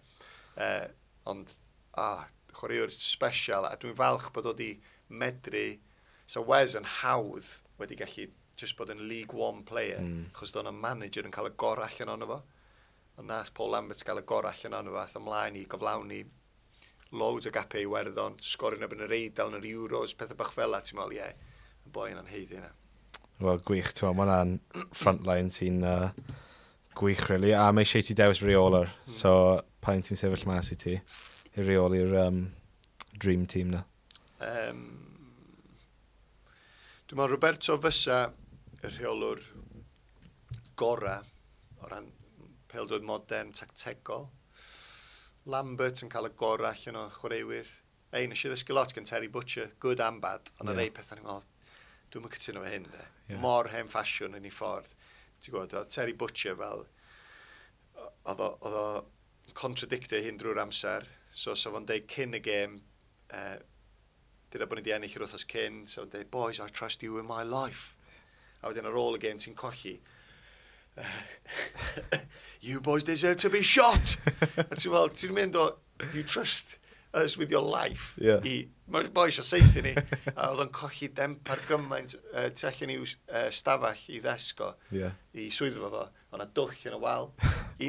Speaker 1: Uh, ond, ah, chwaraewr special, a dwi'n falch bod o di medru, so Wes yn hawdd wedi gallu just bod yn League One player,
Speaker 3: Mm.
Speaker 1: achos doedd 'na manager yn cael y gorau allan ono fo. Ond nath Paul Lambert gael y gorau allan ono fo, ath ymlaen i gyflawni loads o gapau i Iwerddon, sgorio yn erbyn yr Eidal yn yr Euros, pethau bach fel 'a, ti'n meddwl, ie, y boi yna'n haeddu yna.
Speaker 3: Wel, gwych, ti'n meddwl, mae hwnna'n frontline sy'n uh, gwych, really. A mae eisiau ti dewis reolwr,
Speaker 1: Mm.
Speaker 3: so pa un sy'n sefyll mas i ti i reoli'r um, dream team na?
Speaker 1: Um, dwi'n meddwl Roberto fysa y rheolwr gora o ran pêl-droed modern, tactegol. Lambert yn cael y gorau allan o chwaraewyr. Ei, nes i ddysgu lot gan Terry Butcher, good and bad, ond
Speaker 3: Ie.
Speaker 1: yeah. rei pethau ni'n meddwl, dwi'n mynd cytuno efo hyn, de.
Speaker 3: Ie.
Speaker 1: Mor hen ffasiwn yn ei ffordd. Ti'n gwybod, oedd Terry Butcher fel, oedd o, oedd o contradictio hyn drwy'r amser. So, so fo'n deud cyn y gêm, uh, dyna bod ni wedi ennill yr wythnos cyn, so fo'n deud, "Boys, I trust you with my life." A wedyn ar ôl y gêm ti'n colli, "You boys deserve to be shot." A ti'n meddwl, ti'n mynd o, "You trust us with your life,"
Speaker 3: Ie.
Speaker 1: i, mae'r boi eisiau saethu ni. A oedd o'n colli dempar gymaint uh, tu allan i'w uh, stafell i ddesgo,
Speaker 3: Yeah.
Speaker 1: i swyddfa fo, oedd 'na dwll yn y wal,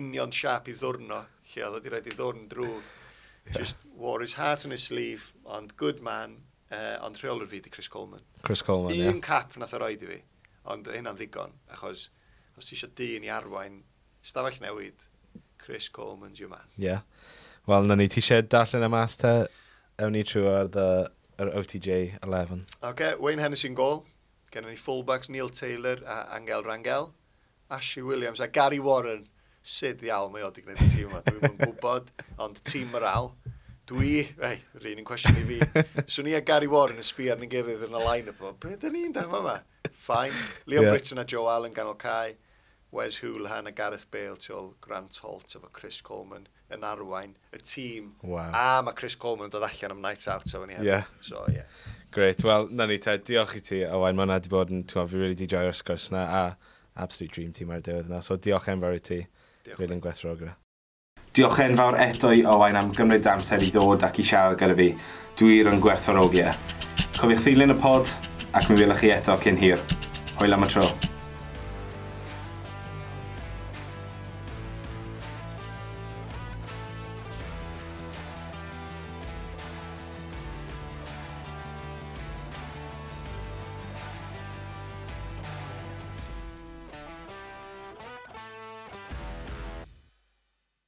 Speaker 1: union siap i ddwrno, lle oedd o wedi rhaid i ddwrn drwy. Just wore his heart on his sleeve, ond good man, uh, ond rheolwr fi di Chris Coleman.
Speaker 3: Chris Coleman,
Speaker 1: Un
Speaker 3: ie.
Speaker 1: cap nath o roid i fi, ond hynna'n ddigon, achos os ti eisiau dyn i arwain stafell newid, Chris Coleman's your man.
Speaker 3: Yeah. Wel, na ni, ti eisiau darllen y mas te? Ewn ni trwy ar the, yr O T J eleven.
Speaker 1: OK, Wayne Hennessy yn gol. Gennym ni fullbacks Neil Taylor a Angel Rangel. Ashley Williams a Gary Warren. Sut ddiawl mae o wedi gwneud y tîm yma? Dwi'm yn gwybod, ond tîm morale. Dwi, ei, yr un yn cwestiwn i fi. Swn i a Gary Warren yn sbio arn ein gilydd yn y line-up o, be dyn ni'n da yma? Fine. Leon
Speaker 3: Yeah.
Speaker 1: yeah. Britton a Joe Allen ganol cae. Wes Hoolahan a Gareth Bale tu ôl Grant Holt efo Chris Coleman yn arwain y tîm.
Speaker 3: Wow.
Speaker 1: A mae Chris Coleman yn dod allan am night out efo ni hefyd.
Speaker 3: Yeah.
Speaker 1: So, yeah.
Speaker 3: Great. Wel, na ni te, diolch i ti, Owain. Mae hwnna wedi bod yn, ti'n gwbod, fi really di joio'r sgwrs na, a absolute dream team ar y diwedd yna. So diolch enfawr i ti.
Speaker 1: Diolch.
Speaker 3: Really yn gwerthfawrogi.
Speaker 2: Diolch enfawr eto i Owain am gymryd amser i ddod ac i siarad gyda fi. Dwi wir yn gwerthfawrogi e. Cofiwch ddilyn y pod ac mi welwch chi eto cyn hir. Hwyl am y tro.